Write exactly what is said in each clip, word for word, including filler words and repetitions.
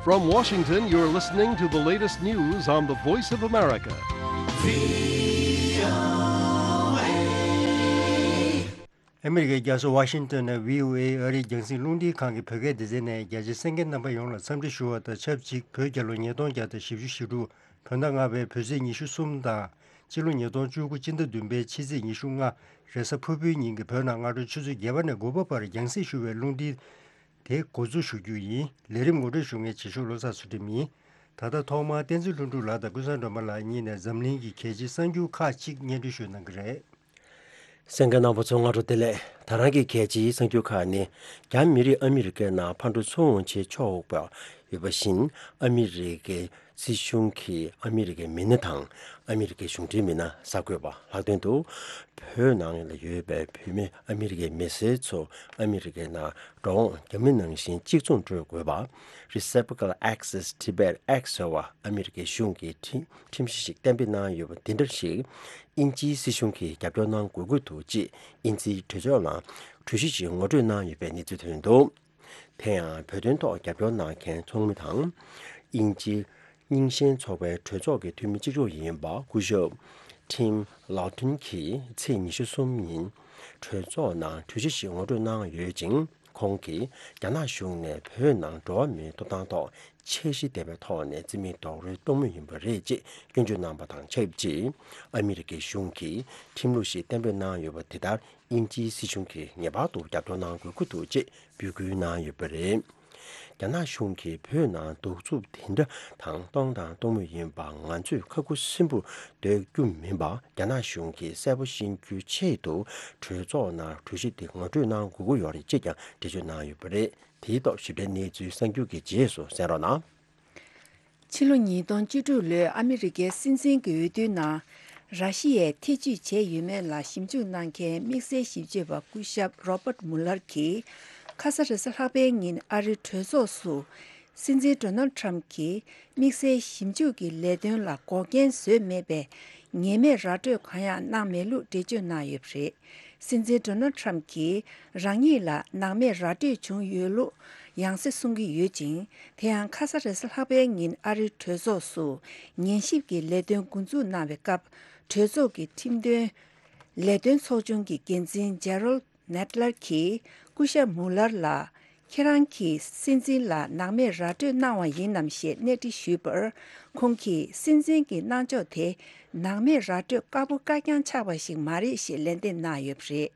From Washington, you're listening to the latest news on the Voice of America. ཨ་མི་རི་ཀའི་རྒྱལ་ས་ཝ་ཤིང་ཏོན་ནས་ཝི་ཨོ་ཨེ་ཨ་རིའི་རྒྱང་སྲིང་རླུང་འཕྲིན་ཁང་གི་བོད་སྐད་སྡེ་ཚན་ནས་རྒྱ་ཆེའི་གསན་མཁན་རྣམ་པ་ཡོངས་ལ་འཚམས་འདྲི་ཞུ་བ་དང་ཆབས་ཅིག་བོད་རྒྱལ་ལོ་ཉིས་སྟོང་བརྒྱ་དང་བཞི་བཅུ་ཞེ་དྲུག་བོད་ཟླ་ལྔ་པའི་བོད་ཚེས་ཉི་ཤུ་གསུམ་དང་། སྤྱི་ལོ་ཉིས་སྟོང་བཅུ་དགུ་སྤྱི་ཟླ་བདུན་པའི་ཕྱི་ཚེས་ཉི་ཤུ་ལྔ་རེས་གཟའ་ཕུར་བུའི་ཉིན་གྱི་བོད་ནང་སྔ་དྲོ་ཆུ་ཚོད་བརྒྱད་པ་ནས་དགུ་པ་བར་རྒྱང་སྲིང་ཞུ་བའི་རླུང་འཕྲིན་དེ་འགོ་འཛུགས་ཞུ་རྒྱུ་ཡིན། ལས་རིམ་ངོ་སྤྲོད་ཞུ་མཁན་རྗེས་ཕྱོགས་བློ་བཟང་ཚུལ་ཁྲིམས་ཡིན། ད་ལྟ་ཐོག་མར་བསྟན་འཛིན་ལྷུན་གྲུབ་ལགས་དང་ཀུན་བཟང་སྒྲོལ་མ་ལགས་གཉིས་ནས་འཛམ་གླིང་གི་གལ་ཆེའི་གསར་འགྱུར་ཁག་ཅིག་སྙན་སྒྲོན་ཞུ་གནང་གི་རེད། གསན་མཁན་རྣམ་པ་ཚོ་སྔ་དྲོ་བདེ་ལེགས། ད་རང་གི་གལ་ཆེའི་གསར་འགྱུར་ཁག་ནི། རྒྱ་མི་རིགས་ཨ་མི་རི་ཀའི་ནང་ཕར་འགྲོ་ཚུར་འོང་བྱེད་ཆོག་པ་ཡོད་པ་བཞིན། ཨ་མི་རི་ཀའི་སྲིད་གཞུང་གིས་ཨ་མི་རི་ཀའི་མི་སྣ་དང་ཨ་མི་རི་ཀའི་གཞུང་འབྲེལ་མི་སྣ་གསར་འགོད་པ་ལྷག་དོན་དུ། བོད་ནང་ལ་ཡོད་པའི་བོད་མི་ཨ་མི་རི་ཀའི་མི་སེར་ཚོ་ཨ་མི་རི་ཀའི་ནང་འགྲོ་འོང་རྒྱ་མི་ནང་བཞིན་གཅིག་མཚུངས་སྤྲོད་དགོས་པ། Reciprocal Access Tibet Act ཟེར་བ་ཨ་མི་རི་ཀའི་གཞུང་གིས་ཁྲིམས་ཁྲིམས་གཞི་ཞིག་གཏན་འབེབས་གནང་ཡོད་པ་དེ་འདྲ་ཞིག་དབྱིན་ཇིའི་སྲིད་གཞུང་གིས་རྒྱབ་སྐྱོར་གནང་དགོས་ཀྱི་འདུག་ཅེས་དབྱིན་ཇིའི་གྲོས་ཚོགས་ནང་གྲོས་གཞི་ཞིག་ངོ་སྤྲོད་གནང་ཡོད་པའི་གནས་ཚུལ་ཐོན་འདུག་དེ་ཡང་བོད་དོན་ཐོག་རྒྱབ་སྐྱོར་གནང་མཁན་ཚོགས་མི་དང་། དབྱིན་ཇི་རྙིང་ཞེན་ཚོགས་པའི་གྲོས་ཚོགས་ཀྱི་འཐུས་མི་གཅིག་ལྕོགས་ཡིན་པ་སྐུ་ཞབས་ཊིམ་ལའོ་ཊོན་གྱིས་ཚེས་ཉི་ཤུ་གསུམ་ཉིན་གྲོས་ཚོགས་ནང་གྲོས་གཞི་ཞིག་ངོ་སྤྲོད་གནང་ཡོད་ཅིང་། ཁོང་གིས་རྒྱ་ནག་གཞུང་ནས་བོད་ནང་འགྲོ་བ་མིའི་ཐོབ་ཐང་ཐོག་ཆེས་གཞི་ལྡན་པའི་ཐོག་ནས་རྩིས་མེད་རྡོག་རོལ་གཏོང་མུས་ཡིན་པ་རེད་ཅེས་སྐྱོན་བརྗོད་གནང་པ་དང་ཆབས་ཅིག་ཨ་མི་རི་ཀའི་གཞུང་གིས་ཁྲིམས་ལུགས་ཤིག་གཏན་འབེབས་གནང་ཡོད་པ་དེ་ལྟར། དབྱིན་ཇིའི་སྲིད་གཞུང་གིས་ངེས་པར་དུ་རྒྱབ་སྐྱོར་གནང་དགོས་ཀྱི་འདུག་ཅེས་འབོད་སྐུལ་གནང་ཡོད་པ་རེད། རྒྱ་ནག་གཞུང་གིས་བོད་ནང་གདུག་རྩུབ་དེ་འདྲ་དང་གཏོང་དང་གཏོང་མུས་ཡིན་པ་ང་ཚོས་ཁ་ཁུ་སིམ་པོར་སྡོད་རྒྱུ་མིན་པ། རྒྱ་ནག་གཞུང་གིས་གསལ་པོ་ཤེས་རྒྱུའི་ཆེད་དུ་གྲོས་ཚོགས་ནང་གྲོས་གཞི་དེ་ངོ་སྤྲོད་གནང་དགོས་ཀྱི་ཡོད་རེད་ཅེས་ཀྱང་འགྲེལ་བརྗོད་གནང་ཡོད་པ་རེད། དེའི་ཐོག་ཞིབ་ཕྲའི་གནས་ཚུལ་གསར་འགྱུར་གྱི་རྗེས་སུ་གསན་རོགས་གནང་། ཕྱི་ལོ་ཉིས་སྟོང་བཅུ་དྲུག་ལོའི་ཨ་མི་རི་ཀའི་སྲིད་འཛིན་གྱི་འོས་བསྡུའི་ནང་། ར་ཤི་ཡས་ཐེ་ཇུས་བྱས་ཡོད་མེད་ལ་ཞིབ་འཇུག་གནང་མཁན་དམིགས་བསལ་ཞིབ་དཔྱོད་པ་སྐུ་ཞབས་རོ་པར་མུ་ལར་གྱིས། ཁ་ས་རེས་གཟའ་ལྷག་པའི་ཉིན་ཨ་རིའི་གྲོས་ཚོགས་སུ། སྲིད་འཛིན་ཌོ་ནལ་ཊམ་གྱིས་དམིགས་བསལ་ཞིབ་འཇུག་གི་ལས་དོན་ལ་འགོག་རྐྱེན་བཟོས་མེད་པའི་ངེས་མེད་ར་སྤྲོད་གང་ཡང་གནང་མེད་ལུགས་འགྲེལ་བརྗོད་གནང་ཡོད་པ་རེད། སྲིད་འཛིན་ཌོ་ནལ་ཊམ་གྱིས་རང་ཉིད་ལ་ནང་མི་ར་སྤྲོད་བྱུང་ཡོད་ལུགས་ཡང་སེ་གསུང་གི་ཡོད་ཅིང་། དེ་ཡང་ཁ་ས་རེས་གཟའ་ལྷག་པའི་ཉིན་ཨ་རིའི་གྲོས་ཚོགས་སུ་ཉན་ཞིབ་ཀྱི་ལས་དོན་འགོ་འཛུགས་གནང་བའི་སྐབས། གྲོས་ཚོགས་ཀྱི་ཁྲིམས་དོན་ལས་དོན་ཚོགས་ཆུང་གི་འགན་འཛིན་ཇེ་རོལ་ནེད་ལར་གྱིས་སྐུ་ཞབས་མུ་ལར་ལ། ཁྱེད་རང་གིས་སྲིད་འཛིན་ལ་ནང་མི་ར་སྤྲོད་གནང་བ་ཡིན་ནམ་ཞེས་གནས་འདྲི་ཞུས་པར། ཁོང་གིས་སྲིད་འཛིན་གྱི་གནང་ཕྱོགས་དེ་ནང་མི་ར་སྤྲོད་དཀར་པོ་དཀར་རྐྱང་ཆགས་པ་ཞིག་མ་རེད་ཞེས་ལན་འདེབས་གནང་ཡོད་པ་རེད།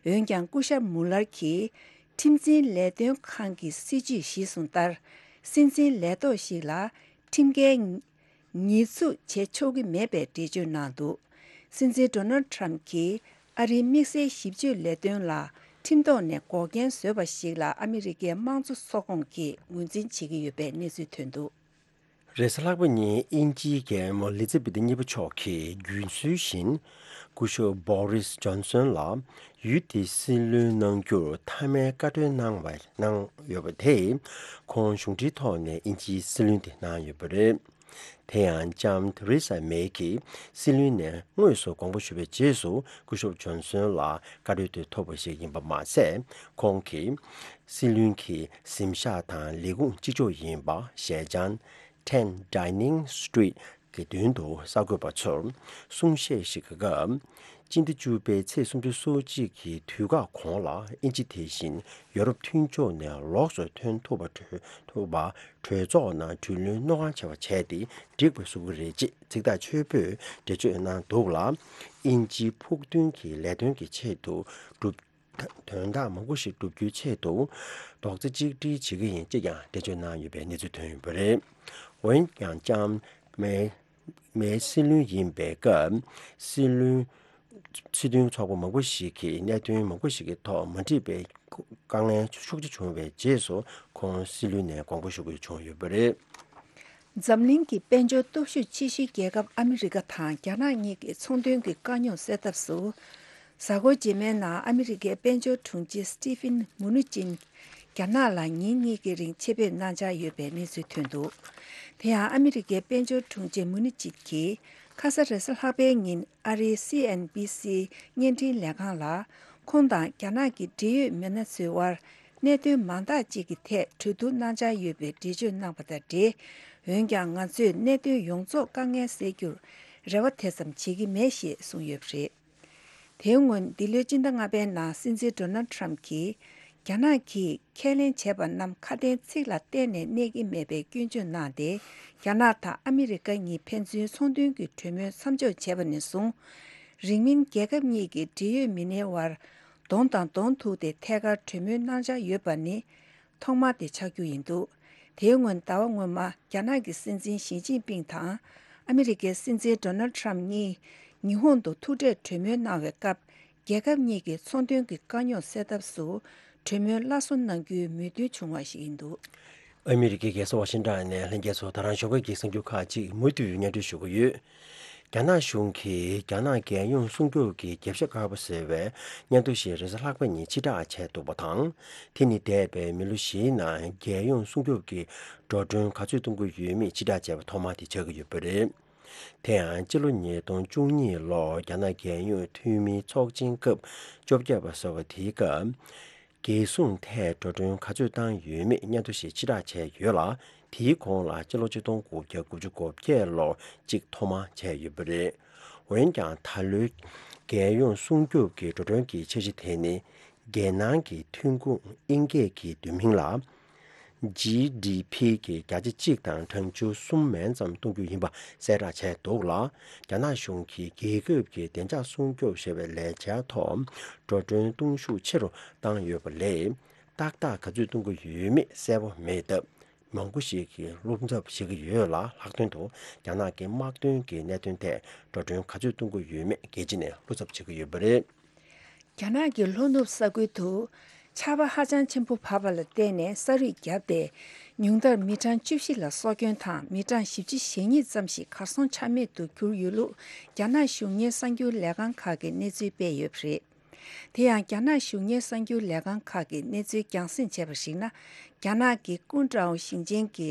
འོན་ཀྱང་སྐུ་ཞབས་མུ་ལར་གྱིས་ཁྲིམས་འཛིན་ལས་དོན་ཁང་གི་སྲིད་བྱུས་གཞིར་བཟུང་ལྟར། སྲིད་འཛིན་ལས་ཐོག་ཞིག་ལ་ཁྲིམས་འགལ་ཉེས་འཛུགས་བྱེད་ཆོག་གི་མེད་པའི་འགྲེལ་བརྗོད་གནང་འདུག་སྲིད་འཛིན་ཌོ་ནལ་ཊམ་གྱིས་ཨ་རིའི་དམིགས་བསལ་ཞིབ་དཔྱོད་ལས་དོན་ལ་ཁྲིམས་ཐོག་ནས་འགོག་རྐྱེན་བཟོས་པ་ཞིག་ལ་ཨ་མི་རི་ཀའི་དམངས་གཙོ་ཚོགས་ཁོངས་ཀྱིས་ངོས་འཛིན་བྱེད་ཀྱི་ཡོད་པའི་གནས་ཚུལ་ཐོན་འདུག་རེས་གཟའ་ལྷག་པ་ཉིན་དབྱིན་ཇིའི་རྒྱལ་མོ་ལི་ཛི་བེ་ཐི་གཉིས་པ་མཆོག་གིས་རྒྱུན་སྲོལ་བཞིན་སྐུ་ཞབས་བོ་རིས་ཇོན་སོན་ལ་ཡུལ་དེའི་སྲིད་བློན་གནང་རྒྱུར་མཐའ་མའི་བཀའ་འཁྲོལ་གནང་བ་གནང་ཡོད་པ་དེས། ཁོང་གཞུང་འབྲེལ་ཐོག་ནས་དབྱིན་ཇིའི་སྲིད་བློན་དེ་གནང་ཡོད་པ་རེད། དེ་ཡང་ལྕམ་ཐེ་རེ་ས་མེ་གིས་སྲིད་བློན་ནས་དངོས་སུ་དགོངས་པ་ཞུ་བའི་རྗེས་སུ་སྐུ་ཞབས་ཇོན་སོན་ལ་བཀའ་འཁྲོལ་དེ་ཐོབ་པ་ཞིག་ཡིན་པ་མ་ཟད། ཁོང་གིས་སྲིད་བློན་གྱི་གཟིམ་ཤག་དང་ལས་ཁུངས་གཅིག་ལྕོགས་ཡིན་པ་ཞལ་བྱང་Ten Downing Street གི་མདུན་དུ་གསར་འགོད་པ་ཚོར་གསུང་བཤད་ཞིག་གི་སྐབས། སྤྱི་ཟླ་བཅུ་པའི་ཚེས་སུམ་ཅུ་སོ་གཅིག་གི་དུས་བཀག་གོང་ལ་དབྱིན་ཇི་དེ་བཞིན་ཡོ་རོབ་མཐུན་ཕྱོགས་ནས་ལོགས་སུ་ཐོན་ཐུབ་པ་གྲོས་ཐུབ་པ་གྲོས་ཚོགས་ནང་གྲོས་བློན་དངོས་གང་བྱ་བ་བྱས་ཏེ་འགྲིག་པ་བཟོ་གི་རེད་ཅེས་ཚིག་ཐག་ཆོད་པོས་འགྲེལ་བརྗོད་གནང་འདུག་ལ། དབྱིན་ཇིའི་ཕུགས་འདུན་གྱི་ལས་དོན་གྱི་ཆེད་དུ་སྒྲུབ་དོན་དག་མང་པོ་ཞིག་བསྒྲུབ་རྒྱུའི་ཆེད་དུ་རྡོག་རྩ་གཅིག་སྒྲིལ་བྱེད་ཀྱི་ཡིན་ཅེས་ཀྱང་འགྲེལ་བརྗོད་གནང་ཡོད་པའི་གནས་ཚུལ་ཐོན་ཡོད་པ་རེད། འོན་ཀྱང་ལྕམ་མེ་མེ་སྲིད་བློན་ཡིན་པའི་སྐབས་སྲིད་བློན་སྲིད་དོན་ཚོགས་པ་མང་པོ་ཞིག་གིས་གནད་དོན་མང་པོ་ཞིག་གི་ཐོག་མ་འགྲིག་པའི་དཀའ་ངལ་ཤུགས་ཆེ་བྱུང་བའི་རྗེས་སུ་ཁོང་སྲིད་བློན་ནས་དགོངས་པ་ཞུ་དགོས་བྱུང་ཡོད་པ་རེད། འཛམ་གླིང་གི་དཔལ་འབྱོར་སྟོབས་ཤུགས་ཆེ་ཤོས་རྒྱལ་ཁབ་ཨ་མི་རི་ཀ་དང་རྒྱ་ནག་གཉིས་ཀྱི་ཚོང་དོན་གྱི་དཀའ་རྙོག་སེལ་ཐབས་སུ། གཟའ་འཁོར་རྗེས་མའི་ནང་ཨ་མི་རི་ཀའི་དཔལ་འབྱོར་དྲུང་ཆེ་སི་ཏི་ཕིན་མུ་ནུ་ཅིན་རྒྱ་ནག་ལ་ཉིན་གཉིས་ཀྱི་རིང་ཆེད་ཕེབས་གནང་འཆར་ཡོད་པའི་གནས་ཚུལ་ཐོན་འདུག་དེ་ཡང་ཨ་མི་རི་ཀའི་དཔལ་འབྱོར་དྲུང་ཆེ་མུ་ནུ་ཅིན་གྱིས་ཁ་ས་རེས་གཟའ་ལྷག་པའི་ཉིན་ཨ་རིའི་སི་ཨེན་བྷི་སི་བརྙན་འཕྲིན་ལས་ཁང་ལ། ཁོང་དང་རྒྱ་ནག་གི་འབྲེལ་ཡོད་མི་སྣ་ཚོའི་དབར་ གནད་དོན་མང་དག་ཅིག་གི་ཐད་གྲོས་བསྡུར་གནང་འཆར་ཡོད་པའི་འགྲེལ་བརྗོད་གནང་བ་དང་འབྲེལ། འོན་ཀྱང་ང་ཚོས་གནད་དོན་ཡོངས་རྫོགས་དཀའ་ངལ་སེལ་རྒྱུར་རེ་བ་དེ་ཙམ་བྱེད་ཀྱི་མེད་ཞེས་གསུངས་ཡོད་པ་རེད། དེའི་སྔོན་འདི་ལོའི་སྤྱི་ཟླ་ལྔ་པའི་ནང་སྲིད་འཛིན་ཌོ་ནལ་ཊམ་གྱིས། རྒྱ་ནག་གིས་ཁས་ལེན་བྱས་པ་རྣམས་ཁ་དན་ཚིག་ལ་བརྟེན་ནས་གནས་ཀྱི་མེད་པའི་སྐྱོན་བརྗོད་གནང་སྟེ། རྒྱ་ནག་དང་ཨ་མི་རི་ཀ་གཉིས་ཕན་ཚུན་ཚོང་དོན་གྱི་གྲོས་མོལ་མཚམས་འཇོག་བྱས་པ་ནས་བཟུང་། རིང་མིན་རྒྱལ་ཁབ་གཉིས་ཀྱི་འབྲེལ་ཡོད་མི་སྣའི་དབར་གདོང་དང་གདོང་ཐུག་སྟེ་ཐད་ཀར་གྲོས་མོལ་གནང་འཆར་ཡོད་པ་ནི། ཐོག་མ་དེ་ཆགས་རྒྱུ་ཡིན་འདུག་དེའི་སྔོན་ཟླ་བ་སྔོན་མ་རྒྱ་ནག་གི་སྲིད་འཛིན་ཞི་ཅིན་ཕིང་དང་ཨ་མི་རི་ཀའི་སྲིད་འཛིན་ཌོ་ནལ་ཊམ་གཉིས་ཉི་ཧོང་དུ་ཐུག་འཕྲད་གྲོས་མོལ་གནང་བའི་སྐབས། རྒྱལ་ཁབ་གཉིས་ཀྱི་ཚོང་དོན་གྱི་དཀའ་རྙོག་སེལ་ཐབས་སུ་གྲོས་མོལ་སླར་གསོ་གནང་རྒྱུའི་མོས་མཐུན་བྱུང་བ་ཞིག་ཡིན་འདུག་ཨ་མི་རི་ཀའི་རྒྱལ་ས་ཝ་ཤིང་ཊོན་ནས་ལྷན་རྒྱས་ཚོ་ད་རང་ཞོགས་ཀས་ཀྱི་གསར་འགྱུར་ཁག་ཅིག་མུ་མཐུད་སྙན་སྒྲོན་ཞུ་གི་ཡོད། རྒྱ་ནག་གཞུང་གིས་རྒྱ་ནག་རྒྱལ་ཡོངས་སྲུང་སྐྱོབ་ཀྱི་རྒྱབ་ཤ་དཀར་པོ་ཟེར་བའི་སྙན་ཐོ་ཞིག་རེས་གཟའ་ལྷག་པ་ཉིན་ཕྱིར་བསྒྲགས་བྱས་འདུག་པ་དང་། དེ་ནི་འདས་པའི་མི་ལོ་བཞིའི་ནང་རྒྱལ་ཡོངས་སྲུང་སྐྱོབ་ཀྱི་འགྲོ་གྲོན་ག་ཚོད་གཏོང་གི་ཡོད་མེད་ཕྱིར་བསྒྲགས་བྱས་པ་ཐོག་མ་དེ་ཆགས་ཀྱི་ཡོད་པ་རེད། དེ་ཡང་སྤྱི་ལོ་ཉིས་སྟོང་བཅུ་གཉིས་ལོར་རྒྱ་ནག་རྒྱལ་ཡོངས་འཐུས་མིའི་ཚོགས་ཆེན་སྐབས་བཅོ་བརྒྱད་པ་ཟེར་བ་དེའི་སྐབས། རྒྱལ་སྲུང་ཐད་འགྲོ་གྲོན་ག་ཚོད་བཏང་ཡོད་མེད་སྙན་ཐོ་ཞིག་ཕྱིར་བསྒྲགས་བྱས་ཡོད་ལ། དེའི་གོང་ལ་སྤྱི་ལོ་ཆིག་སྟོང་དགུ་བརྒྱ་དགུ་བཅུ་གོ་བརྒྱད་ལོར་གཅིག་ཐོག་མར་བྱས་ཡོད་པ་རེད། འོན་ཀྱང་ད་ལོའི་རྒྱལ་ཡོངས་སྲུང་སྐྱོབ་ཀྱི་འགྲོ་གྲོན་གྱི་འཆར་གཞི་དེ་ནི། རྒྱལ་ནང་གི་ཐོན་ཁུངས་དབྱིན་སྐད་ཀྱི་བསྡུས་མིང་ལ། ཇི་ཌི་ཕི་གི་བརྒྱ་ཆ་གཅིག་དང་གྲངས་ཆུང་གསུམ་མན་ཙམ་གཏོང་རྒྱུ་ཡིན་པ་གསལ་བསྒྲགས་བྱས་འདུག་ལ། རྒྱ་ནག་གཞུང་གིས་རྒྱལ་ཁབ་ཀྱི་བདེ་འཇགས་སྲུང་སྐྱོབ་ཞེས་པའི་ལས་འཆར་ཐོག་འགྲོ་གྲོན་གཏོང་ཤུགས་ཆེ་རུ་བཏང་ཡོད་པ་ལས། ཏག་ཏག་ག་ཚོད་གཏོང་གི་ཡོད་མེད་གསལ་པོ་མེད་སྟབས། མང་པོ་ཞིག་གིས་བློ་འཚབ་བྱེད་ཀྱི་ཡོད་ལ། ལྷག་དོན་དུ་རྒྱ་ནག་གི་དམག་དོན་གྱི་གནད་དོན་ཐད་འགྲོ་གྲོན་ག་ཚོད་གཏོང་གི་ཡོད་མེད་རྒྱལ་སྤྱི་ནས་བློ་འཚབ་བྱེད་ཀྱི་ཡོད་པ་རེད། རྒྱ་ནག་གི་ལྷོ་ནུབ་ས་ཁུལ་དུ་ཆར་པ་ཧ་ཅང་ཆེན་པོ་བབས་པ་ལ་བརྟེན་ནས་ས་རུད་བརྒྱབ་སྟེ། ཉུང་མཐར་མི་གྲངས་བཅུ་བཞི་ལ་སྲོག་སྐྱོན་དང་མི་གྲངས་བཞི་བཅུ་ཞེ་གཉིས་ཙམ་ཞིག་གར་སོང་ཆ་མེད་དུ་གྱུར་ཡོད་ལུགས་རྒྱ་ནག་གཞུང་གཉེར་གསར་འགྱུར་ལས་ཁང་ཁག་གིས་གནས་ཚུལ་སྤེལ་ཡོད་པ་རེད། དེ་ཡང་རྒྱ་ནག་གཞུང་གཉེར་གསར་འགྱུར་ལས་ཁང་ཁག་གིས་གནས་ཚུལ་རྒྱང་སྲིང་བྱས་པར་གཞིགས་ན། རྒྱ་ནག་གི་ཀུན་ཀྲའོ་ཞིང་ཆེན་གྱི་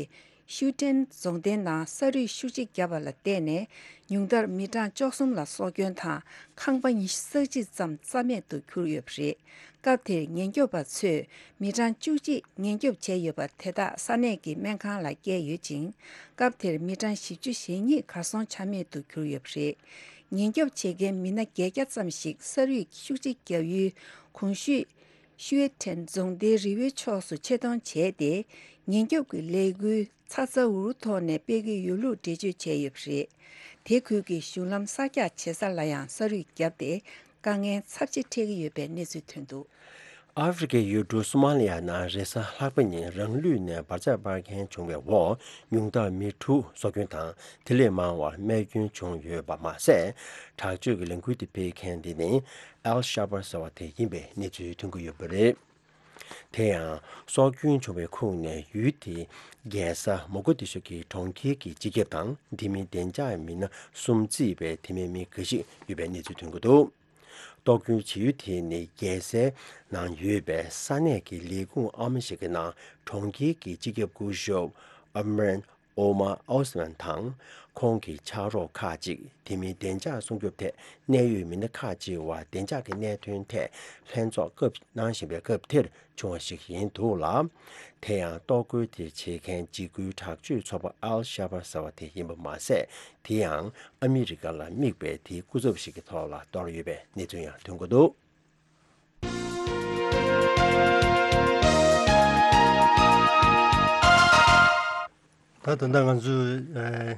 ཤུའུ་ཀྲེན་རྫོང་སྡེའི་ནང་ས་རུད་ཤུགས་ཆེ་བརྒྱབ་པ་ལ་བརྟེན་ནས། ཉུང་མཐར་མི་གྲངས་བཅུ་གསུམ་ལ་སྲོག་སྐྱོན་དང་ཁང་པ་ཉི་ཤུ་རྩ་གཅིག་ཙམ་རྩ་མེད་དུ་གྱུར་ཡོད་པ་རེད། སྐབས་དེར་ཉེན་སྐྱོབ་པ་ཚོས་མི་གྲངས་བཅུ་གཅིག་ཉེན་སྐྱོབ་བྱས་ཡོད་པ་དེ་དག་ས་གནས་ཀྱི་སྨན་ཁང་ལ་བསྐྱལ་ཡོད་ཅིང་། སྐབས་དེར་མི་གྲངས་བཞི་བཅུ་ཞེ་གཉིས་གར་སོང་ཆ་མེད་དུ་གྱུར་ཡོད་པ་རེད། ཉེན་སྐྱོབ་བྱེད་མཁན་མི་སྣ་བརྒྱད་བརྒྱ་ཙམ་ཞིག་ས་རུད་ཤུགས་ཆེ་བརྒྱབ་ཡུལ་གོང་ཞུས་ཤུའེ་ཁྲེན་རྫོང་སྡེའི་རི་བོའི་ཕྱོགས་སུ་ཆེད་གཏོང་བྱས་ཏེ། ཉེན་སྐྱོབ་ཀྱི་ལས་འགུལ་ཚ་ཚ་འུར་འུར་ཐོག་ནས་སྤེལ་གྱི་ཡོད་ལུགས་འགྲེལ་བརྗོད་བྱས་ཡོད་པ་རེད། དེ་ཁུལ་གྱི་གཞུང་ལམ་གསར་རྒྱག་བྱེད་ས་ལ་ཡང་ས་རུད་བརྒྱབ་སྟེ། དཀའ་ངལ་ཚབས་ཆེ་འཕྲད་ཀྱི་ཡོད་པའི་གནས་ཚུལ་ཐོན་འདུག་ཨ་ཧྥེ་རི་ཁའི་ཡུལ་གྲུ་སོ་མ་ལི་ཡ་ནང་རེས་གཟའ་ལྷག་པ་ཉིན་རང་ལུས་ནས་འབར་རྫས་སྤར་མཁན་བྱུང་བའི་འོག་ཉུང་མཐར་མི་དྲུག་སྲོག་སྐྱོན་དང་དེ་ལས་མང་བ་རྨས་སྐྱོན་བྱུང་ཡོད་པ་མ་ཟད། དྲག་སྤྱོད་ཀྱི་ལས་འགུལ་དེ་སྤེལ་མཁན་དེ་ནི་ཨལ་ཤ་བར་ཟེར་བ་དེ་ཡིན་པའི་གནས་ཚུལ་ཐོན་གྱི་ཡོད་པ་རེད། དེ་ཡང་སྲོག་སྐྱོན་བྱུང་བའི་ཁོངས་ནས་ཡུལ་དེའི་རྒྱལ་ས་མོ་གོ་དི་ཤོ་གི་གྲོང་ཁྱེར་གྱི་སྤྱི་ཁྱབ་དང་དེ་མིན་བདེ་འཇགས་མི་སྣ་གསུམ་བརྩིས་པའི་དེ་མིན་མི་འགའ་ཞིག་ཡོད་པའི་གནས་ཚུལ་ཐོན་གྱི་འདུག་གཏོར་སྐྱོན་བྱེད་ཡུལ་དེ་ནི་རྒྱལ་སའི་ནང་ཡོད་པའི་ས་གནས་ཀྱི་ལས་ཁུངས་ཨ་མ་ཞིག་གི་ནང་གྲོང་ཁྱེར་གྱི་སྤྱི་ཁྱབ་སྐུ་ཞབས་ཨ་མ་རན་ཨོ་མ་ཨོ་སི་མན་དང་ཁོང་གི་ཕྱག་རོགས་ཁག་ཅིག་དེ་མིན་བདེ་འཇགས་སྲུང་སྐྱོབ་ཐད་གནད་ཡོད་མི་སྣ་ཁག་ཅིག་བར་བདེ་འཇགས་ཀྱི་གནད་དོན་ཐད་ལྷན་ཚོགས་སྐབས་གནང་བཞིན་པའི་སྐབས་དེར་བྱུང་བ་ཞིག་ཡིན་འདུག་ལ། དེ་ཡང་གཏོར་རྒོལ་དེ་བྱེད་མཁན་འཇིགས་སྐུལ་དྲག་སྤྱོད་ཚོགས་པ་ཨལ་ཤ་བར་ཟེར་བ་དེ་ཡིན་པ་མ་ཟད། དེ་ཡང་ཨ་མི་རི་ཀ་ལ་དམིགས་པའི་དེའི་སྐུ་ཚབ་ཞིག་གི་ཐོག་ལ་གཏོར་ཡོད་པའི་གནས་ཚུལ་ཡང་ཐོན་གྱི་འདུག་ད་ད་ལྟ་ང་ཚོས་ཨ་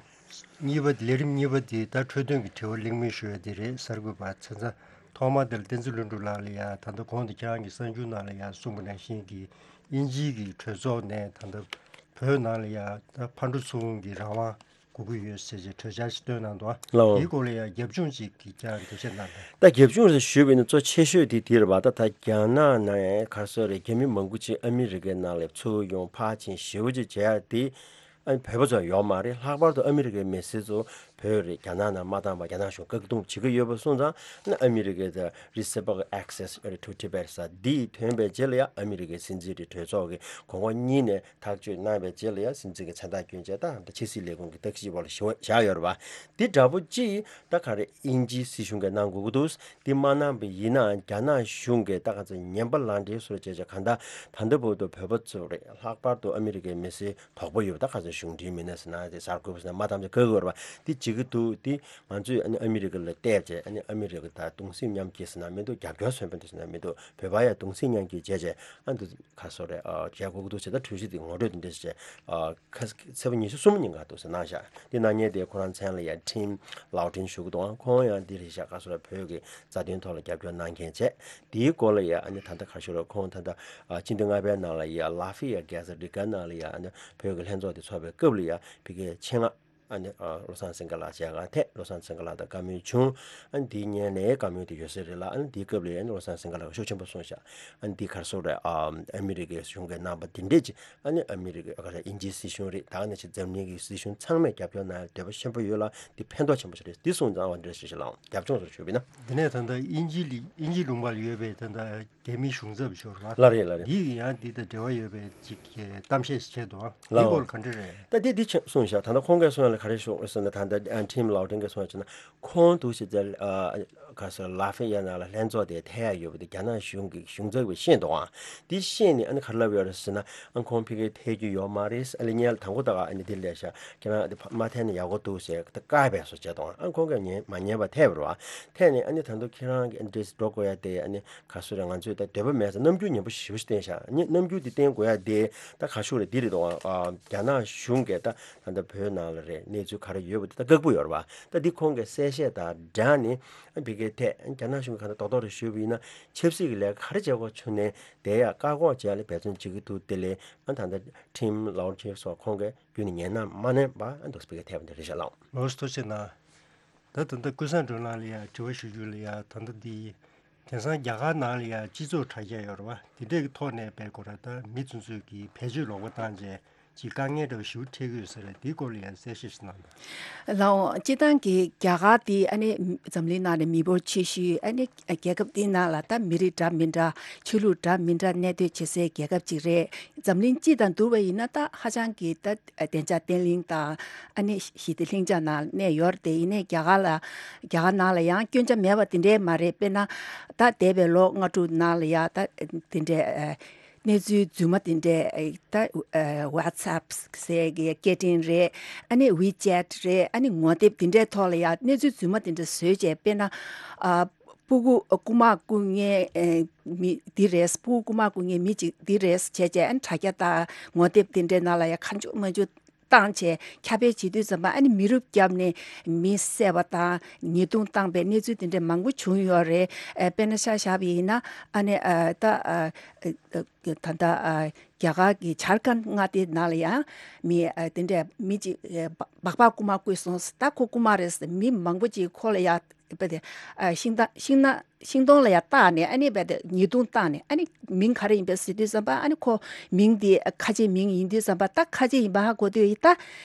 གཉིས་པ་དེ་ལས་རིམ་གཉིས་པ་དེ་ད་འཕྲོས་དོན་གྱི་དྲི་བ་གླེང་མོལ་ཞུ་ཡ་དེ་རེད། གསར་འགོད་པ་ཚན་རྩལ་ཐོག་མ་དེར་བསྟན་འཛིན་ལྷུན་གྲུབ་ལགས་ལ་ཡ། ད་ལྟ་གོང་དུ་ཁྱེད་རང་གི་གསར་འགྱུར་ནང་ལ་ཡ་གསུངས་པ་ནང་བཞིན་གྱི་དབྱིན་ཇིའི་གི་གྲོས་ཚོགས་ནས་ད་ལྟ་བོད་ནང་ལ་ཡ་ད་ཕར་འགྲོ་ཚུར་འོང་གི་རང་དབང་དགོས་ཀྱི་ཡོད་ཟེར་བྱས་གྲོས་འཆར་ཞིག་བཏོན་གནང་འདུག་ཨ། ལགས། འོ། དེའི་སྐོར་ལ་ཡང་རྒྱབ་ལྗོངས་ཅིག་གི་ཀྱང་འགྲེལ་བཤད་གནང་དང་། ད་རྒྱབ་ལྗོངས་ལ་ཞུས་པ་ཡིན་ན་གཙོ་ཆེ་ཤོས་དེ་དེ་རེད་པ། ད་ད་རྒྱ་ནག་ནང་ག་རེ་ཟེར་རེད། རྒྱ་མི་མང་པོ་ཅིག་ཨ་མི་རི་ཀའི་ནང་ལ་ཚུར་ཡོང་ཕར་ཕྱིན་ཞེ་པོ་ཅིག་བྱས་ཡ་དེ་ཨ་བོད་པ་ཚོ་ཡོད་མ་རེད། ལྷག་པར་དུ་ཨ་མི་རི་ཀའི་མི་སེར་ཚོ་ བོད་རེད་རྒྱ་ནག་ནང་མ་བཏང་བར་རྒྱ་ནག་གཞུང་བཀག་སྡོམ་བྱེད་ཀྱི་ཡོད་པ་སོང་ཙང་ཨ་ནི་ཨ་མི་རི་ཀའི་The Reciprocal Access to Tibet ཟེར་འདི་ཐོན་པའི་རྗེས་ལ་ཡང་ཨ་མི་རི་ཀའི་སྲིད་འཛིན་རེད་གྲོས་ཚོགས་ཀྱི་གོང་འོག་གཉིས་ནས་ཐག་གཅོད་གནང་བའི་རྗེས་ལ་ཡང་སྲིད་འཛིན་གྱི་མཚན་རྟགས་བསྐྱོན་བྱས་ད་ཕྱི་སྲིད་ལས་ཁུངས་ཀྱི་བརྟག་ཞིབ་འོག་ལ་བཞག་ཡོད་རེད་པ། འདི་འདྲ་པོ་ཅིག་ད་ག་རེ་དབྱིན་ཇིའི་སྲིད་གཞུང་གིས་གནང་དགོས་ཀྱི་འདུག་འདི་མ་གནང་པ་ཡིན་ན་རྒྱ་ནག་གཞུང་གིས་ད་ག་ཚོད་ངན་པ་ལག་འབྲེལ་སོར་བྱས་བྱས་གང་ལྟར་ད་ལྟ་བར་དུ་བོད་པ་ཚོ་རེད་ལྷག་པར་དུ་ཨ་མི་རི་ཀའི་མི་སེར་དོགས་པ་ཡོད་པ་ད་ག་ཚོད་གཞུང་འབྲེལ་མི་སྣ་ཟེར་ན་དེ་གསར་འགོད་པ་ཟེར་ན་མ་བཏང་ཚེ་ག་གི་བར་བ་དེ་བྱེད་ཀྱི་འདུག་དེ་ང་ཚོས་ཨ་ནི་ཨ་མི་རི་ཀ་ལ་བལྟས་བྱས་ཨ་ནི་ཨ་མི་རི་ཀ་དང་གདུང་སེམས་མཉམ་སྐྱེད་ཟེར་ན་མི་འདུག་རྒྱབ་སྐྱོར་མཚོན་དཔེ་འདུག་ཟེར་ན་མི་འདུག་བོད་པ་ཡང་གདུང་སེམས་མཉམ་སྐྱེད་བྱས་བྱས་ཨ་འདུག་ག་སོ་རེད་ཨ་བྱས་དགོས་ཀྱི་འདུག་ཟེར་ད་གྲོས་གཞི་དེ་ངོ་སྤྲོད་དེ་འདྲ་ཞིག་བྱས་ཨ་ཁ་ཚེས་པ་ཉི་ཤུ་གསུམ་ཉིན་ག་འདུག་ཟེར་གནང་བཞག་དེ་གནང་མཁན་དེ་ཁོ་རང་མཚན་ལ་ཡང་ཁྲིམ་ལའོ་ཁྲིན་ཞུ་གི་འདུག་ཨ་ཁོང་ཡང་འདི་རེད་བཞག་ག་སོ་རེད་བོད་ཀྱི་རྩ་དོན་ཐོག་ལ་རྒྱབ་སྐྱོར་གནང་མཁན་བྱས། དེའི་སྐོར་ལ་ཡང་ཨ་ནི་ད་ལྟ་ག་ཞུ་རོགས་ཁོང་ད་ལྟ་ཨ་སྤྱི་ཟླ་ལྔ་པའི་ནང་ལ་ཡང་ལ་ཧྥི་ཡ་གྷེ་ཟ་རི་ཀ་ནང་ལ་ཡང་ཨ་ནི་བོད་ཀྱི་ལྷན་ཚོགས་དེ་ཚོགས་པའི་སྐབས་ལ་ཡང་ཕ་གིའི་ཆེད་མངགས་ཨ་ནི་ཨ་བློ་བཟང་སེང་གེ་ལགས་མཇལ་ཁ་ཐད་བློ་བཟང་སེང་གེ་ལགས་དང་བཀའ་མོལ་བྱུང་། ཨ་ནི་དེའི་སྔོན་ནས་བཀའ་མོལ་དེ་ཡོད་ས་རེད་ལ་ཨ་ནི་དེའི་སྐབས་ལ་ཡང་ཨ་ནི་བློ་བཟང་སེང་གེ་ལགས་ཤུགས་ཆེན་པོ་གསུངས་ཤག་ཨ་ནི་དེ་ག་རེ་ཟེར་རེད་ཨ་ཨ་མི་རི་ཀའི་གཞུང་གིས་གནང་པ་དེ་འདྲས་ཅིག་ཨ་ནི་ཨ་མི་རི་ཀའི་ཨ་ག་རེ་དབྱིན་ཇིའི་སྲིད་གཞུང་རེད་ད་ག་ནང་བཞིན་འཛམ་གླིང་གི་སྲིད་གཞུང་ཚང་མས་རྒྱབ་སྐྱོར་གནང་ཡ་འདོད་པ་ཆེན་པོ་ཡོད་ལ་འདི་ཕན་ཐོགས་ཆེན་པོ་ཞིག་རེད་འདི་གསུངས་ཙང་བ་འདི་འདྲ་ཞིག་ལའང་རྒྱབ་ལྗོངས་སུ་ཞུས་པ་ཡིན་ན། དེ་ནས་ད་ལྟ་དབྱིན་ཇི་ལི་དབྱིན་ཇི་ལུང་པར་ཡོད་པའི་ད་ལྟ་རྒྱ་མིའི་གཞུང་ཚབ་ཤོར་བ། ལ་རེད་ལ་རེད། འདི་ཡང་འདི་དང་འབྲེལ་བ་ཡོད་པའི་ཅིག་གི་གཏམ་བཤད་ཞིག་བྱས་འདུག་ཨ། ལ་འདི་སྐོར་ག་འདྲ་རེད། ད་འདི་འདི་ཆ་གསུངས་བཞག་ད་ལྟ་ཁོང་གིས་གསུངས་ཡ་ལ་ག་རེ་ཤོག་ཟེར་ན་ད་ལྟ་ཁྲིམ་ལའོ་ཁྲིན་གིས་གསུངས་ཡ་བྱས་ན་ཁོང་འདུག་ཞེས་ཟེར་ཨ་ག་ཟེར་ལ་ཧྥེ་ཡ་ན་ལ་ལྷན་ཚོགས་དེ་ཐད་ཡ་ཡོད་པ་དེ་རྒྱ་ནག་གཞུང་གི་གཞུང་ཚབ་ཀྱིས་ཤེས་འདུག་ཨ། འདི་ཤེས་ནས་ཨ་ནི་ག་རེ་ལབ་ཡོད་རེད་ཟེར་ན་ཨ་ཁོང་ཕ་གིར་ཐད་རྒྱུ་ཡོད་མ་རེད་ཨ་ལེ་ཉལ་དང་པོ་ད་ག་ཨ་ནི་འདི་ལས་ཤ་ཁྱེད་རང་འདི་མ་ཐད་ན་ཡག་པོ་འདུག་ཟེར་ད་བཀག་པའི་བཟོ་བྱས་འདུག་ཨ། ཁོང་གིས་ཉན་མ་ཉན་པ་ཐད་པ་རེད་བ། ཐད་ནས་ཨ་ནི་ད་དུང་ཁྱེད་རང་གི་འདྲེས་འགྲོ་དགོས་ཡ་དེ་ཨ་ནི་ག་སུ་རེད་ང་ཚོས་ད་འདོད་པ་མེད་ས་རྣམ་འགྱུར་ཉན་པོ་ཞེ་པོ་ཞིག་བསྟན་ཤག་ཨ་ནི་རྣམ་འགྱུར་དེ་བསྟན་དགོས་ཡ་དེ་ད་ག་ཤུགས་རེད་འདི་རེད་དོ་ཨ། རྒྱ་ནག་གཞུང་གིས་ད་ད་ལྟ་བོད་ནང་ལ་རེད་གནས་ཚུལ་ག་རེ་ཡོད་པ་དེ་ད་བཀག་པོ་ཡོད་རེད་བ། ད་འདི་ཁོང་གིས་གསལ་བཤད་དང་སྦྲགས་ནས་ཨ་ཕ་གིའི་ཐད་རྒྱ་ནག་གཞུང་གིས་ག་ད་རྡོག་རྡོག་རེ་ཞུས་པ་ཡིན་ན་ཆབ་སྲིད་ཀྱི་ལས་ཀ་ག་རེ་བྱེད་དགོས་བྱུང་ནས་དེ་ཡ་བཀག་འགོག་བྱེད་ཡ་ལ་འབད་བརྩོན་བྱེད་ཀྱི་འདུག་དེ་ལས་ཨ་ད་ལྟ་ཁྲིམ་ལའོ་ཁྲིན་སོགས་ཁོང་གིས་རྒྱུན་ནས་ཉན་ན་མ་ཉན་པ་ཨ་འདུག་ཕ་གིའི་ཐད་པ་འདི་རེད་ཤག་ལགས། ལོ་ཐུགས་རྗེ་གནང་། ད་ད་ལྟ་ཀུན་བཟང་སྒྲོལ་ལགས་ལ་ཡང་དྲི་བ་ཞུ་རྒྱུ་ལ་ཡང་ད་ལྟ་འདི་དེང་སང་རྒྱ་གར་ནང་ལ་ཡང་སྤྱི་ཚོགས་དྲ་རྒྱ་ཡོད་རེད་བ། དེ་འདྲས་ཀྱི་ཐོག་ནས་དཔེ་ཁོ་ར་ད་མི་ཚོ་ཚོས་ཀྱི་བེད་སྤྱོད་ལོག་པ་བཏང་རྗེས་ཅིག་དཀའ་ངལ་འདྲ་བ་ཞེ་པོ་འཕྲད་ཀྱི་ཡོད་ས་རེད། དེའི་སྐོར་ལ་ཡང་གསལ་བཤད་ཞིག་གནང་དང་། ལའོ་སྤྱིར་བཏང་གི་རྒྱ་གར་དེ་ཨ་ནི་འཛམ་གླིང་ནང་ནས་མི་འབོར་ཆེ་ཤོས་ཨ་ནི་རྒྱལ་ཁབ་དེའི་ནང་ལ་ད་མི་རིགས་འདྲ་མི་འདྲ་ཆོས་ལུགས་འདྲ་མི་འདྲ་གནས་སྡོད་བྱེད་སའི་རྒྱལ་ཁབ་ཅིག་རེད། འཛམ་གླིང་སྤྱི་དང་བསྡུར་བ་ཡིན་ན་ད་ཧ་ཅང་གི་ད་བདེ་འཇགས་བརྟན་ལྷིང་དང་ཨ་ནི་ཞི་བདེ་ལྷིང་འཇགས་ནང་གནས་ཡོད་རེད་དེ་ཡིན་ནའི་རྒྱ་གར་ལ་རྒྱ་གར་ནང་ལ་ཡང་སྐྱོན་ཆ་མེད་པ་དེ་འདྲའི་མ་རེད། དཔེར་ན་ད་འདས་པའི་ལོ་ལྔ་དྲུག་ནང་ལ་ཡང་ད་དེ་འདྲའི་གནས་ཚུལ་རྫུན་མ་དེ་འདྲའི་ད་WhatsApp་ཟེར་གི་སྐད་འཕྲིན་རེད་ཨ་ནི་WeChat་རེད་ཨ་ནི་ངོ་དེབ་དེ་འདྲའི་ཐོག་ལ་ཡང་གནས་ཚུལ་རྫུན་མ་དེ་འདྲ་བཟོས་བྱས་དཔེར་ན་ཨ། སྤུ་གུ་རྐུ་མ་རྐུ་མཁན་མི་འདི་རེད། སྤུ་གུ་རྐུ་མ་རྐུ་མཁན་མི་གཅིག་འདི་རེད་བྱས་བྱས་ཨ་ནི་དྲ་རྒྱ་དང་ངོ་དེབ་དེ་འདྲའི་ནང་ལ་ཡ་གང་བྱུང་མང་བྱུང་བཏང་བྱས་ཁྱབ་སྤེལ་བྱེད་དུས་ཙམ་པ་ཨ་ནི་མི་རུབ་བརྒྱབ་ནས་མི་བསད་པ་དང་ཉེས་རྡུང་བཏང་པའི་གནས་ཚུལ་དེ་འདྲ་མང་པོ་བྱུང་ཡོད་རེད། ཨ་དཔེར་ན་ཆ་བཞག་པ་ཡིན་ན་ཨ་ནི་ཨ་ད་ཨ་ཨ་ད་ལྟ་ཨ་རྒྱ་གར་གྱི་ཇར་ཁན་མངའ་སྡེ་ནང་ལ་ཡང་མི་ཨ་དེ་འདྲ་མི་གཅིག་ཨ་སྦག་སྦག་རྐུ་མ་རྐུས་སོང་ད་ཁོ་རྐུ་མ་རེད་ཟེར་མི་མང་པོ་གཅིག་ཁོ་ལ་ཡ། བ་དེ་ཤིང་ཐང་ཤིང་ན་ཤིང་སྡོང་ལ་ཡང་བཏགས་ནས་ཨ་ནི་བ་དེ་ཉེས་རྡུང་བཏང་ནས་ཨ་ནི་མིང་ག་རེ་ཡིན་པས་ཟེར་དུས་ཙམ་པ་ཨ་ནི་ཁོ་མིང་དེ་ཁ་ཆེ་མིང་ཡིན་དུས་ཙམ་པ་ད་ཁ་ཆེ་ཡིན་པ་ཧ་གོ་དུས་ཡིན་ད་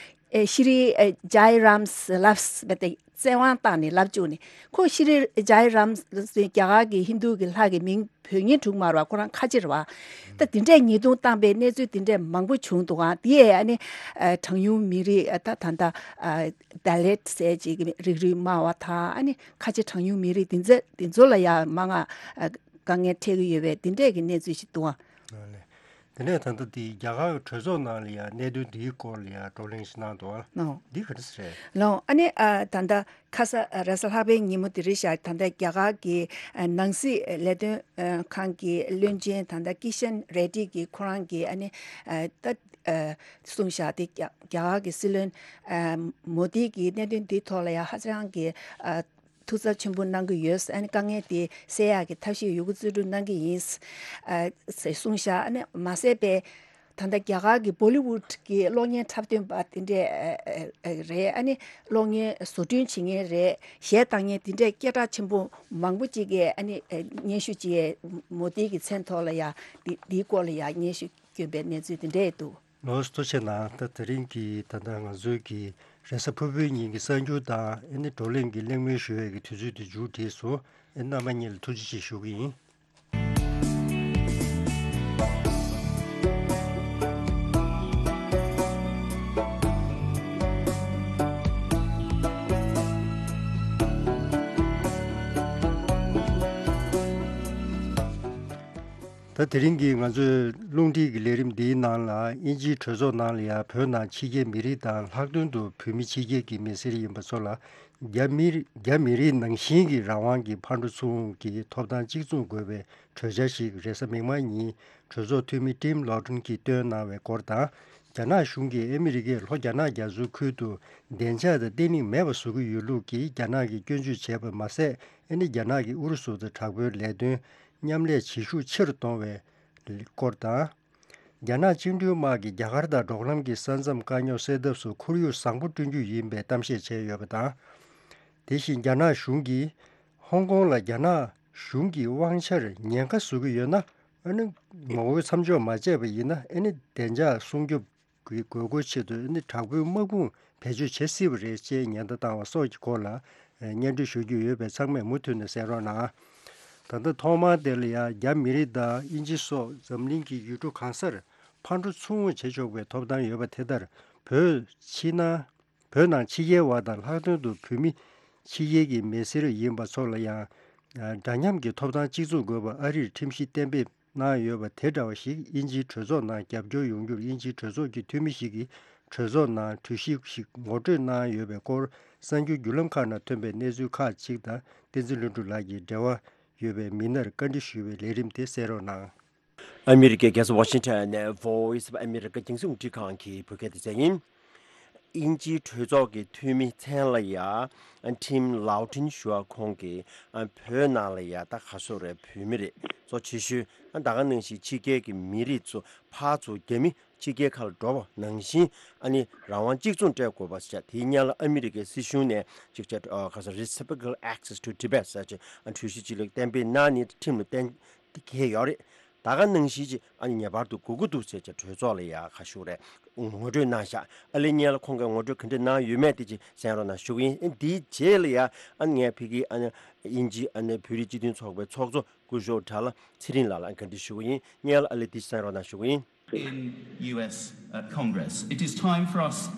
ཨེ་ཤི་རི་ཨེ་ཇའི་རམ་ལབས་བ་དེ་བཙན་དབང་བཏང་ནས་ལབ་བཅུག་ནས་ཁོ་ཤི་རི་ཇའི་རམ་ཟེར་རྒྱ་གར་གྱི་ཧིན་རྡུ་གི་ལྷ་གི་མིང་བོད་ཉིད་དྲུག་མར་བ་ཁོ་རང་ཁ་ཆེར་བ། ད་དེ་འདྲས་ཉེས་རྡུང་བཏང་པའི་གནས་ཚུལ་དེ་འདྲས་མང་པོ་བྱུང་འདུག་ཨང་། དེ་ཡས་ཨ་ནི་ཨ་གྲངས་ཉུང་མི་རིགས་ཨ་ད་ད་ད་ཨ་ད་ལེད་ཟེར་ཅིག་གི་རིགས་རུས་དམའ་བ་དང་ཨ་ནི་ཁ་ཆེ་གྲངས་ཉུང་མི་རིགས་དེ་ཚོ་དེ་ཚོ་ལ་ཡང་མང་ང་ཨ་དཀའ་ངལ་འཕྲད་ཀྱི་ཡོད་པའི་དེ་འདྲས་ཀྱི་གནས་ཚུལ་ཞིག་འདུག་ཨང་། ཨ་ནི་དེ་ནས་ད་ལྟ་དེ་རྒྱ་གར་གྱི་གྲོས་ཚོགས་ནང་ལ་ཡང་གནད་དོན་འདིའི་སྐོར་ལ་ཡང་བགྲོ་གླེང་ཞིག་གནང་འདུག་ཨང་། ལོ། འདི་ག་རེ་ཟེར་རེད། ལོ་ཨ་ནི་ཨ་ད་ལྟ། ཁ་ས་རེས་གཟའ་ལྷག་པའི་ཉིན་མོ་དེ་རེད་ཤག་ད་ལྟ་རྒྱ་གར་གྱི་ཨ་ནང་སྲིད་ལས་དོན་ཨ་ཁང་གི་བློན་ཆེན་ད་ལྟ་ཀི་ཤན་རེ་ཌི་གིས་ཁོ་རང་གིས་ཨ་ནི་ཨ་ད་ཨ་གསུངས་ཤག་དེ་རྒྱ་རྒྱ་གར་གྱི་སྲིད་བློན་ཨ་མོ་དི་གིས་གནད་དོན་འདིའི་ཐོག་ལ་ཡང་ཧ་ཅང་གི་ཨ་ཐུགས་འཚབ་ཆེན་པོ་གནང་གི་ཡོད། ཨ་ནི་དཀའ་ངལ་དེ་སེལ་ཡག་གི་ཐབས་ཤེས་ཡོད་རྒུ་རྩལ་སྤྲུགས་གནང་གི་ཡིན་ཨ་ཟེར་གསུངས་ཤག་ཨ་ནི་མ་ཟད་པའི། ད་ལྟ་རྒྱ་གར་གྱི་བོ་ལི་ཝུད་ཀྱི་གློག་བརྙན་འཁྲབ་སྟོན་པ་དེ་འདྲས་ཨ་ཨ་ཨ་རེད། ཨ་ནི་གློག་བརྙན་བཟོ་སྐྲུན་བྱེད་མཁན་རེད། གཞས་བཏང་མཁན་དེ་འདྲས་སྐད་གྲགས་ཆེན་པོ་མང་པོ་ཅིག་གིས་ཨ་ནི་ཨ་སྙན་ཞུ་ཅིག་མོ་དི་གི་མཚན་ཐོག་ལ་ཡ་འདི་འདིའི་སྐོར་ལ་ཡ་སྙན་ཞུ་བསྐྱོན་པའི་གནས་ཚུལ་དེ་འདྲས་འདུག་ལོ་ཐུགས་རྗེ་གནང་། ད་དེ་རིང་གི་ད་ལྟ་ང་ཚོའི་གི་ རེས་གཟའ་ཕུར་བུའི་ཉིན་གྱི་གསར་འགྱུར་དང་ཨ་ནི་བགྲོ་གླེང་གི་གླེང་མོལ་ཞུ་ཡས་ཀྱི་དུས་ཚོད་དེ་མཇུག་བསྒྲིལ་སོང་། ཨ་ནི་རྣམ་པ་གཉིས་ལ་ཐུགས་རྗེ་ཆེ་ཞུ་གི་ཡིན། ད་དེ་རིང་གི་ང་ཚོའི་རླུང་འཕྲིན་གྱི་ལས་རིམ་འདིའི་ནང་ལ་དབྱིན་ཇིའི་གྲོས་ཚོགས་ནང་ལ་ཡང་བོད་ནང་ཕྱི་རྒྱལ་མི་རིགས་དང་ལྷག་དོན་དུ་བོད་མི་ཕྱི་རྒྱལ་གྱི་མི་སེར་ཡིན་པ་ཚོ་ལ་རྒྱ་མི་རྒྱ་མི་རིགས་ནང་བཞིན་གྱི་རང་དབང་གི་ཕར་འགྲོ་ཚུར་འོང་གི་ཐོབ་ཐང་གཅིག་མཚུངས་དགོས་པའི་གྲོས་འཆར་ཞིག་རེས་གཟའ་མིག་དམར་ཉིན་གྲོས་ཚོགས་འཐུས་མི་ཊིམ་ལོ་ཊོན་གྱིས་བཏོན་གནང་བའི་སྐོར་དང་། རྒྱ་ནག་གཞུང་གིས་ཨ་མི་རི་ཀས་ལྷོ་རྒྱ་ནག་རྒྱ་མཚོའི་ཁུལ་དུ་བདེ་འཇགས་དང་བརྟན་ལྷིང་མེད་པ་བཟོ་གི་ཡོད་ལུགས་ཀྱིས་རྒྱ་ནག་གིས་སྐྱོན་བརྗོད་བྱས་པ་མ་ཟད། ཨ་ནི་རྒྱ་ནག་གིས་ཨུ་རུ་སུ་དང་དྲག་པོའི་ལས་དོན་མཉམ་ལས་བྱེད་ཤུགས་ཆེ་རུ་གཏོང་བའི་སྐོར་དང་། རྒྱ་ནག་བཅིངས་འགྲོལ་དམག་གིས་རྒྱ་གར་དང་འབྲོག་ལམ་གྱི་ས་མཚམས་དཀའ་རྙོག་སེལ་ཐབས་སུ་ཁོར་ཡུག་བཟང་པོ་བསྐྲུན་རྒྱུ་ཡིན་པའི་གཏམ་བཤད་བྱས་ཡོད་པ་དང་། དེ་བཞིན་རྒྱ་ནག་གཞུང་གིས་ཧོང་ཀོང་ལ་རྒྱ་ནག་གཞུང་གི་དབང་ཆར་ཉེན་ཁ་བཟོ་གི་ཡོད་ན། ཨ་ནི་ངོ་རྒོལ་མཚམས་འཇོག་མ་བྱས་པ་ཡིན་ན། ཨ་ནི་བདེ་འཇགས་སྲུང་སྐྱོབ་ཀྱི་དགོས་མཁོའི་ཆེད་དུ་ཨ་ནི་དྲག་པོའི་དམག་དཔུང་བེད་སྤྱོད་བྱེད་སྲིད་པ་རེད་ཅེས་ཉེན་བརྡ་བཏང་བ་སོགས་ཀྱི་སྐོར་ལ་སྙན་སྒྲོན་ཞུ་རྒྱུ་ཡོད་པས། ཚང་མས་མུ་མཐུད་ནས་གསན་རོགས་གནང་། ད་ལྟ་ཐོག་མར་དེ་ལ་ཡང་རྒྱ་མི་རིགས་དང་དབྱིན་ཇི་སོགས་འཛམ་གླིང་གི་ཡུལ་གྲུ་གང་སར་ཕར་འགྲོ་ཚུར་འོང་བྱེད་ཆོག་པའི་ཐོབ་ཐང་ཡོད་པ་དེ་ལྟར། བོད་ཕྱི་ནང་བོད་ནང་ཕྱི་རྒྱལ་བ་དང་ལྷག་དོན་དུ་བོད་མི་ཕྱི་རྒྱལ་གྱི་མི་སེར་ཡིན་པ་ཚོ་ལ་ཡང་འདྲ་མཉམ་གྱི་ཐོབ་ཐང་གཅིག་མཚུངས་དགོས་པ་ཨ་རིར་ཁྲིམས་གཞི་གཏན་འབེབས་གནང་ཡོད་པ་དེ་འདྲ་བ་ཞིག་དབྱིན་ཇིའི་གྲོས་ཚོགས་ནང་རྒྱབ་སྐྱོར་ཡོང་རྒྱུར་དབྱིན་ཇིའི་གྲོས་ཚོགས་ཀྱི་འཐུས་མི་ཞིག་གིས་གྲོས་ཚོགས་ནང་གྲོས་གཞི་ཞིག་ངོ་སྤྲོད་གནང་ཡོད་པའི་སྐོར། གསར་འགྱུར་བརྒྱུད་ལམ་ཁག་ནང་ཐོན་པའི་གནས་ཚུལ་ཁག་ཅིག་དང་བསྟན་འཛིན་ལྷུན་གྲུབ་ལགས་ཀྱིས་འབྲེལ་བ་ཡོད་པའི་མི་སྣར་བཀའ་འདྲི་ཞུ་བའི་ལས་རིམ་དེ་གསན་རོགས་གནང་། ཨ་མི་རི་ཀའི་རྒྱལ་ས་ཝ་ཤིང་ཊོན་ནས་Voice of America་རྒྱང་སྲིང་རླུང་འཕྲིན་ཁང་གི་བོད་སྐད་སྡེ་ཚན་ཡིན། དབྱིན་ཇིའི་གྲོས་ཚོགས་ཀྱི་འཐུས་མི་མཚན་ལ་ཡ་ཊིམ་ལའོ་ཊིན་ཞུ་བ་ཁོང་གིས་ཨ་བོད་ནང་ལ་ཡ་ད་ག་སོ་རེད། བོད་མི་རེད། གཙོ་ཆེ་ཤོས་ཨ་ད་ག་ནང་བཞིན་ཕྱི་རྒྱལ་གྱི་མི་རིགས་ཚོ་ཕར་ཚུར་རྒྱ་མི་ཕྱི་རྒྱལ་ཁག་ལ་འགྲོ་བ་ནང་བཞིན་ཨ་ནི་རང་དབང་གཅིག་མཚུངས་སྤྲད་དགོས་པ་ཟེར་བྱས། དེའི་སྔོན་ལ་ཨ་མི་རི་ཀའི་སྲིད་གཞུང་ནས་ཅིག་བྱས་ཨ་ག་ས་Reciprocal Access to Tibet་ཟེར་བྱས་ཨ་གྲོས་གཞི་ཅིག་ལ་གཏན་འབེབས་གནང་ནས་ཁྲིམས་ལ་གཏན་འཁེལ་ཡོད་རེད། ད་ག་ནང་བཞིན་ཅིག་ཨ་ནི་ངེས་པར་དུ་དགོས་ཀྱི་འདུག་ཟེར་བྱས་གྲོས་ཚོགས་ལ་ཡ་ག་ཞུ་རེད། ངོ་སྤྲོད་གནང་ཤག་ཨ་ལས་སྔོན་ལ་ཁོང་གིས་ངོ་སྤྲོད་ག་འདྲ་གནང་ཡོད་མེད་དེ་ཅིག་གསན་རོགས་གནང་ཞུ་གི་ཡིན། ཨ་འདིའི་རྗེས་ལ་ཡ་ཨ་ནི་ངས་ཕ་གིའི་ཨ་ནི་དབྱིན་ཇི་ཨ་ནི་བོད་རིགས་སྤྱི་མཐུན་ཚོགས་པའི་ཚོགས་གཙོ་སྐུ་ཞབས་དགྲ་ལྷ་ཚེ་རིང་ལགས་ལ་བཀའ་འདྲི་ཞུ་གི་ཡིན། སྔོན་ལ་ཨ་ལས་འདི་གསན་རོགས་གནང་ཞུ་གི་ཡིན། In U S, uh, Congress. It is time for us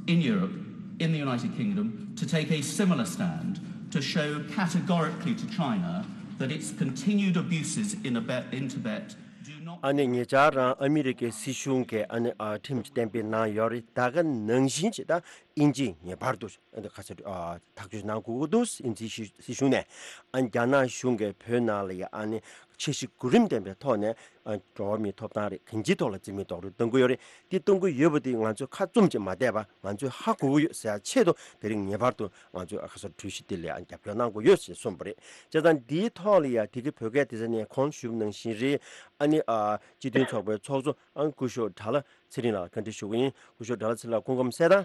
in Europe, in the United Kingdom, to take a similar stand to show categorically to China that its continued abuses in, Tibet, in Tibet do not ཨ་ནི་ཉེ་ཆར་རང་ཨ་མི་རི་ཀའི་སྲིད་གཞུང་གིས་ཨ་ནི་ཨ་ཁྲིམས་གཏན་འབེབས་གནང་ཡོད་རེད། ད་ག་ནང་བཞིན་ཅིག་ད་དབྱིན་ཇིས་ངེས་པར་དུ་ཨ་ནི་ག་ཚོད་ཨ་ཐག་གཅོད་གནང་དགོས་ཀྱི་འདུག་དབྱིན་ཇིའི་སྲིད་གཞུང་ནས་ཨ་ནི་རྒྱ་ནག་གཞུང་གིས་བོད་ནང་ལ་ཡ་ཨ་ནི་ཆབ་སྲིད་གོ་རིམ་ལྡན་པའི་ཐོག་ནས་ཨ་འགྲོ་བ་མིའི་ཐོབ་ཐང་རེད། གང་ཅིའི་ཐོག་ལ་བཙན་གནོན་རྡོག་རོལ་གཏོང་གི་ཡོད་རེད། འདི་གཏོང་གི་ཡོད་པ་དེ་ང་ཚོས་ཁ་བཙུམ་ཅིག་མ་བསྡད་པ་ང་ཚོས་ཧ་གོ་གི་ཡོད་ཟེར་ཡ་ཆེད་དུ་དེ་རིང་ངེས་པར་དུ་ང་ཚོས་ཨ་ཁ་སོ་གྲོས་གཞི་དེ་ལ་ཡང་རྒྱབ་སྐྱོར་གནང་དགོས་ཡོད་ཞེས་གསུངས་པ་རེད། བྱས་ཙང་འདིའི་ཐོག་ལ་ཡ་དེ་གི་བོད་སྐད་སྡེ་ཚན་ནས་གོང་ཞུས་པ་ནང་བཞིན་རེད། ཨ་ནི་ཨ་སྤྱི་མཐུན་ཚོགས་པའི་ཚོགས་གཙོ་ཨ་སྐུ་ཞབས་དགྲ་ལྷ་ཚེ་རིང་ལགས་ལ་བཀའ་འདྲི་ཞུ་གི་ཡིན། སྐུ་ཞབས་དགྲ་ལྷ་ཚེ་རིང་ལགས་སྐུ་ཁམས་བཟང་།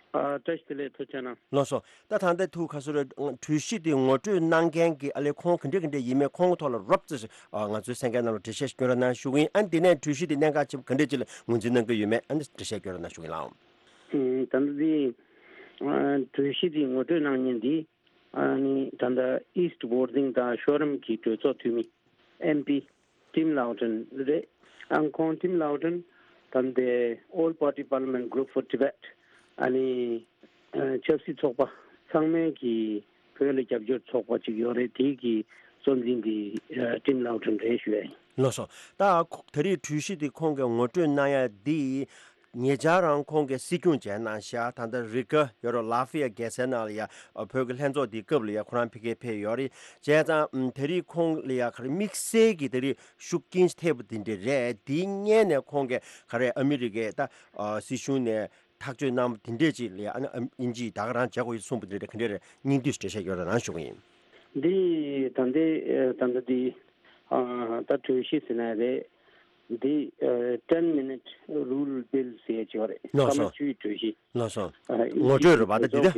ཨ་བཀྲ་ཤིས་བདེ་ལེགས། ཐུགས་རྗེ་གནང་། ལགས་སོ། ད་ད་ལྟ་ཐུགས་ཁ་སོ་རེ་གྲོས་གཞི་དེ་ངོ་སྤྲོད་གནང་མཁན་གྱི་ཨ་ལས་ཁོང་ག་འདྲ་ག་འདྲ་ཡིན་མིན་ཁོང་གི་ཐོག་ལ་རོབ་ཙམ་ཞིག་ཨ་ང་ཚོའི་གསན་མཁན་རྣམས་ལ་འགྲེལ་བཤད་ཞིག་སྐྱོན་རོགས་གནང་ཞུ་གི་ཡིན། ཨ་ནི་དེ་ནས་གྲོས་གཞི་དེ་གནད་འགག་ཆེན་པོ་ག་འདྲ་ཅིག་ལ་ངོས་འཛིན་གནང་གི་ཡོད་མེད་ཨ་ནི་འགྲེལ་བཤད་སྐྱོན་རོགས་གནང་ཞུ་གི་ཡིན་ལགས། ཨུམ། ད་ལྟ་འདི་ཨ་གྲོས་གཞི་དེ་ངོ་སྤྲོད་གནང་མཁན་འདི་ཨ་ནི་ད་ལྟ་East Worthing་དང་ཤོ་རམ་གྱི་གྲོས་ཚོགས་འཐུས་མི་ཨེམ་པི་ཊིམ་ལའོ་ཊོན་རེད། ཨང་ཁོང་ཊིམ་ལའོ་ཊོན་ད་ལྟའི་All Party Parliament Group for Tibet་ཨ་ནི་ཨ་ཆབ་སྲིད་ཚོགས་པ་ཚང་མའི་གི་བོད་ལ་རྒྱབ་སྐྱོར་ཚོགས་པ་ཅིག་ཡོད་རེད། དེའི་གི་གཙོ་འཛིན་དེ་ཨ་ཊིམ་ལའོ་ཊོན་རེད་ཞུ་ཡ་ཡིན། ལགས་སོ། ད་ཁོ་ད་རེས་གྲོས་གཞི་དེ་ཁོང་གིས་ངོ་སྤྲོད་གནང་ཡ་འདི་ཉེ་ཆར་རང་ཁོང་གིས་སྲིད་སྐྱོང་བྱས་གནང་ཤག་ད་ལྟ་རི་ག་ཡོད་རེད། ལ་ཧྥི་ཡ་རྒྱལ་སའི་ནང་ལ་ཡ་བོད་ཀྱི་ལྷན་ཚོགས་འདིའི་སྐབས་ལ་ཡ་ཁོ་རང་ཕ་གིར་ཕེབས་ཡོད་རེད། བྱས་ཙང་ད་རེས་ཁོང་ལ་ཡ་ག་རེ་དམིགས་བསལ་གྱི་ད་རེས་ཤུགས་རྐྱེན་ཐེབས་པ་དེ་འདྲ་རེད། དེའི་སྔོན་ནས་ཁོང་གིས་ག་རེ་ཨ་མི་རི་ཀའི་ད་སྲིད་གཞུང་ནས་ཐག་གཅོད་གནང་བ་དེ་འདྲས་ཅིག་ལ་ཡ་ཨ་ནི་དབྱིན་ཇིས་ད་ག་རང་བྱེད་དགོས་ཡོད་གསུངས་པ་དེ་འདྲ་ག་འདྲས་རེད། སྙིང་བསྡུས་འགྲེལ་བཤད་སྐྱོན་རོགས་གནང་ཞུ་གི་ཡིན། འདི་ད་ལྟའི་ད་ལྟ་འདི་ད་གྲོས་གཞི་ཟེར་ན་རེད། འདི་ཨ་ten minute rule bill་ཟེར་ཡ་ཅིག་ཡོད་རེད། ལགས་སོ། སྐར་མ་བཅུའི་གྲོས་གཞི། ལགས་སོ། ཨ་ངོ་སྤྲོད་རེད་པ་འདི་དེ།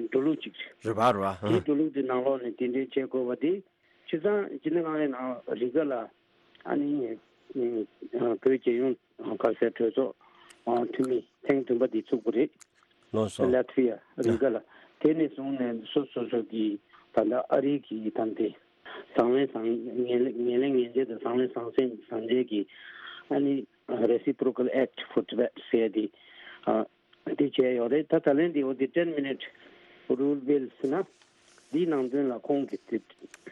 འགྲོ་ལུགས་ཅིག་རེད། རེད་པ་རེད་པ། དེའི་འགྲོ་ལུགས་དེ་ནང་ལོགས་ནས་དེ་འདྲའི་བྱེད་དགོས་པ་དེ་བྱས་ཙང་སྤྱི་ཟླ་ལྔ་པའི་ནང་རི་ག་ལ་ཨ་ནི་ཨ་བོད་རྒྱལ་ཡོངས་ག་ཟེར་གྲོས་ཚོགས་ཨ་འཐུས་མི་ཐེངས་བདུན་པ་དེ་ཚུགས་པ་རེད། ལགས་སོ། ལ་ཐི་ཝི་ཡ་རི་ག་ལ། དེ་ནས་བཟུང་ནས་སོ་སོ་སོ་གི་ད་ལྟ་ཨ་རི་གི་ད་ལྟ་བཟང་ལན་བཟང་ངན་ལན་ངན་ལན་ངན་འབྱེད་དང་བཟང་ལན་བཟང་སེམས་བཟང་འབྱེད་ཀྱི་ཨ་ནི་Reciprocal Act for Tibet ཟེར་དེ་ཨ་དེ་བྱས་ཡོད་རེད། ད་ད་ལན་དེ་འོ་དེ་ten minute rule bill ཟེར་ན་འདིའི་ནང་དོན་ལ་ཁོང་གིས་དེ་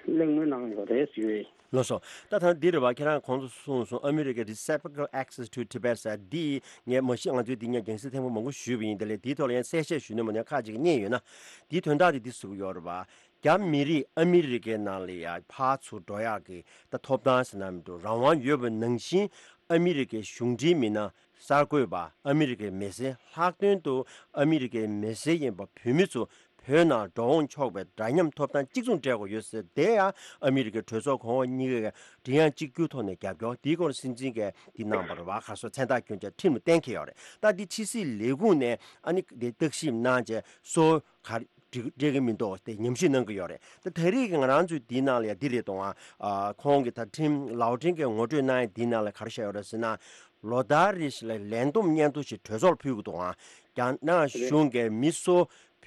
གླེང་མོལ་གནང་ཡོད་རེད་ཞུ་ཡས། ལགས་སོ། ད་ཐང་འདི་རེད་བ། ཁྱེད་རང་གོང་དུ་གསུངས་སོང་། Reciprocal Access to Tibet ཟེར་འདི་ངས་མ་གཞི་ང་ཚོས་འདི་ངས་རྒྱང་སྲིང་ཐེངས་མ་མང་པོ་ཞུས་པ་ཡིན། དེ་ལས་འདིའི་ཐོག་ལ་ཡང་གསལ་བཤད་ཞུས་ན་མ་ནས་ཁག་ཅིག་རྙེད་ཡོད་ན། འདིའི་དོན་དག་དེ་འདི་ཟེར་གྱི་ཡོད་རེད་བ། རྒྱ་མི་རིགས་ཨ་མི་རི་ཀའི་ནང་ལ་ཡ་ཕར་ཚུར་འགྲོ་ཡག་གི་ད་ཐོབ་ཐང་ཟེར་ན་མི་འདུག་རང་དབང་ཡོད་པ་ནང་བཞིན་ཨ་མི་རི་ཀའི་གཞུང་འབྲེལ་མི་སྣ་གསར་འགོད་པ། ཨ་མི་རི་ཀའི་མི་སེར། ལྷག་དོན་དུ་ཨ་མི་རི་ཀའི་མི་སེར་ཡིན་པ་བོད་མི་ཚོ་བོད་ནང་འགྲོ་འོང་ཆོག་པའི་འདྲ་མཉམ་ཐོབ་ཐང་གཅིག་མཚུངས་སྤྲད་དགོས་ཡོད་ཟེར། དེ་ཡང་ཨ་མི་རི་ཀའི་གྲོས་ཚོགས་གོང་འོག་གཉིས་ཀས་མགྲིན་དབྱངས་གཅིག་གྱུར་ཐོག་ནས་རྒྱབ་སྐྱོར། དེའི་སྐོར་སྲིད་འཛིན་གྱིས་འདི་གནང་བ་རེད་བ། ག་སོ་མཚན་རྟགས་བསྐྱོན་བྱས་ཁྲིམས་ལ་གཏན་འཁེལ་ཡོད་རེད། ད་འདི་ཕྱི་སྲིད་ལས་ཁུངས་ནས་ཨ་ནི་འདི་བརྟག་ཞིབ་གནང་བྱས་སོ་ག་རེ་འགྲིག་འགྲིག་གི་མི་འདུག་དེ་ཉམས་ཞིབ་གནང་གི་ཡོད་རེད། ད་ད་རེས་ཀྱི་ང་རང་ཚོའི་འདིའི་ནང་ལ་ཡ་འདི་རེད་དོ། ཨ་ཁོང་གིས་ད་ཁྲིམས་ལའོ་ཁྲིན་གྱིས་ངོ་སྤྲོད་གནང་ཡ་འདིའི་ནང་ལ་ག་རེ་བཤད་ཡོད་རེད་ཟེར་ན། ལོ་ལྟར་རེ་བཞིན་ལ་ལན་འདེབས་སྙན་ཐོ་ཞིག་གྲོས་ཚོགས་ལ་ཕུལ་གི་འདུག་ཨང་། རྒྱ་ནག་གཞུང་གིས་མི་སུ་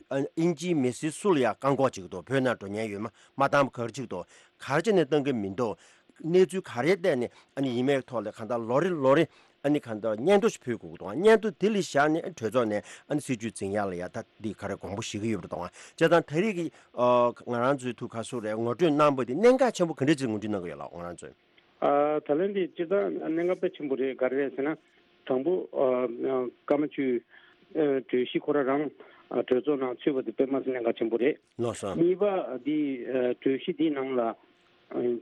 ཨིན་ཇིའི་མི་སེར་སུ་ལ་ཡང་བཀག་འགོག་བྱེད་ཀྱི་འདུག་བོད་ནང་འགྲོ་ཉེན་ཡོད་མ་མ་བཏང་བ་ག་རེ་བྱེད་ཀྱི་འདུག་ག་རེ་བྱས་ནས་བཏང་གི་མི་འདུག་གནས་ཚུལ་ག་རེ་བལྟས་ནས་ཨ་ནི་ཡིན་མེད་ཐོག་ལ་གང་ལྟར་ལོ་རེ་ལོ་རེ་ཨ་ནི་གང་ལྟར་སྙན་ཐོ་ཞིག་ཕུལ་དགོས་ཀྱི་འདུག་སྙན་ཐོ་དེ་ལ་བཞག་ནས་གྲོས་ཚོགས་ནས་ཨ་ནི་སྲིད་བྱུས་འཛིན་ཡག་ལ་ཡ་ད་འདི་ག་རེ་དགོངས་པ་བཞེས་ཀྱི་ཡོད་པ་རེད་དོ། བྱས་ཙང་ད་རེས་ཀྱི་ང་རང་ཚོའི་ཐུགས་ཁ་སུ་རེད་ངོ་སྤྲོད་གནང་བ་དེ་གནད་འགག་ཆེན་པོ་ག་འདྲ་ཅིག་ངོ་སྤྲོད་གནང་གི་ཡོད་ལགས་ང་རང་ཚོས། ཨ་ད་ལན་འདི་སྤྱིར་བཏང་གནད་འགག་དཔེ་ཆེན་པོ་རེད། ག་རེ་རེད་ཟེར་ན། དང་པོ་ཨ་ཀརྨ་ཆོས་ཨ་གྲོས་གཞི་ཁོ་རང་རང་ཨ་གྲོས་ཚོགས་ནང་ཚུད་པ་དེ་དཔེ་མ་སྲིད་གནད་འགག་ཆེན་པོ་རེད། ལགས་སོ། གཉིས་པ་འདི་ཨ་གྲོས་གཞི་འདི་ནང་ལ་ཨ་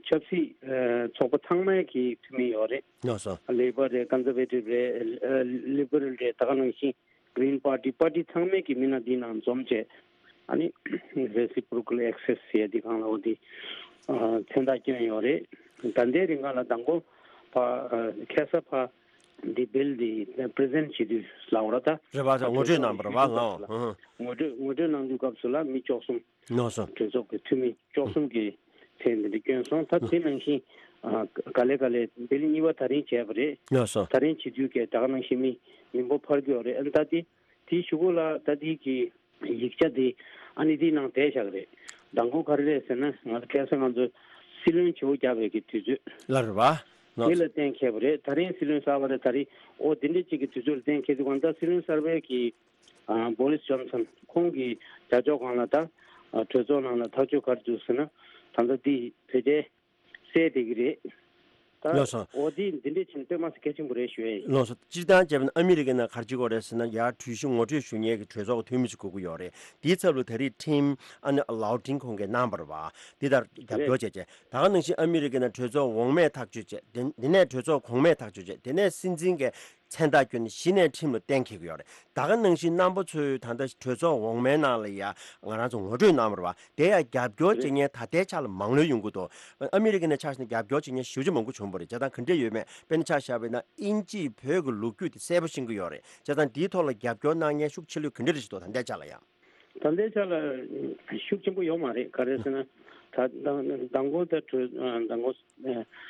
ཆབ་སྲིད་ཨ་ཚོགས་པ་ཚང་མའི་གི་འཐུས་མི་ཡོད་རེད། ལགས་སོ། ལེ་པར་རེད། ཀོན་ཛར་ཝེ་ཊིབ་རེད། ཨ་ལི་བྷེ་རལ་རེད། ད་ག་ནང་བཞིན་གྷི་རིན་པར་ཊི་པར་ཊི་ཚང་མས་ཀྱི་མི་སྣ་འདི་ནང་འཛོམས་བྱས་ཨ་ནི་Reciprocal Access ཟེར་ཡ་འདི་སྒང་ལ་འོ་འདི་ཨ་མཚན་རྟགས་བསྐྱོན་ཡོད་རེད། ད་ལྟའི་རིང་ག་ལ་དང་པོ་ཕ་ཨ་ཁ་སང་ཕ་འདི་བིལ་འདི་པི་རི་ཛེན་ཊི་བྱེད་དུས་ལབ་པ་རེད་ད། རེད་པ། ད་ངོ་སྤྲོད་གནང་བ་རེད་པ་ལགས། ངོ་སྤྲོད་ངོ་སྤྲོད་གནང་དུས་སྐབས་སུ་ལ་མི་བཅུ་གསུམ། ལགས་སོ། གྲོས་ཚོགས་ཀྱི་འཐུས་མི་བཅུ་གསུམ་གྱིས་མཚན་འདི་འདྲ་བསྐྱོན་སོང་། ད་དེ་ནང་བཞིན་ཨ་ག་ལེ་ག་ལེ་བིལ་གཉིས་པ་ད་རིང་བྱས་པ་རེད། ལགས་སོ། ད་རིང་བྱེད་དུས་ཀྱི་ད་ག་ནང་བཞིན་མི་མི་འབོར་འཕར་གྱི་ཡོད་རེད། ཨ་ནི་ད་དེ་དེའི་གཞུག་གུ་ལ་ད་དེ་གི་ཡིག་ཆ་དེ་ཨ་ནི་དེའི་ནང་བསྡད་བཞག་གི་རེད། མདང་དགོང་ག་རེ་རེད་ཟེར་ན་ང་ཚོ་ཁ་སང་ང་ཚོ་སྲིད་བློན་བྱེད་པོ་རྒྱག་པའི་གི་དུས་ཚོད་ལ་རེད་པ། དེ་ལ་གཏན་འཁེལ་བ་རེད། ད་རིང་སྲིད་བློན་གསར་པ་རེད། ད་རིང་འོ་དེ་འདྲ་གཅིག་གི་དུས་ཚོད་ལ་གཏན་འཁེལ་དུས་གང་ལྟར་སྲིད་བློན་གསར་པའི་གི་ཨ་བྷོ་རིས་ཇོན་སན་ཁོང་གི་བྱ་ཕྱོགས་སྒང་ལ་ད་ཨ་གྲོས་ཚོགས་ནང་ལ་ཐག་གཅོད་ག་རེ་འདུག་ཟེར་ན་ད་ལྟ་འདི་བོད་རྒྱའི་གསལ་བསྡད་ཀྱི་རེད། ད་ལགས་སོ། འོ་འདི་འདི་འདྲས་ཕྱིན་དཔེ་མ་སྲིད་གལ་ཆེན་པོ་རེད་ཞུ་ཡས་ཡིན། ལགས་སོ། སྤྱིར་བཏང་བྱས་པ་ན་ཨ་མི་རི་ཀའི་ནང་ག་རེ་བྱེད་ཀྱི་ཡོད་རེད་ཟེར་ན་ཡར་གྲོས་གཞི་ངོ་སྤྲོད་ཞུ་མཁན་གྱི་གྲོས་ཚོགས་འཐུས་མི་ཞིག་དགོས་ཀྱི་ཡོད་རེད། དེའི་ཚབ་ལ་ད་རེས་ཁྲིམས་ཨ་ནི་ལའོ་ཁྲིན་ཁོང་གིས་གནང་བ་རེད་པ། འདི་ལྟར་རྒྱབ་སྐྱོར་བྱས་རྗེས་ད་ག་ནང་བཞིན་ཨ་མི་རི་ཀའི་ནང་གྲོས་ཚོགས་འོག་མས་ཐག་གཅོད་བྱས། དེ་དེ་ནས་གྲོས་ཚོགས་གོང་མས་ཐག་གཅོད་བྱས། དེ་ནས་སྲིད་འཛིན་གྱིས་མཚན་རྟགས་བསྐྱོན་ནས་གཞི་ནས་ཁྲིམས་ལ་གཏན་འཁེལ་གྱི་ཡོད་རེད། ད་ག་ནང་བཞིན་རྣམ་པ་ཚོས་ད་ལྟ་གྲོས་ཚོགས་འོག་མའི་ནང་ལ་ཡ་ང་རང་ཚོ་ངོ་སྤྲོད་གནང་བ་རེད་པ། དེ་ཡང་རྒྱབ་སྐྱོར་བྱེད་མཁན་ད་ལྟའི་ཆ་ལ་མང་ལོས་ཡོང་གི་འདུག་ཨ་མི་རི་ཀའི་ནང་ཆ་བཞག་ན་རྒྱབ་སྐྱོར་བྱེད་མཁན་ཞེ་པོ་ཅིག་མང་པོ་བྱུང་བ་རེད། བྱས་ཙང་ག་འདྲས་ཡོད་མེད། དཔེར་ན་ཆ་བཞག་པ་ཡིན་ན་དབྱིན་ཇིས་བོད་ཀྱི་ལོ་རྒྱུས་དེ་གསལ་པོ་ཤེས་ཀྱི་ཡོད་རེད། བྱས་ཙང་འདིའི་ཐོག་ལ་རྒྱབ་སྐྱོར་གནང་མཁན་ཤུགས་ཆེ་ལོས་ག་འདྲས་རེད་ཞིག་འདུག་ད་ལྟའི་ཆ་ལ་ཡང་། ད་ལྟའི་ཆ་ལ་ཤུགས་ཆེན་པོ་ཡོད་མ་རེད། ག་རེ་ཟེར་ན་ད་མདང་མདང་དགོང་ད་གྲོས་མདང་དགོང་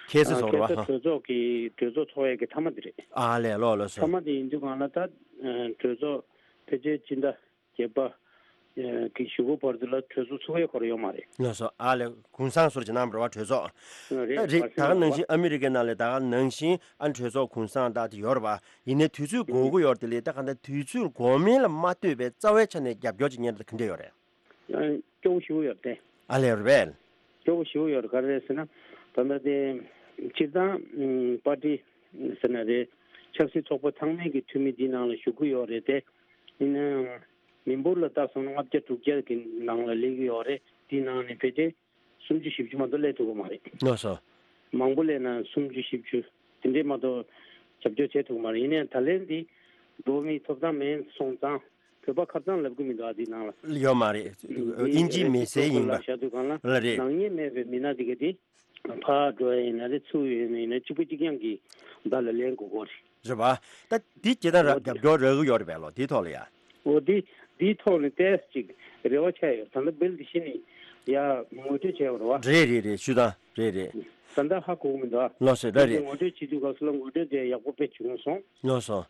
ཁ་སང་ཨ་ཚོགས་རེད་པ། ཁ་སང་ཧ། གྲོས་ཚོགས་ཀྱི་གྲོས་ཚོགས་ཚོགས་ཡས་ཀྱི་མཐའ་མ་དེ་རེད། ཨ་ལས། ལགས་ལགས་སོ། མཐའ་མ་དེ་ཡིན་དུས་གང་ལ་ད་གྲོས་ཚོགས་ཕལ་ཆེར་སྤྱི་ཟླ་བརྒྱད་པ་གི་གཞུག་གུ་བར་དུ་ལ་གྲོས་ཚོགས་ཚུགས་ཡས་ཁོ་རང་ཡོད་མ་རེད། ལགས་སོ། ཨ་ལས། གུང་སེང་བཟོ་འདྲ་ཅིག་གནང་བ་རེད་པ་གྲོས་ཚོགས། རེད། ད་རེད། ད་ག་ནང་བཞིན་ཨ་མི་རི་ཀའི་ནང་ལ་ད་ག་ནང་བཞིན་ཨ་གྲོས་ཚོགས་གུང་སེང་ད་དེ་ཡོད་རེད་པ། ཡིན་ནའི་དུས་ཚོད་འགོར་གྱི་ཡོད་རེད། དེ་ལས་ད་ག་ད་དུས་ཚོད་འགོར་མིན་ལ་མ་ལྟོས་པའི་རྩ་བའི་ཆ་ནས་རྒྱབ་སྐྱོར་བྱེད་མཁན་དེ་ག་འདྲས་ཡོད་རེད། སྐྱོ་བོ་ཞེ་པོ་ཡོད་རེད་དེ། ཨ་ལས། རེད་པས། སྐྱོ་བོ་ཞེ་པོ་ཡོད་རེད། ག་རེ་རེད་ཟེར་ན་ད་ལྟ་དེ་སྤྱིར་བཏང་པར་ཊི་ཟེར་ན་རེད། ཆབ་སྲིད་ཚོགས་པ་ཚང་མའི་གི་འཐུས་མི་འདི་ནང་ལ་ཞུགས་ཀྱི་ཡོད་རེད་དེ། ཡིན་ནའང་མི་འབོར་ལ་བལྟས་སོང་ན་ལྔ་བརྒྱ་དྲུག་བརྒྱ་གི་ནང་ལ་སླེབས་ཀྱི་ཡོད་རེད། དེའི་ནང་ནས་ཕལ་ཆེར་སུམ་ཅུ་བཞི་བཅུ་མ་གཏོགས་སླེབས་ཐུབ་ཀྱི་མ་རེད། ལགས་སོ། མང་པོ་སླེབས་ན་སུམ་ཅུ་བཞི་བཅུ་དེ་འདྲས་མ་གཏོགས་རྒྱབ་སྐྱོར་བྱེད་ཐུབ་ཀྱི་མ་རེད། ཡིན་ནའང་ད་ལན་འདི་འགྲོ་མིའི་ཐོབ་ཐང་མེད་སོང་ཙང་བོད་པ་ཁ་རྩང་ལབ་ཀྱི་མི་འདུག་ཨ་འདི་ནང་ལ། ཡོད་མ་རེད། འདི་དབྱིན་ཇིའི་མི་སེར་ཡིན་པ་ལབ་བཞག་དུས་གང་ལ་ལ་རེད། ནག་ཉེས་མེད་པའི་མི་སྣ་འདི་ག་འདི་ཕར་འགྲོ་ཡ་ཡིན་ན་རེད། ཚུར་ཡོང་ཡ་ཡིན་ན་གཅིག་པ་གཅིག་རྐྱང་གི་བརྡ་ལ་ལེན་དགོས་ཀྱི་རེད། རེད་པ། ད་འདི་སྤྱིར་བཏང་ར་རྒྱབ་སྐྱོར་རག་གི་ཡོད་རེད་པས་ལོ། འདིའི་ཐོག་ལ་ཡ། འོ་འདི་འདིའི་ཐོག་ནས་ཏོག་ཙམ་ཅིག་རེ་བ་ཆགས་ཡོད། ད་ལྟ་བིལ་འདི་གཞི་ནས་ཡ་ངོ་སྤྲོད་བྱས་པ་རེད་པ། རེད་རེད་རེད། ཞུ་དང་རེད་རེད། ད་ལྟ་ཧ་གོ་གི་མི་འདུག་ཨ། ལགས་སོ། རེད་རེད། ངོ་སྤྲོད་བྱེད་དུས་སྐབས་སུ་ལ་ངོ་སྤྲོད་དེ་ཡག་པོ་དཔེ་བྱུང་སོང་། ལགས་སོ།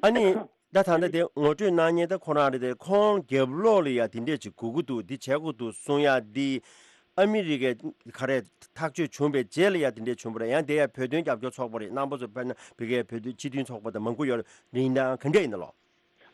ཨ་ནི། ད་ད་ལྟ་དེ་ངོ་སྤྲོད་གནང་མཁན་ད་ཁོ་རང་རེད་དེ། ཁོང་རྒྱབ་ལོགས་ལ་ཡ་དེ་འདྲས་ཅིག་དགོས་ཀྱི་འདུག་འདི་བྱེད་དགོས་འདུག་གསུང་ཡ་འདི། ཨ་མི་རི་ཀའི་ག་རེ་ཐག་གཅོད་བྱུང་བའི་རྗེས་ལ་ཡ་དེ་འདྲས་བྱུང་བ་རེད། ཡང་དེ་ཡ་བོད་དོན་རྒྱབ་སྐྱོར་ཚོགས་པ་རེད། རྣམ་པ་ཚོ་དཔེར་ན་བོད་སྐད་བོད་དོན་སྤྱི་མཐུན་ཚོགས་པ་དང་མང་པོ་ཡོད་རེད། ཡིན་ནའང་ག་འདྲས་ཡིན་ན་ལོ།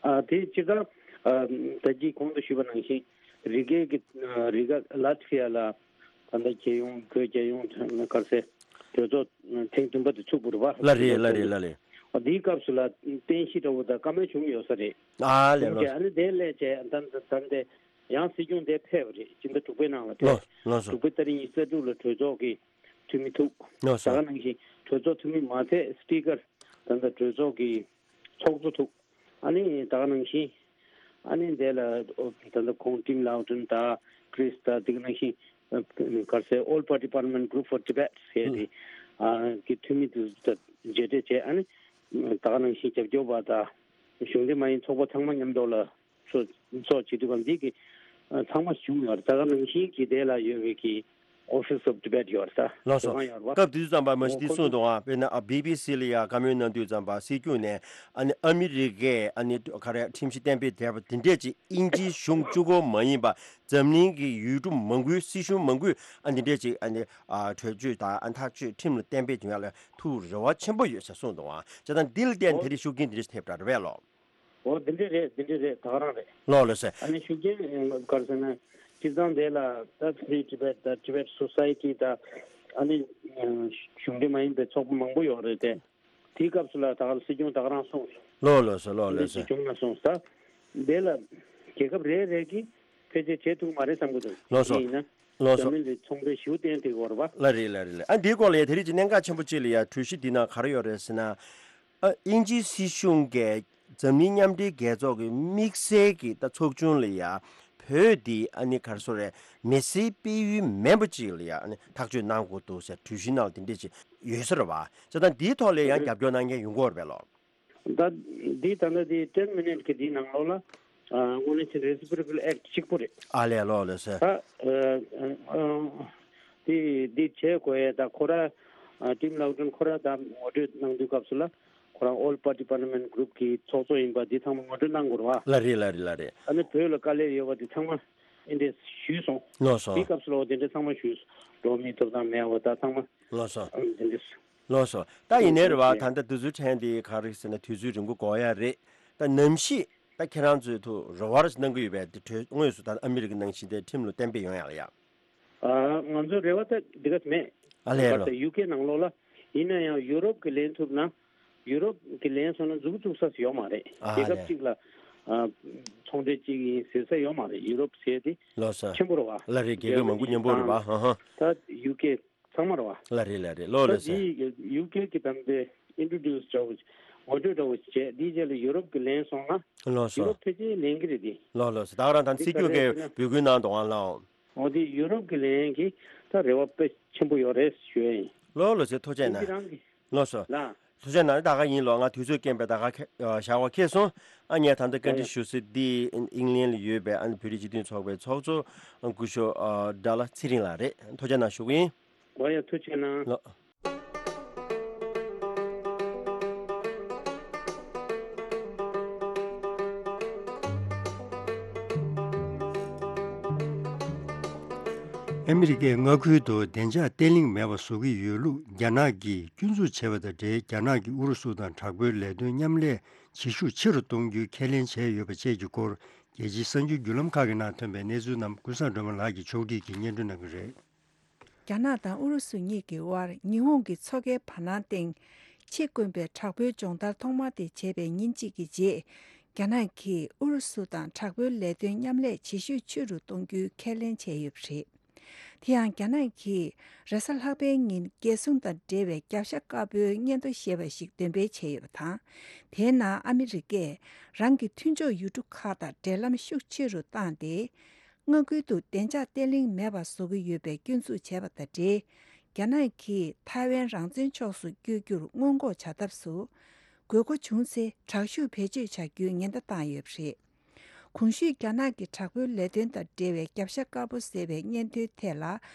ཨ་དེ་སྤྱིར་བཏང་ཨ་ད་གིན་གོང་དུ་ཞུས་པ་ནང་བཞིན་རི་ཀའི་གི་ཨ་རི་ག་ལ་ཐི་ཡ་ལ་ད་ལྟ་རྒྱལ་ཡོངས་བོད་རྒྱལ་ཡོངས་ག་རེ་ཟེར་གྲོས་ཚོགས་ཐེངས་བདུན་པ་དེ་ཚུགས་པ་རེད་པ། ལགས་རེད། ལགས་རེད། ལགས་རེད། ཨ་དེའི་སྐབས་སུ་ལ་རྟེན་གཞི་འདྲ་བོ་དང་བཀའ་མོལ་བྱུང་ཡོད་ས་རེད། ཨ་ལས་ལོ། ཨ་ནི་དེ་ལས་བྱས་ད་ད་ད་དེ་ཡང་སྲིད་སྐྱོང་དེ་ཕེབས་པ་རེད། སྤྱི་ཟླ་དྲུག་པའི་ནང་ལ་ལོ་ཕེབས། ལོ་སོ། དྲུག་པའི་ཏ་རིག་ཉི་ཤུ་རྩ་དྲུག་ལ་གྲོས་ཚོགས་ཀྱི་འཐུས་མི་ཐུག་ལོ་ད་སོ། ག་ནང་བཞིན་གྲོས་ཚོགས་འཐུས་མི་མ་ཚད་སྤི་ཀར་ད་ལྟ་གྲོས་ཚོགས་ཀྱི་ཚོགས་གཙོ་ཐུག་ཨ་ནི་ད་ག་ནང་བཞིན་ཨ་ནི་དེ་ལ་ད་ལྟ་ཁོང་ཊིམ་ལའོ་ཊོན་དང་ཀྲིས་དང་དེ་ག་ནང་བཞིན་ག་རེ་ཟེར་All Party Parliament Group for Tibet ཟེར་དེ་ཨ་གི་འཐུས་མི་དེ་ཚོ་དང་མཇལ་འཕྲད་བྱས། ཨ་ནི་ད་ག་ནང་བཞིན་རྒྱབ་སྐྱོར་པ་དང་གཞུང་འབྲེལ་མ་ཡིན་ཚོགས་པ་ཚང་མ་མཉམ་དུ་ལ་ཚོགས་ཚོགས་བྱེད་དུས་གང་འདི་གི་ཨ་ཚང་མ་བྱུང་ཡོད་རེད། ད་ག་ནང་བཞིན་གྱི་དེ་ལ་ཡོད་པའི་གི་Office of Tibet ཡོད་རེད། ད་ལགས་སོ། དེ་གང་ཡོད་རེད་པ། སྐབས་དེ་དུས་ཙམ་པ་མ་གཞི་འདི་གསུངས་འདུག་ཨ། དཔེར་ན་ཨ་བི་བི་སི་ལ་ཡ་བཀའ་མོལ་གནང་དུས་ཙམ་པ་སྲིད་སྐྱོང་ནས་ཨ་ནི་ཨ་མི་རི་ཀས་ཨ་ནི་ག་རེ་ཁྲིམས་གཞི་གཏན་འབེབས་བསྡད་པ་དེ་འདྲས་ཀྱི་དབྱིན་ཇིའི་གཞུང་གཅིག་པོ་མ་ཡིན་པ་འཛམ་གླིང་གི་ཡུལ་གྲུ་མང་པོའི་སྲིད་གཞུང་མང་པོས་ཨ་འདི་འདྲས་ཅིག་ཨ་ནི་ཨ་གྲོས་ཆོད་དང་ཨ་ཐག་གཅོད་ཁྲིམས་ལ་གཏན་འབེབས་བྱུང་ཡ་ལ་ཐུགས་རེ་བ་ཆེན་པོ་ཡོད་ཟེར་གསུངས་འདུག་ཨ། བྱས་ཙང་འདི་ལ་བརྟེན་ཨོ་དེ་རིང་ཤུགས་རྐྱེན་དེ་འདྲས་ཐེབས་པ་རེད་པས་ལོ། ཨོ་འདི་འདྲས་རེད། འདི་འདྲས་རེད། ད་ག་རང་རེད། ལོ་ལོ་ཟེར། ཨ་ནི་ཤུགས་རྐྱེན་ག་རེ་ཟེར་ན་སྤྱིར་བཏང་དེ་ལ་ད་Free Tibet དང་Tibet Society དང་ཨ་ནི་གཞུང་འབྲེལ་མ་ཡིན་པའི་ཚོགས་པ་མང་པོ་ཡོད་རེད་དེ། དེའི་སྐབས་སུ་ལ་ད་ག་སྲིད་སྐྱོང་ད་ག་རང་སོང་། ལོ་ལོ་སོ། ལོ་ལོ་སོ། སྲིད་སྐྱོང་ལ་སོང་ས། དེ་ལ་རྒྱལ་ཁབ་རེ་རེ་གིས་ཕལ་ཆེར་བྱེད་ཐུབ་མ་རེད་བསམ་གི་འདུག་ལོ་སོ། ཡིན་ན་ལོ་སོ། འཛམ་གླིང་ལ་ཚོང་འབྲེལ་ཞེ་པོ་བསྟན་ཐུབ་ཀྱི་ཡོད་རེད་པ། ལ་རེད་ལ་རེད་ལ། ཨ་འདིའི་སྐོར་ལ་ཡ་དེ་རིང་གི་གནད་འགག་ཆེན་པོ་གཅིག་ལ་ཡ་གྲོས་གཞི་འདི་ནང་ག་རེ་ཡོད་རེད་ཟེར་ན། ཨ་དབྱིན་ཇིའི་སྲིད་གཞུང་གིས་འཛམ་གླིང་མཉམ་འབྲེལ་རྒྱལ་ཚོགས་ཀྱི་དམིགས་བསལ་གྱི་ད་ཚོགས་ཆུང་ལ་ཡ་བོད་འདི་ཨ་ནི་ག་རེ་ཟེར་རེད། མི་སེར་སྤེལ་ཡུལ་མིན་པ་ཅིག་ལ་ཡ་ཨ་ནི་ཐག་གཅོད་གནང་དགོས་འདུག་ཟེར་གྲོས་གཞི་ནང་ལ་དེ་འདྲས་ཅིག་ཡོད་ས་རེད་པ། བྱས་ཙང་འདིའི་ཐོག་ལ་ཡང་རྒྱབ་སྐྱོར་གནང་མཁན་ཡོང་གི་ཡོད་རེད་པས་ལོ། ད་འདི་ད་ལྟ་འདི་ten minute གི་འདིའི་ནང་ལོགས་ལ་ཨ་དངོས་གནས་ཆེན་Reciprocal Act གཅིག་པོ་རེད། ཨ་ལས་ལོ་ལོ་ཟེར། ད་ཨ་ཨ་འདི་འདི་བྱེད་དགོས་ཡས་ད་ཁོ་ར་ཨ་ཊིམ་ལའོ་ཊོན་ཁོ་ར་ད་ངོ་སྤྲོད་གནང་དུས་སྐབས་སུ་ལ་ཁོ་རང་All Party Parliament Group གི་ཚོགས་གཙོ་ཡིན་པ་འདི་ཚང་མ་ངོ་སྤྲོད་གནང་དགོས་རེད་པ། ལ་རེད་ལ་རེད་ལ་རེད། ཨ་ནི་བོད་ལ་དཀའ་ལས་ཡོད་པ་འདི་ཚང་མ་འདི་འདྲས་ཞུས་སོང་། ལོ་སོ། འདི་སྐབས་སུ་ལ་འོ་དེ་འདྲས་ཚང་མ་ཞུས་སོང་། འགྲོ་མིའི་ཐོབ་ཐང་མེད་པ་ད་ཚང་མ། ལོ་སོ། ཨ་འདི་འདྲས། ལགས་སོ། ད་ཡིན་ནའི་རེད་བ། ད་ལྟ་དུས་ཚོད་ཕྲན་དེ་ག་རེ་ཟེར་ན་དུས་ཚོད་རིང་པོ་འགོར་ཡ་རེད། ད་ནམ་ཞིག་ད་ཁྱེད་རང་ཚོས་ཐུགས་རེ་བ་རེ་གནང་གི་ཡོད་པས། དེ་གྲོས་དངོས་སུ་ད་ཨ་མི་རི་ཀ་ནང་བཞིན་དེ་ཁྲིམས་ལ་གཏན་འབེབས་ཡོང་ཡ་ལ་ཡ། ཨ་ང་ཚོའི་རེ་བ་ད་འདི་ག་མེད། ཨ་ལས་རོ། ད་ཡུ་ཀེ་ནང་ལོགས་ལ་ཡིན་ན་ཡང་ཡུ་རོབ་ཀྱི་ལེན་ཐུབ་ན་ཡུ་རོབ་ཀྱི་ལེན་སོང་ན་མཛུབ་གུ་བཙུགས་ས་ཡོད་མ་རེད། ཨ་རྒྱལ་ཁབ་ལས། གཅིག་ལ་ཨ་ཚོང་འབྲེལ་གཅིག་ཡིན་ཟེར་ས་ཡོད་མ་རེད། ཡུ་རོབ་ཟེར་དེ་ལགས་སོ། ཆེན་པོ་རེད་བ། ལ་རེད། རྒྱལ་ཁབ་མང་པོ་མཉམ་པོ་རེད་བ། ཧ་ཧ། ད་ཡུ་ཀེ་ཚང་མ་རེད་བ། ལ་རེད་ལ་རེད། ལོ་ལ་ད་སེ། དེ་ཡུ་ཀེ་གི་དམ་པའི་ཨིན་ཊྲོ་ཌིའུ་སི་འདྲ་བོ་ངོ་སྤྲོད་འདྲ་བོ་བྱས་དེའི་རྗེས་ལ་ཡུ་རོབ་ཀྱི་ལེན་སོང་ན། ལོ་སོ། ཡུ་རོབ་ཕལ་ཆེར་ལེན་གི་རེད་དེ། ལོ་ལོ་སོ། ད་ག་རང་ད་དེ་སྲིད་སྐྱོང་གིས་འབོད་སྐུལ་གནང་འདུག་ཨང་ལགས། འོ་དེ་ཡུ་རོབ་ཀྱི་ལེན་གྱི་ད་རེ་བ་དཔེ་ཆེན་པོ་ཡོད་རེད་ཞུ་ཡ་ཡིན། ལོ་ལོ་སེ། ཐུགས་རྗེ་གནང་། ཁྱེད་རང་གི་ལགས་སོ། ལགས། ཐུགས་རྗེ་གནང་། ད་ག་ཡིན་ལོ། ང་དུས་ཚོད་རྐྱེན་པས་ད་ག་ཁེ་ཨ་བཞག་པ་ཁེལ་སོང་། ཨ་ངས་ད་ལྟ་བཀའ་འདྲི་ཞུ་སྲིད་འདི་ཨིང་ལན་ལ་ཡོད་པའི་ཨ་ནི་བོད་རིགས་སྤྱི་མཐུན་ཚོགས་པའི་ཚོགས་གཙོ་སྐུ་ཞབས་ཨ་སྒྲ་ལྷ་ཚེ་རིང་ལགས་རེད། ཐུགས་རྗེ་གནང་ཞུ་གི་ཡིན། ང་ཡང་ཐུགས་རྗེ་གནང་། ལགས། ཨ་མི་རི་ཀའི་མངའ་ཁུལ་དུ་བདེ་འཇགས་བརྟན་ལྷིང་མེད་པ་བཟོ་གི་ཡོད་ལུགས་རྒྱ་ནག་གིས་སྐྱོན་འཛུགས་བྱས་པ་དང་འབྲེལ། རྒྱ་ནག་གིས་ཨུ་རུ་སུ་དང་དྲག་པོའི་ལས་དོན་མཉམ་ལས་བྱེད་ཤུགས་ཆེ་རུ་གཏོང་རྒྱུའི་ཁས་ལེན་བྱས་ཡོད་པ་བཅས་ཀྱི་སྐོར། རྒྱལ་སྤྱིའི་གསར་འགྱུར་བརྒྱུད་ལམ་ཁག་གི་ནང་ཐོན་པའི་གནས་ཚུལ་རྣམས་ཀུན་བཟང་སྒྲོལ་མ་ལགས་ཀྱིས་ཕྱོགས་སྒྲིག་གིས་སྙན་སྒྲོན་གནང་གི་རེད། རྒྱ་ནག་དང་ཨུ་རུ་སུ་གཉིས་ཀྱི་དབར་ཉི་ཧོང་གི་མཚོ་ཁའི་བར་སྣང་སྟེང་ཕྱི་དགོན་པའི་དྲག་པོའི་སྦྱོང་བརྡར་ཐོག་མ་དེ་བྱས་པའི་ཉིན་གཅིག་གི་རྗེས། རྒྱ་ནག་གིས་ཨུ་རུ་སུ་དང་དྲག་པོའི་ལས་དོན་མཉམ་ལས་བྱེད་ཤུགས་ཆེ་རུ་གཏོང་རྒྱུའི་ཁས་ལེན་བྱས་ཡོད་པ་རེད། དེ་ཡང་རྒྱ་ནག་གིས་རེས་གཟའ་ལྷག་པའི་ཉིན་རྒྱལ་སྲུང་དང་འབྲེལ་བའི་རྒྱབ་ཤ་དཀར་པོའི་སྙན་ཐོ་ཞེས་པ་ཞིག་འདོན་སྤེལ་བྱས་ཡོད་པ་དང་། དེའི་ནང་ཨ་མི་རི་ཀས་རང་གི་མཐུན་ཕྱོགས་ཡུལ་གྲུ་ཁག་དང་འབྲེལ་ལམ་ཤུགས་ཆེ་རུ་བཏང་སྟེ། མངའ་ཁུལ་དུ་བདེ་འཇགས་བརྟན་ལྷིང་མེད་པ་བཟོ་གི་ཡོད་པའི་སྐྱོན་འཛུགས་བྱས་པ་དང་འབྲེལ། རྒྱ་ནག་གིས་ཐའེ་ཝན་རང་བཙན་ཕྱོགས་སུ་བསྐྱོད་རྒྱུར་སྔོན་འགོག་བྱ་ཐབས་སུ། དགོས་མཁོ་བྱུང་ཚེ་དྲག་ཤུགས་བེད་སྤྱོད་བྱ་རྒྱུའི་ཉེན་བརྡ་བཏང་ཡོད་པ་རེད། གོང་ཞུས་རྒྱ་ནག་གི་དྲག་པོའི་ལས་དོན་དང་འབྲེལ་བའི་རྒྱབ་ཤ་དཀར་པོ་ཟེར་བའི་སྙན་ཐོའི་ཐད་ལ།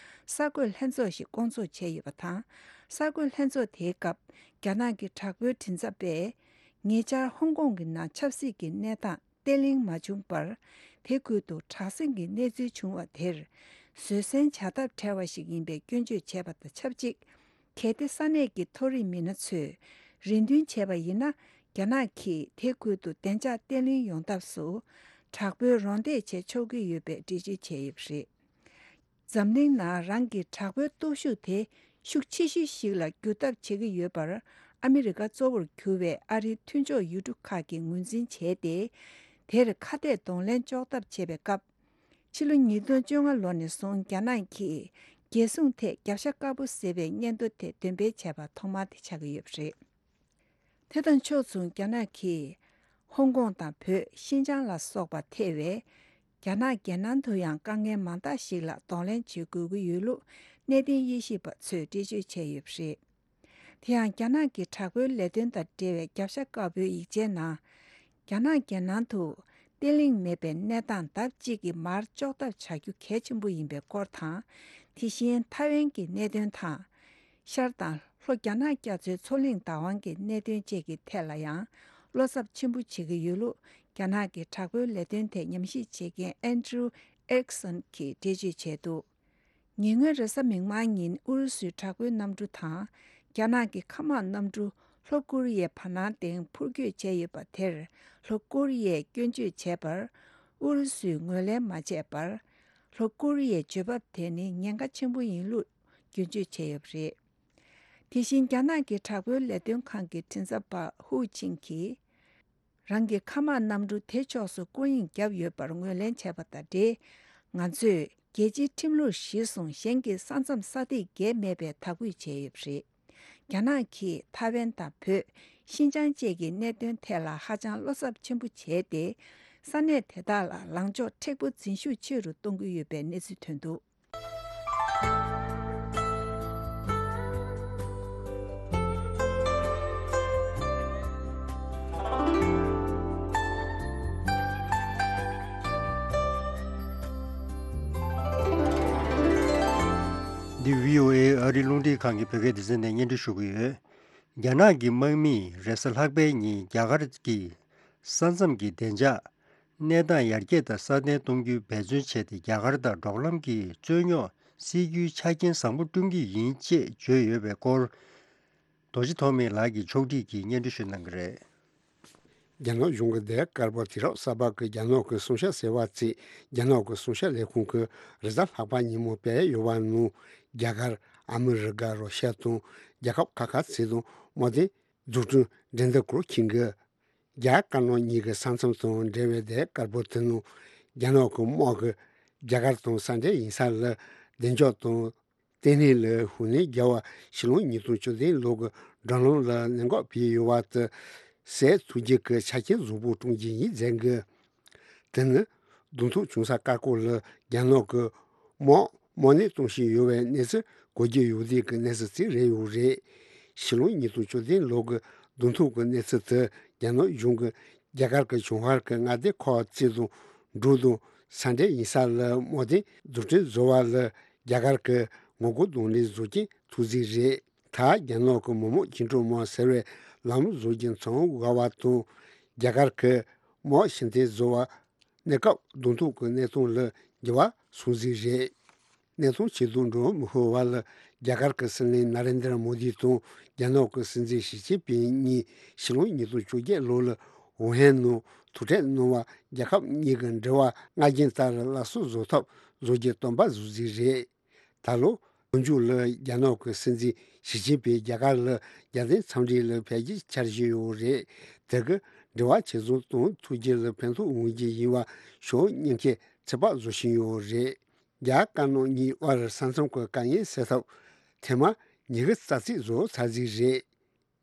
གསར་འགོད་ལྷན་ཚོགས་ཤིག་བསྐོང་ཚོགས་བྱས་ཡོད་པ་དང་། གསར་འགོད་ལྷན་ཚོགས་དེའི་སྐབས། རྒྱ་ནག་གི་དྲག་པོའི་མགྲིན་ཚབ་པས། ཉེ་ཆར་ཧོང་ཀོང་གི་ནང་ཆབ་སྲིད་ཀྱི་གནས་སྟངས་བརྟན་ལྷིང་མ་བྱུང་བར། དེ་ཁུལ་དུ་དྲག་ཟིང་གི་གནས་ཚུལ་བྱུང་བ་དེར་བཟོད་བསྲན་བྱ་ཐབས་བྲལ་བ་ཞིག་ཡིན་པའི་སྐྱོན་བརྗོད་བྱས་པ་དང་ཆབས་ཅིག་གལ་ཏེ་ས་གནས་ཀྱི་མཐོ་རིམ་མི་སྣ་ཚོས་རེ་འདུན་བྱས་པ་ཡིན་ན། རྒྱ་ནག་གིས་དེ་ཁུལ་དུ་བདེ་འཇགས་བརྟན་ལྷིང་ཡོང་ཐབས་སུ་དྲག་པོའི་རོགས་འདེགས་བྱེད་ཆོག་གི་ཡོད་པའི་འགྲེལ་བརྗོད་བྱས་ཡོད་པ་རེད། འཛམ་གླིང་ནང་རང་གི་དྲག་པོའི་སྟོབས་ཤུགས་དེ་ཤུགས་ཆེ་ཤོས་ཤིག་ལ་བསྒྱུར་ཐབས་བྱེད་ཀྱི་ཡོད་པར། ཨ་མི་རི་ཀ་གཙོ་བོར་གྱུར་བའི་ཨ་རིའི་མཐུན་ཕྱོགས་ཡུལ་གྲུ་ཁག་གིས་ངོས་འཛིན་བྱས་ཏེ། དེར་ཁ་གཏད་གདོང་ལེན་གཅོག་ཐབས་བྱེད་པའི་སྐབས། ཕྱི་ལོ་ཉིས་སྟོང་བཅོ་ལྔ་ལོ་ནས་བཟུང་རྒྱ་ནག་གིས་རྒྱལ་སྲུང་ཐད་རྒྱབ་ཤ་དཀར་པོ་བཟེད་པའི་སྙན་ཐོ་དེ་འདོན་སྤེལ་བྱས་པ་ཐོག་མ་དེ་ཆགས་ཀྱི་ཡོད་པ་རེད། དེ་དང་ཕྱོགས་མཚུངས་རྒྱ་ནག་གིས་ཧོང་ཀོང་དང་བོད། ཤིན་ཅང་ལ་སོགས་པ་ཐེ་བའི་རྒྱ་ནག་རྒྱལ་ནང་དུ་ཡང་དཀའ་ངལ་མང་དག་ཞིག་ལ་གདོང་ལེན་བྱེད་དགོས་ཀྱི་ཡོད་ལུགས་གནད་དོན་དབྱེ་ཞིབ་པ་ཚོས་འགྲེལ་བརྗོད་བྱས་ཡོད་པ་རེད། དེ་ཡང་རྒྱ་ནག་གི་དྲག་པོའི་ལས་དོན་དང་འབྲེལ་བའི་རྒྱབ་ཤ་དཀར་པོའི་ཡིག་ཆའི་ནང་། རྒྱ་ནག་རྒྱལ་ནང་དུ་བརྟན་ལྷིང་མེད་པའི་གནས་སྟངས་ལྡབ་གཅིག་གིས་མར་གཅོག་ཐབས་བྱ་རྒྱུ་གལ་ཆེན་པོ་ཡིན་པའི་སྐོར་དང་། དེ་བཞིན་ཐའེ་ཝན་གྱི་གནད་དོན་དང་། ཤར་དང་ལྷོ་རྒྱ་ནག་རྒྱ་མཚོའི་མཚོ་གླིང་བདག་དབང་གི་གནད་དོན་བཅས་ཀྱི་ཐད་ལ་ཡང་བློ་འཚབ་ཆེན་པོ་བྱེད་ཀྱི་ཡོད་ལུགས། རྒྱ་ནག་གི་དྲག་པོའི་ལས་དོན་ཐད་ཉམས་ཞིབ་བྱེད་མཁན་ཨན་ཌྲུ་ཨེ་རིག་སན་གྱིས་འགྲེལ་བརྗོད་བྱས་འདུག་ཉེ་སྔོན་རེས་གཟའ་མིག་དམར་ཉིན་ཨུ་རུ་སུའི་དྲག་པོའི་གནམ་གྲུ་དང་། རྒྱ་ནག་གི་མཁའ་དམག་གནམ་གྲུ་ལྷོ་ཀོ་རི་ཡའི་བར་སྣང་སྟེང་འཕུར་སྐྱོད་བྱས་ཡོད་པ་དེར། ལྷོ་ཀོ་རི་ཡས་སྐྱོན་བརྗོད་བྱས་པར། ཨུ་རུ་སུས་ངོས་ལེན་མ་བྱས་པར། ལྷོ་ཀོ་རི་ཡའི་འཇོན་འབབ་དེ་ནི་ཉེན་ཁ་ཆེན་པོ་ཡིན་ལུགས་སྐྱོན་བརྗོད་བྱས་ཡོད་པ་རེད། དེ་བཞིན་རྒྱ་ནག་གི་དྲག་པོའི་ལས་དོན་ཁང་གི་མགྲིན་ཚབ་པ་ཧུའུ་ཆིང་གིས། རང་གི་མཁའ་དམག་གནམ་གྲུ་དེ་ཕྱོགས་སུ་སྐོར་གཡེང་བརྒྱབ་ཡོད་པར་ངོས་ལེན་བྱས་པ་དང་འབྲེལ། ང་ཚོས་རྒྱལ་སྤྱིའི་ཁྲིམས་ལུགས་གཞིར་བཟུང་གཞན་གྱི་ས་མཚམས་ས་ཐིག་བརྒལ་མེད་པའི་དག་འབུད་བྱས་ཡོད་པ་རེད། རྒྱ་ནག་གིས་ཐའེ་ཝན་དང་བོད། ཤིན་ཅང་བཅས་ཀྱི་གནད་དོན་ཐད་ལ་ཧ་ཅང་བློ་འཚབ་ཆེན་པོ་བྱས་ཏེ། ས་གནས་དེ་དག་ལ་ལངས་ཕྱོགས་མཁྲེགས་པོ་འཛིན་ཤུགས་ཆེ་རུ་གཏོང་གི་ཡོད་པའི་གནས་ཚུལ་ཐོན་འདུག་འདི་བྷི་ཨོ་ཨེ་ཨ་རིའི་རླུང་འཕྲིན་ཁང་གི་བོད་སྐད་སྡེ་ཚན་ནས་སྙན་སྒྲོན་ཞུ་གི་ཡོད། རྒྱ་ནག་གི་དམག་མིས་རེས་གཟའ་ལྷག་པའི་ཉིན་རྒྱ་གར་གྱི་ས་མཚམས་ཀྱི་བདེ་འཇགས་གནས་སྟངས་ཡར་རྒྱས་དང་སྲ་བརྟན་གཏོང་རྒྱུའི་འབད་བརྩོན་བྱས་ཏེ། རྒྱ་གར་དང་འབྲོག་ལམ་གྱི་རྩོད་རྙོག་སེལ་རྒྱུའི་ཆ་རྐྱེན་བཟང་པོ་བསྐྲུན་གྱི་ཡིན་ཅེས་བརྗོད་ཡོད་པའི་སྐོར། རྡོ་རྗེ་ཐོགས་མེད་ལགས་ཀྱིས་ཕྱོགས་སྒྲིག་གིས་སྙན་སྒྲོན་ཞུ་གནང་གི་རེད། རྒྱ་ནག་གཞུང་གི་དེ་དཀར་པོ་དུས་རབས་གསར་པ་གི་རྒྱ་ནག་གི་སྲུང་བྱ་ཟེར་བ་བརྩིས། རྒྱ་ནག་གི་སྲུང་བྱ་ལས་ཁུངས་ཀྱིས་རེས་གཟའ་ལྷག་པ་ཉིན་མོ་སྤེལ་ཡོད་པ་ནང་། རྒྱ་གར། ཨ་མི་རི་ཀ། རོ་ཤ་དང་རྒྱལ་ཁབ་ཁག་ཁག་ཅིག་དང་དམག་དོན་འཛུགས་སྐྲུན་འགྲན་བསྡུར་སྐོར་ཁྱིམ་གྱི་རྒྱ་དཀར་ནག་གཉིས་ཀྱི་ས་མཚམས་དང་འབྲེལ་བའི་དེ་དཀར་པོ་དེ་ནང་། རྒྱ་ནག་གི་དམག་གིས་རྒྱ་གར་དང་ས་འབྲེལ་ཡིན་ས་ལ་བདེ་འཇགས་དང་། བརྟན་ལྷིང་ལ་ཤུགས་སྣོན་རྒྱག་པར་ཕྱི་ལོ་ཉིས་སྟོང་བཅུ་བདུན་ལོ་གི་མགྲོན་ལམ་ལ་གནད་འགག་བྱས་ཡོད་པ་དེ་སེལ་ཐུབ་རྒྱུ་གི་ཆ་རྐྱེན་བཟང་པོ་བསྐྲུན་རྒྱུ་ཡིན་ཟེར་གི། དེ་ནི་གདོང་ཐུག་བྱུང་ས་ཀ་ཀོ་ལ་རྒྱ་ནག་གི་དམག་དམག་སྣེ་གཏོང་བཞིན་ཡོད་པའི་གནས་ཚུལ་གོ་རྒྱུ་ཡོད་དེ་གི་གནས་ཚུལ་ཅིག་རེད་ཡོད་རེད། ཕྱི་ལོ་ཉིས་སྟོང་བཅུ་བདུན་ལོ་གི་གདོང་ཐུག་གི་གནས་ཚུལ་དེ་རྒྱ་ནག་གཞུང་གིས་རྒྱ་གར་གྱི་བྱང་ཤར་གྱི་མངའ་སྡེ་ཁག་ཅིག་དང་འབྲུག་དང་ས་འབྲེལ་ཡིན་ས་ལ་དམག་དོན་འཛུགས་སྐྲུན་བཟོ་བ་ལ་རྒྱ་གར་གྱི་ངོ་རྒོལ་གདོང་ལེན་བཟོ་རྐྱེན་ཐུག་ཟིག་རེད། ད་རྒྱ་ནག་གི་མི་དམངས་བཅིངས་འགྲོལ་དམག་ཟེར་བའི་ལམ་ལུགས་བཟོ་རྒྱུ་མཚམས་བཞག་པ་དང་། རྒྱ་གར་གྱི་དམག་ཕྱིར་འཐེན་བཟོ་བ་གནས་སྐབས་གདོང་ཐུག་གི་གནས་སྟངས་ལ་འགྱུར་བ་སོང་ཟིག་རེད། གནས་སྟངས་ཇེ་སྡུག་འགྲོ་མི་ཤེས་པ་ལ་རྒྱ་གར་གྱི་སྲིད་བློན་ན་རེན་དྲ་མོ་དི་དང་རྒྱ་ནག་གི་སྲིད་འཛིན་ཞི་ཅིན་ཕིང་གཉིས་ཕྱི་ལོ་ཉིས་སྟོང་བཅོ་བརྒྱད་ལོ་ལ་ཝུ་ཧན་ནང་ཐུག་འཕྲད་གནང་བ། རྒྱལ་ཁབ་གཉིས་ཀྱི་འབྲེལ་བ་སྔར་རྒྱུན་ལྟར་སླར་གསོ་བཟོ་ཐབས་བཟོ་རྒྱུ་བསྟན་པ་བཟོ་ཟིག་རེད། ད་ལོ་ལོ་མཇུག་ལ་རྒྱ་ནག་གི་སྲིད་འཛིན་ཞི་ཅིན་ཕིང་རྒྱ་གར་ལ་རྒྱལ་དོན་འཚམས་འདྲི་ལ་ཕེབས་རྒྱུའི་འཆར་གཞི་ཡོད་རེད། དེ་གིས་འབྲེལ་བ་ཇེ་བཟང་གཏོང་ཐུབ་རྒྱུ་ལ་ཕན་ཐོགས་འོང་རྒྱུ་ཡིན་པ་ཕྱོགས་གཉིས་ཀས་ཚོད་དཔག་བཟོ་བཞིན་ཡོད་རེད། རྒྱ་དཀར་ནག་གཉིས་དབར་ས་མཚམས་ཀྱི་དཀའ་ངལ་སེལ་ཐབས་ཐེངས་མ་ཉི་ཤུ་རྩ་གཅིག་བཟོ་ཚར་ཟིག་རེད།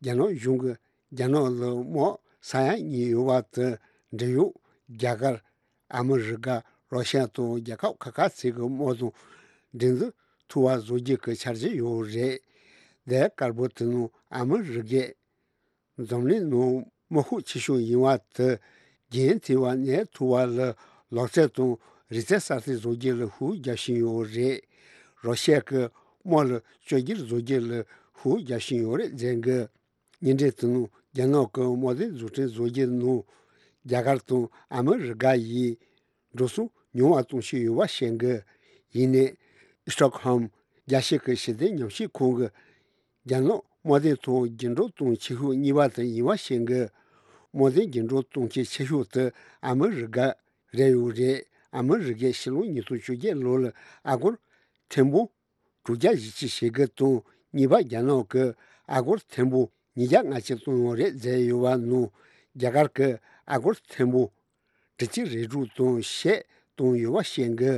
རྒྱ་ནག་གཞུང་གིས་རྒྱ་ནག་ལ་དམག་ས་ཡ་གཉིས་ཡོད་པ་དེ་འབྲེལ་ཡོད་རྒྱ་གར། ཨ་མི་རི་ཀ། རོ་ཤ་དང་རྒྱལ་ཁབ་ཁག་ཁག་ཅིག་གི་དམག་དང་འགྲན་བསྡུར་ཐུབ་པ་བཟོ་རྒྱུ་གི་འཆར་གཞི་ཡོད་རེད། དེ་དཀར་པོ་དེ་ནང་ཨ་མི་རི་ཀས་འཛམ་གླིང་ནང་དམག་ཤུགས་ཆེ་ཤོས་ཡིན་པ་དེ་རྒྱུན་མཐུད་པ་གནས་ཐུབ་པ་ལ་ལག་རྩལ་དང་རིག་རྩལ་གསར་གཏོད་བཟོ་རྒྱུ་ལ་ཤུགས་རྒྱག་བཞིན་ཡོད་རེད། རོ་ཤ་གི་དམག་ལ་བཅོས་བསྒྱུར་བཟོ་རྒྱུ་ལ་ཤུགས་རྒྱག་བཞིན་ཡོད་རེད་ཟེར་གི། ཉིན་རེ་དུ་ནུ་རྒྱ་ནག་གི་དམག་དོན་བཟོ་སྐྲུན་བཟོ་རྒྱུ་ནུ་རྒྱ་གར་དང་ཨ་མི་རི་ཀ་ཡིས་འགྲོ་སོང་ཉུང་བ་གཏོང་བཞིན་ཡོད་པ་བཤད་གི། ཡིན་ནའི་Stockholm་རྒྱལ་སྤྱི་གི་ཞི་བདེ་ཉམས་ཞིབ་ཁང་གི་རྒྱ་ནག་དམག་དོན་ཐོག་འགྱུར་འགྲོས་གཏོང་ཆེ་ཤོས་གཉིས་པ་དེ་ཡིན་པ་བཤད་གི། དམག་དོན་འགྱུར་འགྲོས་གཏོང་ཆེད་ཆེ་ཤོས་དེ་ཨ་མི་རི་ཀ་རེད་ཡོད་རེད། ཨ་མི་རི་ཀས་ཕྱི་ལོ་ཉིས་སྟོང་བཅོ་བརྒྱད་ལོ་ལ་ཨ་སྒོར་ཐེར་འབུམ་དྲུག་བརྒྱ་བཞི་བཅུ་ཞེ་དགུ་དང་གཉིས་པ་རྒྱ་ནག་གི་ཨ་སྒོར་ཐེར་འབུམ་ཉིས་བརྒྱ་ལྔ་བཅུ་བཏང་ཡོད་རེད་ཟེར་ཡོད་པ་ནང་རྒྱ་གར་གི་ཨ་སྒོར་ཐེར་འབུམ་དྲུག་ཅུ་རེ་དྲུག་དང་ཕྱེད་བཏང་ཡོད་པ་བཤད་གི།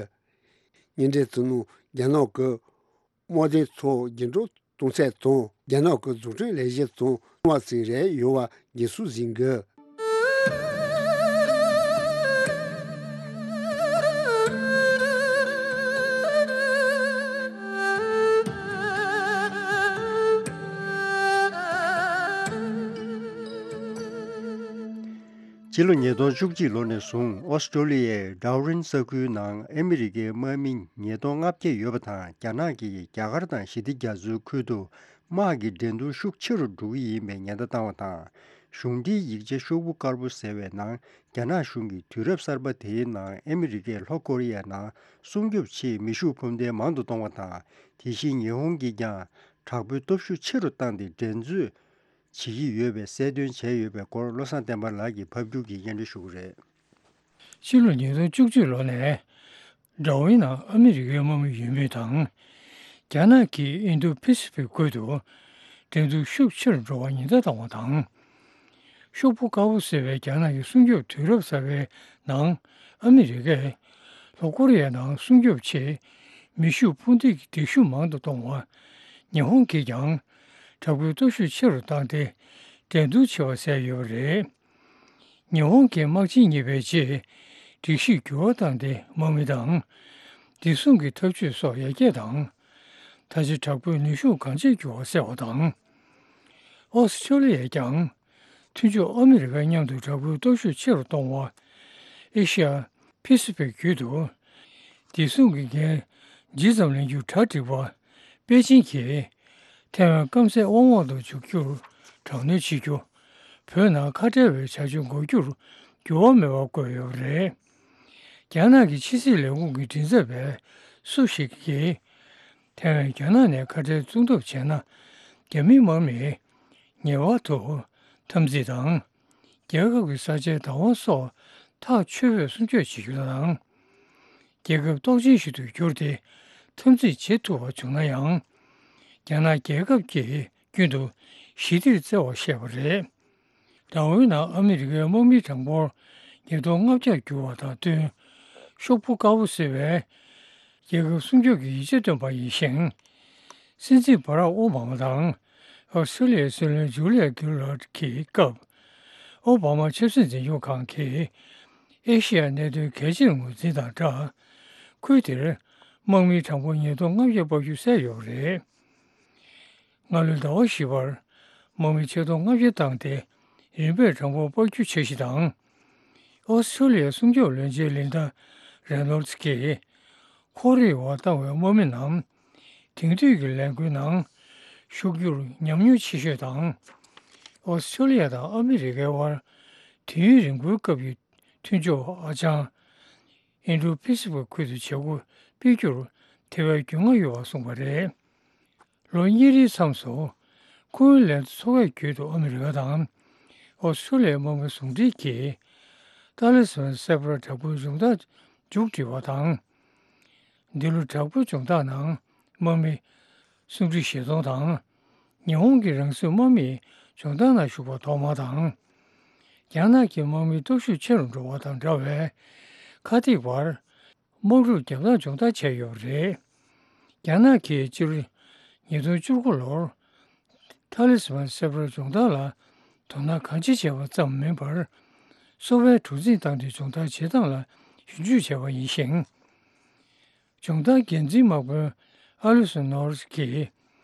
ཉིན་རེ་དུ་ནང་རྒྱ་ནག་གི་དམག་དོན་ཐོག་འགྱུར་འགྲོས་གཏོང་ཚད་དང་རྒྱ་ནག་གི་འཛུགས་སྐྲུན་ལས་གཞི་དང་མཐུན་པ་ཞིག་རེད་ཡོད་པ་རྒྱུན་སྲོལ་འཛིན་དགོས། ཕྱི་ལོ་ཉིས་སྟོང་བཅུ་གཅིག་ལོ་ནས་བཟུང་ཨོ་སི་ཀྲོ་ལི་ཡའི་ཌར་ཝིན་ས་ཁུལ་ནང་ཨ་མི་རི་ཀའི་དམག་མི་ཉིས་སྟོང་ལྔ་བརྒྱ་ཡོད་པ་དང་རྒྱ་ནག་གིས་རྒྱ་གར་དང་ཞི་བདེ་རྒྱ་མཚོའི་ཁུལ་དུ་དམག་གི་འགྲན་བསྡུར་ཤུགས་ཆེ་རུ་འགྲོ་གི་ཡིན་པའི་ཉེན་བརྡ་བཏང་བ་དང་། གཞུང་འབྲེལ་ཡིག་ཆ་ཤོག་བུ་དཀར་པོ་ཟེར་བའི་ནང་རྒྱ་ནག་གཞུང་གིས་དུས་རབས་གསར་པ་དེའི་ནང་ཨ་མི་རི་ཀས་ལྷོ་ཀོ་རི་ཡའི་ནང་སྲུང་སྐྱོབ་ཆེད་མེ་ཤུགས་ཕུང་མདེལ་མང་དུ་གཏོང་བ་དང་། དེ་བཞིན་ཉི་ཧོང་གིས་ཀྱང་དྲག་པོའི་སྟོབས་ཤུགས་ཆེ་རུ་བཏང་སྟེ་འགྲན་རྩོད་བྱེད་ཀྱི་ཡོད་པའི་གསལ་སྟོན་བྱས་ཡོད་པའི་སྐོར་བློ་བཟང་བསྟན་པ་ལགས་ཀྱིས་ཕབ་སྒྱུར་གྱིས་སྙན་སྒྲོན་ཞུ་གི་རེད། ཕྱི་ལོ་ཉིས་སྟོང་བཅུ་གཅིག་ལོ་ནས་ཌར་ཝིན་ནང་ཨ་མི་རི་ཀའི་དམག་མི་ཡོད་མུས་དང་། རྒྱ་ནག་གིས་ཨིན་དོ་པེ་སི་ཕིག་ཁུལ་དུ་འགྲན་བསྡུར་ཤུགས་ཆེ་རུ་འགྲོ་བར་ཉེན་བརྡ་བཏང་བ་དང་། ཤོག་བུ་དཀར་པོ་ཟེར་བའི་རྒྱ་ནག་གི་སྲུང་སྐྱོབ་དུས་རབས་གསར་པའི་ནང་ཨ་མི་རི་ཀས་ལྷོ་ཀོ་རི་ཡའི་ནང་སྲུང་སྐྱོབ་ཆེད་མེ་ཤུགས་ཕུང་མདེལ་གྱི་སྡེབ་ཤུགས་མང་དུ་གཏོང་བར་ཉི་ཧོང་གིས་ཀྱང་དྲག་པོའི་སྟོབས་ཤུགས་ཆེ་རུ་བཏང་སྟེ་འགྲན་བསྡུར་བྱེད་པ་གསལ་ཡོད་པ་རེད། ཉི་ཧོང་གི་དམག་ཆེན་གཉིས་པའི་རྗེས་སྒྲིག་གཞིར་འགྱུར་བ་བཏང་སྟེ་དམག་མི་དང་བདེ་སྲུང་གི་ཐབས་ཇུས་སོགས་ཡར་རྒྱས་དང་། ད་ཆ་དྲག་པོའི་ནུས་ཤུགས་གང་ཆེར་འགྱུར་བ་གསལ་བ་དང་། ཨོ་སི་ཁྲོ་ལི་ཡས་ཀྱང་མཐུན་ཕྱོགས་ཨ་མི་རི་ཀ་མཉམ་དུ་དྲག་པོའི་སྟོབས་ཤུགས་ཆེ་རུ་གཏོང་བ། ཨེ་ཤི་ཡ་པེ་སི་ཕིག་བརྒྱུད་དུ་བདེ་སྲུང་གི་འགན་ཇི་ཙམ་ལེན་རྒྱུར་གྲ་སྒྲིག་པ་པེ་ཅིང་གིས་ཐའེ་ཝན་སྐམ་སའི་དབང་འོག་ཏུ་འཇུག་རྒྱུར་དྲག་གནོན་བྱེད་རྒྱུ། བོད་ནང་ཁ་བྲལ་བའི་བྱ་སྤྱོད་འགོག་རྒྱུར་འགྱུར་བ་མེད་པ་བཀོད་ཡོད་པ་རེད། རྒྱ་ནག་གི་ཕྱི་སྲིད་ལས་ཁུངས་ཀྱི་མགྲིན་ཚབ་པས་སུ་ཞིག་གིས་ཐའེ་ཝན་རྒྱ་ནག་ནས་ཁ་བྲལ་བཙོང་ཐབས་བྱས་ན་རྒྱ་མིའི་དམག་མིས་ངེས་པར་དུ་འཐབ་འཛིང་དང་། རྒྱལ་ཁབ་ཀྱི་ས་ཆའི་བདག་དབང་སོགས་ཐག་ཆོད་པོས་སྲུང་སྐྱོབ་བྱེད་རྒྱུ་དང་། རྒྱལ་ཁབ་སྟོབས་ཆེན་ཞིག་ཏུ་གྱུར་ཏེ་འཐབ་འཛིང་བྱེད་ཐུབ་པ་བྱུང་ན་ཡང་། རྒྱ་ནག་རྒྱལ་ཁབ་ཀྱིས་རྒྱུན་དུ་ཞི་བདེར་བརྩེ་བ་བཤད་པ་རེད། ཌར་ཝིན་ནང་ཨ་མི་རི་ཀའི་དམག་མིའི་གྲངས་འབོར་ཉིས་སྟོང་ལྔ་བརྒྱར་གྱུར་བ་དང་བསྟུན། ཤོག་བུ་དཀར་པོ་ཟེར་བས་རྒྱལ་ཁབ་སྲུང་སྐྱོབ་ཀྱི་ཡིག་ཆ་བཏོན་པ་ཡིན་ཞིང་། སྲིད་འཛིན་བྷ་རག་ཨོ་བྷ་མ་དང་ཨོ་སི་ཀྲོ་ལི་ཡའི་སྲིད་བློན་ཇུ་ལི་ཡ་གིར་ལར་གྱི་སྐབས། ཨོ་བྷ་མ་ཆབ་སྲིད་འཛིན་སྐྱོང་ཁང་གིས་ཨེ་ཤེ་ཡ་གནད་དོན་གལ་ཆེར་ངོས་འཛིན་དང་སྦྲགས། ཁུལ་དེར་དམག་མིའི་གྲངས་འབོར་ཉིས་སྟོང་ལྔ་བརྒྱ་སྤར་རྒྱུ་གསལ་ཡོད་པ་རེད། སྔ་ལོའི་ཟླ་བ་བཞི་པར་དམག་མི་ཆིག་སྟོང་ལྔ་བརྒྱ་བཏང་སྟེ་རིམ་པས་གྲངས་འབོར་སྤར་རྒྱུའི་འཆར་གཞི་དང་། ཨོ་སི་ཀྲོ་ལི་ཡའི་སྲུང་སྐྱོབ་བློན་ཆེན་ལིན་ཌ་རེ་ནོལ་ཌི་གིས་ཁོར་ཡུག་འོག་བཏང་བའི་དམག་མི་རྣམས་དེང་དུས་ཀྱི་ལས་འགུལ་ནང་ཞུགས་རྒྱུར་ཉམས་མྱོང་ཆེ་ཤོས་དང་། ཨོ་སི་ཀྲོ་ལི་ཡ་དང་ཨ་མི་རི་ཀའི་དབར་དུས་ཡུན་རིང་པོའི་སྐབས་ཀྱི་མཐུན་ཕྱོགས་ཨ་ཅང་ཨིན་ཌོ་པེ་སི་ཕིག་ཁུལ་དུ་བྱེད་སྒོ་སྤེལ་རྒྱུར་དེ་བས་རྒྱུས་མངའ་ཡོད་པ་གསུངས་པ་རེད། ལོ་གཉིས་རིང་མཚམས་སུ་ཁུན་ལན་ཚོགས་པའི་ཁུལ་དུ་ཨ་མི་རི་ཀ་དང་ཨོ་སི་ཀྲོ་ལི་ཡའི་དམག་མི་ཟུང་འབྲེལ་གྱིས་ཏཱ་ལི་སི་མན་གསར་པར་དྲག་པོའི་སྦྱོང་བརྡར་མཇུག་སྒྲིལ་བ་དང་། འདི་ལོ་དྲག་པོའི་སྦྱོང་བརྡར་ནང་དམག་མི་སུམ་ཁྲི་བཞི་སྟོང་དང་། ཉི་ཧོང་གི་རང་སྲིད་དམག་མིས་སྦྱོང་བརྡར་ནང་ཞུགས་པ་ཐོག་མ་དང་། རྒྱ་ནག་གི་དམག་མིའི་སྟོབས་ཤུགས་ཆེ་རུ་འགྲོ་བ་དང་འདྲ་བའི་ཁ་གཏད་བར་དམག་འཁྲུག་བརྒྱབ་སྟངས་སྦྱོང་བརྡར་བྱས་ཡོད་པ་རེད། རྒྱ་ནག་གིས་སྤྱི་ལོ་ཉིས་སྟོང་བཅུ་དགུ་ལོར་ཏཱ་ལི་སི་མན་གསར་པར་སྦྱོང་བརྡར་ལ་དོ་སྣང་གང་ཆེ་བྱས་པ་ཙམ་མིན་པར། གསོ་བའི་གྲུ་གཟིངས་བཏང་སྟེ་སྦྱོང་བརྡར་བྱེད་སྟངས་ལ་ཞིབ་འཇུག་བྱས་པ་ཡིན་ཞིང་། སྦྱོང་བརྡར་འགན་འཛིན་དམག་དཔོན་ཨ་ལི་སོན་ནོར་སི་གིས་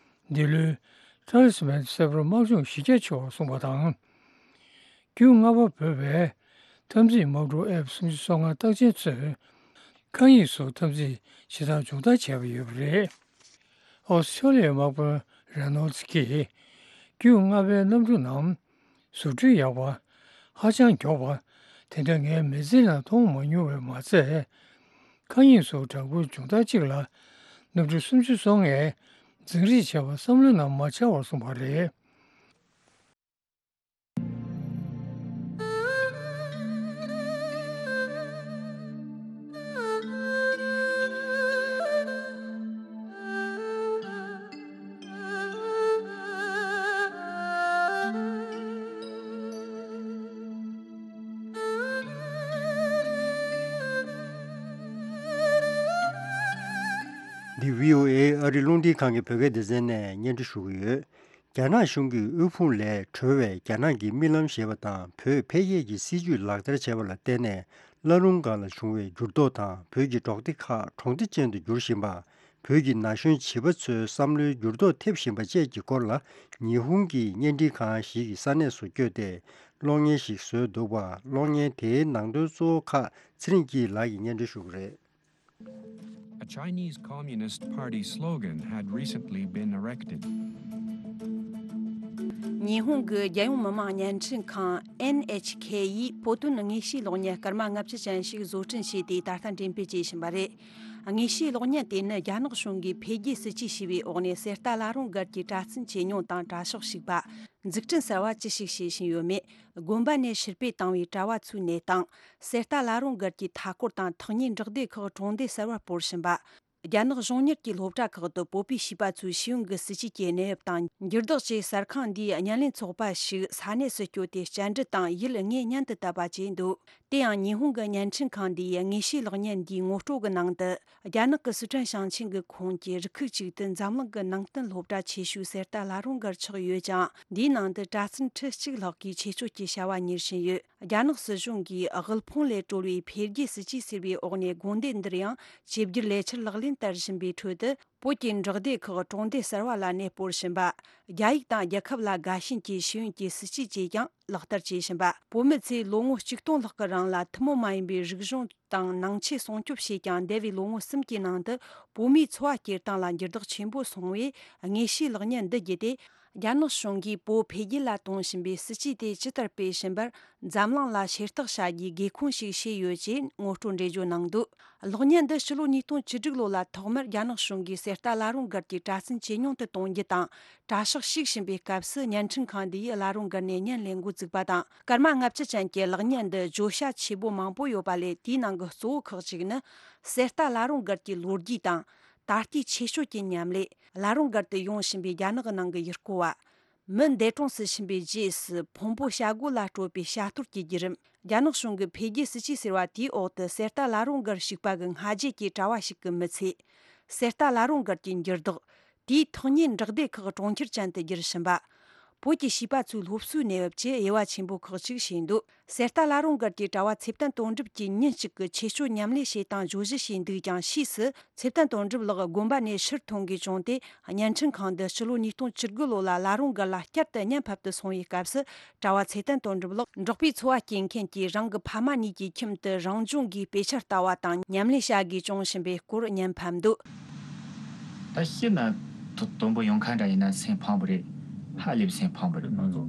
འདི་ལོའི་ཏཱ་ལི་སི་མན་གསར་པར་དམག་སྦྱོང་གཞི་རྒྱ་ཆེ་བ་གསུངས་པ་དང་། རྒྱུན་ལྔ་པ་བོད་པའི་འཐབ་འཛིང་དམག་གྲུ་ཨེཕ་སུམ་ཅུ་སོ་ལྔ་རྟགས་ཅན་ཚོས་མཁའ་དབྱིངས་སུ་འཐབ་འཛིང་བྱེད་སྟངས་སྦྱོང་བརྡར་བྱས་པ་ཡོད་པ་རེད། ཨོ་སི་ཀྲོ་ལི་ཡའི་དམག་དཔོན་རེ་ནོལ་ཌི་གིས་ རྒྱུས་མངའ་བའི་གནམ་གྲུ་རྣམས་བཟོ་སྐྲུན་ཡག་པ། ཧ་ཅང་མགྱོགས་པ། དེ་འདྲ་ངའི་མི་ཚེ་ནང་མཐོང་མ་མྱོང་བས་མ་ཚད། མཁའ་དབྱིངས་སུ་དྲ་འབུའི་མཇུག་མཐའ་གཅིག་ལ་གནམ་གྲུ་སུམ་ཅུ་སོ་ལྔས་འཛིང་རེས་བྱས་པ་བསམ་བློའི་ནང་མ་འཆར་བར་སོང་བ་རེད། འདི་བྷི་ཨོ་ཨེ་ཨ་རི་རླུང་འཕྲིན་ཁང་གི་བོད་སྐད་སྡེ་ཚན་ནས་སྙན་སྒྲོན་ཞུ་གི་ཡོད། རྒྱ་ནག་གཞུང་གིས་དབུལ་ཕོངས་ལས་གྲོལ་བའི་རྒྱ་ནག་གི་རྨི་ལམ་ཞེས་པ་དང་བོད་འཕེལ་རྒྱས་ཀྱི་སྲིད་ཇུས་ལག་བསྟར་བྱས་པ་ལ་བརྟེན་ནས་བླ་རུང་སྒང་ལ་བྱུང་བའི་འགྱུར་ལྡོག་དང་བོད་ཀྱི་འབྲོག་སྡེ་ཁག་གྲོང་སྡེ་ཅན་དུ་འགྱུར་བཞིན་པ། བོད་ཀྱི་ན་གཞོན་བྱིས་པ་ཚོའི་བསམ་བློའི་འགྱུར་ལྡོག་ཐེབས་བཞིན་པ་བཅས་ཀྱི་སྐོར་ལ་ཉི་ཧོང་གི་བརྙན་འཕྲིན་ཁང་ཞིག་གིས་ས་གནས་སུ་བསྐྱོད་དེ་གློག་བརྙན་ཞིག་བཟོས་འདུག་པ། གློག་བརྙན་དེའི་ནང་དོན་གཙོ་བོ་ཁག་ཚེ་རིང་སྐྱིད་ལགས་ཀྱིས་སྙན་སྒྲོན་ཞུ་གི་རེད། A Chinese Communist Party slogan had recently been erected. ཉི་ཧོང་གི་རྒྱལ་ཡོངས་མི་དམངས་བརྙན་འཕྲིན་ཁང་ཨེན་ཨེཆ་ཁེ་ཡིས་བོད་དོན་དངོས་བཤུས་གློག་བརྙན་སྐར་མ་ལྔ་བཅུ་ཅན་ཞིག་བཟོ་སྐྲུན་བྱས་ཏེ་ད་ལྟ་འགྲེམས་སྤེལ་བྱེད་བཞིན་པ་རེད། དངོས་བཤུས་གློག་བརྙན་དེ་ནི་རྒྱ་ནག་གཞུང་གིས་འཕེལ་རྒྱས་སྲིད་ཇུས་ཞེས་པའི་འོག་ནས་གསེར་རྟ་བླ་རུང་སྒར་གྱི་གྲྭ་བཙུན་ཆོས་ཉུང་དང་གྲྭ་ཤག་ཞུགས་པ། འཛུགས་སྐྲུན་གསར་བ་ཅི་ཞིག་བྱེད་བཞིན་ཡོད་མེད། དགོན་པ་ནས་ཕྱིར་སྤོས་བཏང་བའི་གྲྭ་བ་ཚོའི་གནས་སྟངས། གསེར་རྟ་བླ་རུང་སྒར་གྱི་མཐའ་སྐོར་དང་ཐག་ཉེའི་འབྲོག་སྡེ་ཁག་གྲོང་སྡེ་གསར་བར་སྤོར་བཞིན་པ། རྒྱ་ནག་གཞུང་གཉེར་གྱི་སློབ་གྲྭ་ཁག་ཏུ་བོད་པའི་བྱིས་པ་ཚོའི་ཤེས་ཡོན་གྱི་སྲིད་བྱུས་ཀྱི་གནས་བབ་དང་འགྱུར་ལྡོག་བཅས་གསར་ཁང་འདིའི་བརྙན་ལེན་ཚོགས་པ་ཞིག་ས་གནས་སུ་བསྐྱོད་དེ་བཅར་འདྲི་དང་ཡིད་དངོས་ཉན་དུ་བཏབ་པ་བྱས་འདུག་དེ་ཡང་ཉི་ཧོང་གི་བརྙན་འཕྲིན་ཁང་འདིའི་དངོས་བཤུས་གློག་བརྙན་འདིའི་ངོ་སྤྲོད་ཀྱི་ནང་དུ། རྒྱ་ནག་གི་སི་ཁྲོན་ཞིང་ཆེན་གྱི་ཁོངས་ཀྱི་རུ་ཁག་ཅིག་ཏུ་འཛམ་གླིང་གི་ནང་བསྟན་སློབ་གྲྭ་ཆེ་ཤོས་གསེར་རྟ་བླ་རུང་སྒར་ཆགས་ཡོད་ཅིང་། འདིའི་ནང་དུ་གྲྭ་བཙུན་ཁྲི་གཅིག་ལྷག་གིས་ཆེད་སྤྱོད་ཀྱི་བྱ་བ་གཉེར་བཞིན་ཡོད། རྒྱ་ནག་སྲིད་གཞུང་གིས་དབུལ་ཕོངས་ལས་གྲོལ་བའི་འཕེལ་རྒྱས་སྲིད་ཇུས་ཟེར་བའི་འོག་ནས་དགོན་སྡེ་འདིར་ཡང་ཆེད་བསྒྱུར་ལས་འཆར་ལག་ལེན་བསྟར་བཞིན་པའི་ཁྲོད་དུ། བོད་ཀྱི་འབྲོག་སྡེ་ཁག་གྲོང་སྡེ་གསར་བ་ལ་གནས་སྤོར་བཞིན་པ། རྒྱ་ཡིག་དང་རྒྱལ་ཁབ་ལ་དགའ་ཞེན་གྱི་ཤེས་ཡོན་གྱི་སྲིད་ཇུས་བཅས་ཀྱང་ལག་བསྟར་བྱེད་བཞིན་པ། བོད་མི་ཚོས་ལོ་ངོ་གཅིག་སྟོང་ལྷག་གི་རིང་ལ་ཐུན་མོང་མ་ཡིན་པའི་རིག་གཞུང་དང་ནང་ཆོས་སྲུང་སྐྱོབ་བྱས་ཀྱང་། འདས་པའི་ལོ་ངོ་གསུམ་གྱི་ནང་དུ་བོད་མིའི་འཚོ་བ་སྐྱེལ་སྟངས་ལ་འགྱུར་ལྡོག་ཆེན་པོ་སོང་བས། དངོས་བཤུས་གློག་བརྙན་འདི་བརྒྱུད་དེ། རྒྱ་ནག་གཞུང་གིས་བོད་འཕེལ་རྒྱས་ལ་གཏོང་བཞིན་པའི་སྲིད་ཇུས་དེ་ཇི་ལྟར་སྤེལ་བཞིན་པར། འཛམ་གླིང་ལ་ཤེས་རྟོགས་བྱ་རྒྱུའི་དགོས་མཁོ་ཞིག་བྱས་ཡོད་ཅེས་ངོ་སྤྲོད་འགྲེལ་བརྗོད་གནང་འདུག་གློག་བརྙན་འདི་ཕྱི་ལོ་ཉིས་སྟོང་བཅུ་དྲུག་ལོ་ལ་ཐོག་མར་རྒྱ་ནག་གཞུང་གིས་གསེར་རྟ་བླ་རུང་སྒར་གྱི་གྲྭ་བཙུན་ཇེ་ཉུང་དུ་གཏོང་རྒྱུ་དང་། གྲྭ་ཤག་ཞིག་བྱིན་པའི་སྐབས་སུ་བརྙན་འཕྲིན་ཁང་འདི་ཡིས་བླ་རུང་སྒར་ནས་བརྙན་ལེན་འགོ་བཙུགས་པ་དང་། སྐར་མ་ལྔ་བཅུ་ཅན་གྱི་གློག་བརྙན་འདི་བརྗོད་བྱ་ཆེ་བོ་མང་པོ་ཡོད་པ་ལས། དེའི་ནང་གི་གཙོ་བོ་ཁག་ཅིག་ནི། གསེར་རྟ་བླ་རུང་སྒར་གྱི་ལོ་རྒྱུས་དང་། ད་ལྟའི་ཆེད་སྤྱོད་ཀྱི་མཉམ་ལས། བླ་རུང་སྒར་དུ་ཡོང་བཞིན་པའི་རྒྱ་ནག་གི་ནང་གི་ཡུལ་སྐོར་བ། མི་འདས་གྲོངས་སུ་ཕྱིན་པའི་རྗེས་སུ་ཕུང་པོ་བྱ་སྒོ་ལ་སྤྲོད་པའི་བྱ་གཏོར་གྱི་བརྒྱུད་རིམ། རྒྱ་ནག་གཞུང་གི་འཕེལ་རྒྱས་སྲིད་ཇུས་ཟེར་བ་དེའི་འོག་ཏུ་གསེར་རྟ་བླ་རུང་སྒར་ཞུགས་པ་གི་སྔ་རྗེས་ཀྱི་གྲྭ་བ་ཞིག་གི་མི་ཚེ། གསེར་རྟ་བླ་རུང་སྒར་གྱི་འགྱུར་ལྡོག་དེའི་ཐག་ཉེའི་འབྲོག་སྡེ་ཁག་གྲོང་ཁྱེར་ཅན་དུ་བསྒྱུར་བཞིན་པ། བོད་ཀྱི་བྱིས་པ་ཚོའི་སློབ་གསོའི་གནས་བབ་བཅས་དབྱེ་བ་ཆེན་པོ་ཁག་ཅིག་ཕྱེས་འདུག་གསེར་རྟ་བླ་རུང་སྒར་གྱི་གྲྭ་བ་ཚེ་བརྟན་དོན་གྲུབ་ཀྱིས་ཉིན་གཅིག་གི་ཆེད་སྤྱོད་མཉམ་ལས་བྱེད་སྟངས་བརྗོད་གཞི་བྱས་འདུག་ཀྱང་། ཕྱིས་སུ་ཚེ་བརྟན་དོན་གྲུབ་ལགས་དགོན་པ་ནས་ཕྱིར་ཐོན་དགོས་བྱུང་སྟེ། བརྙན་འཕྲིན་ཁང་འདི་ཕྱི་ལོ་ཉིས་སྟོང་བཅུ་དགུ་ལོ་ལ་བླ་རུང་སྒར་ལ་བསྐྱར་དུ་བརྙན་ཕབ་ཏུ་སོང་བའི་སྐབས་སུ། གྲྭ་བ་ཚེ་བརྟན་དོན་གྲུབ་ལགས་འབྲོག་པའི་འཚོ་བ་སྐྱེལ་མཁན་གྱི་རང་གི་ཕ་མ་གཉིས་ཀྱི་ཁྱིམ་དུ་རང་སྦྱོང་གིས་དཔེ་ཆ་ལྟ་བ་དང་མཉམ་ལས་བྱ་དགོས་བྱུང་བཞིན་པའི་སྐོར་བརྙན་ཕབ་འདུག་ད་ཤི་ན་དོ་དོན་པོ་ཡོང་ཁ་འདྲ་ཡིན་ན་སེམས་ཕམ་པོ་རེད། ཧ་ལས་པའི་སེམས་ཕམ་པོ་རེད། ང་ཚོ་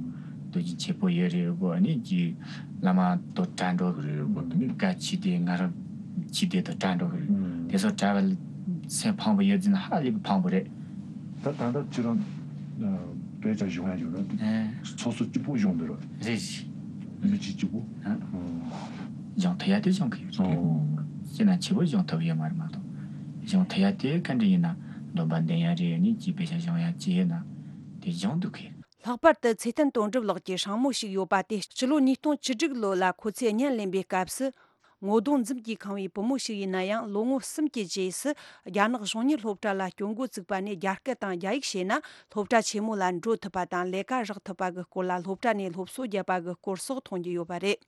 དུས་རྒྱུན་ཆེ་པོ་ཡོད་རེད་གོ་ནི་ཀྱི་བླ་མ་དོ་གྲ་འགྲོ་གི་རེད་གོ་དུ་ནི་དགའ་ཆེ་དེ་ང་རང་ཆེ་དེ་དོ་གྲ་འགྲོ་གི་རེད། དེ་ཚོ་གྲ་བ་སེམས་ཕམ་པོ་ཡོད་ཟིན་ཧ་ལས་པའི་ཕམ་པོ་རེད། ད་ད་ལྟ་ཁྱེད་རང་དཔེ་ཆ་སྦྱོང་ཡ་ཡོད་ར། ཚོགས་གཙོ་གཅིག་པུ་སྦྱོང་འདི་ར། རེད་རེད། མི་གཅིག་གཅིག་པུ། སྦྱོང་ཐུབ་ཡ་དེ་སྦྱོང་གི་ཡོད་རེད། ཤེས་ན་ཆེ་བོ་སྦྱོང་ཐུབ་ཡོད་མ་རེད་མ་གཏོགས། སྦྱོང་ཐུབ་ཡ་དེ་ག་འདྲ་ཡིན་ན་སྡོམ་པ་འདོན་ཡ་རེད། ནི་ཅི་དཔེ་ཆ་སྦྱོང་ཡ་ཅི་ཡོད་ན་དེ་སྦྱོང་འདུག་གི། ལྷག་པར་དུ་ཚེ་བརྟན་དོན་གྲུབ་ལགས་ཀྱི་སྲིང་མོ་ཞིག་ཡོད་པ་དེ་སྤྱི་ལོ་ཉིས་སྟོང་བཅུ་དྲུག་ལོ་ལ་ཁོ་ཚོས་བརྙན་ལེན་པའི་སྐབས་སུ། ངོ་གདོང་འཛུམ་གྱིས་ཁེངས་པའི་བུ་མོ་ཞིག་ཡིན་ན་ཡང་། ལོ་ངོ་གསུམ་གྱི་རྗེས་སུ་རྒྱ་ནག་གཞུང་གཉེར་སློབ་གྲྭ་ལ་སྐྱོད་འགོ་བཙུགས་པ་ནས། རྒྱ་སྐད་དང་རྒྱ་ཡིག་ཤེས་ན་སློབ་གྲྭ་ཆེན་མོ་ལ་འགྲོ་ཐུབ་པ་དང་། ལས་ཀ་རག་ཐུབ་པ་གི་སྐོར་ལ་སློབ་གྲྭ་ནས་སློབ་གསོ་བརྒྱབ་པ་གི་སྐོར་སོགས་མཐོང་རྒྱུ་ཡོད་པ་རེད།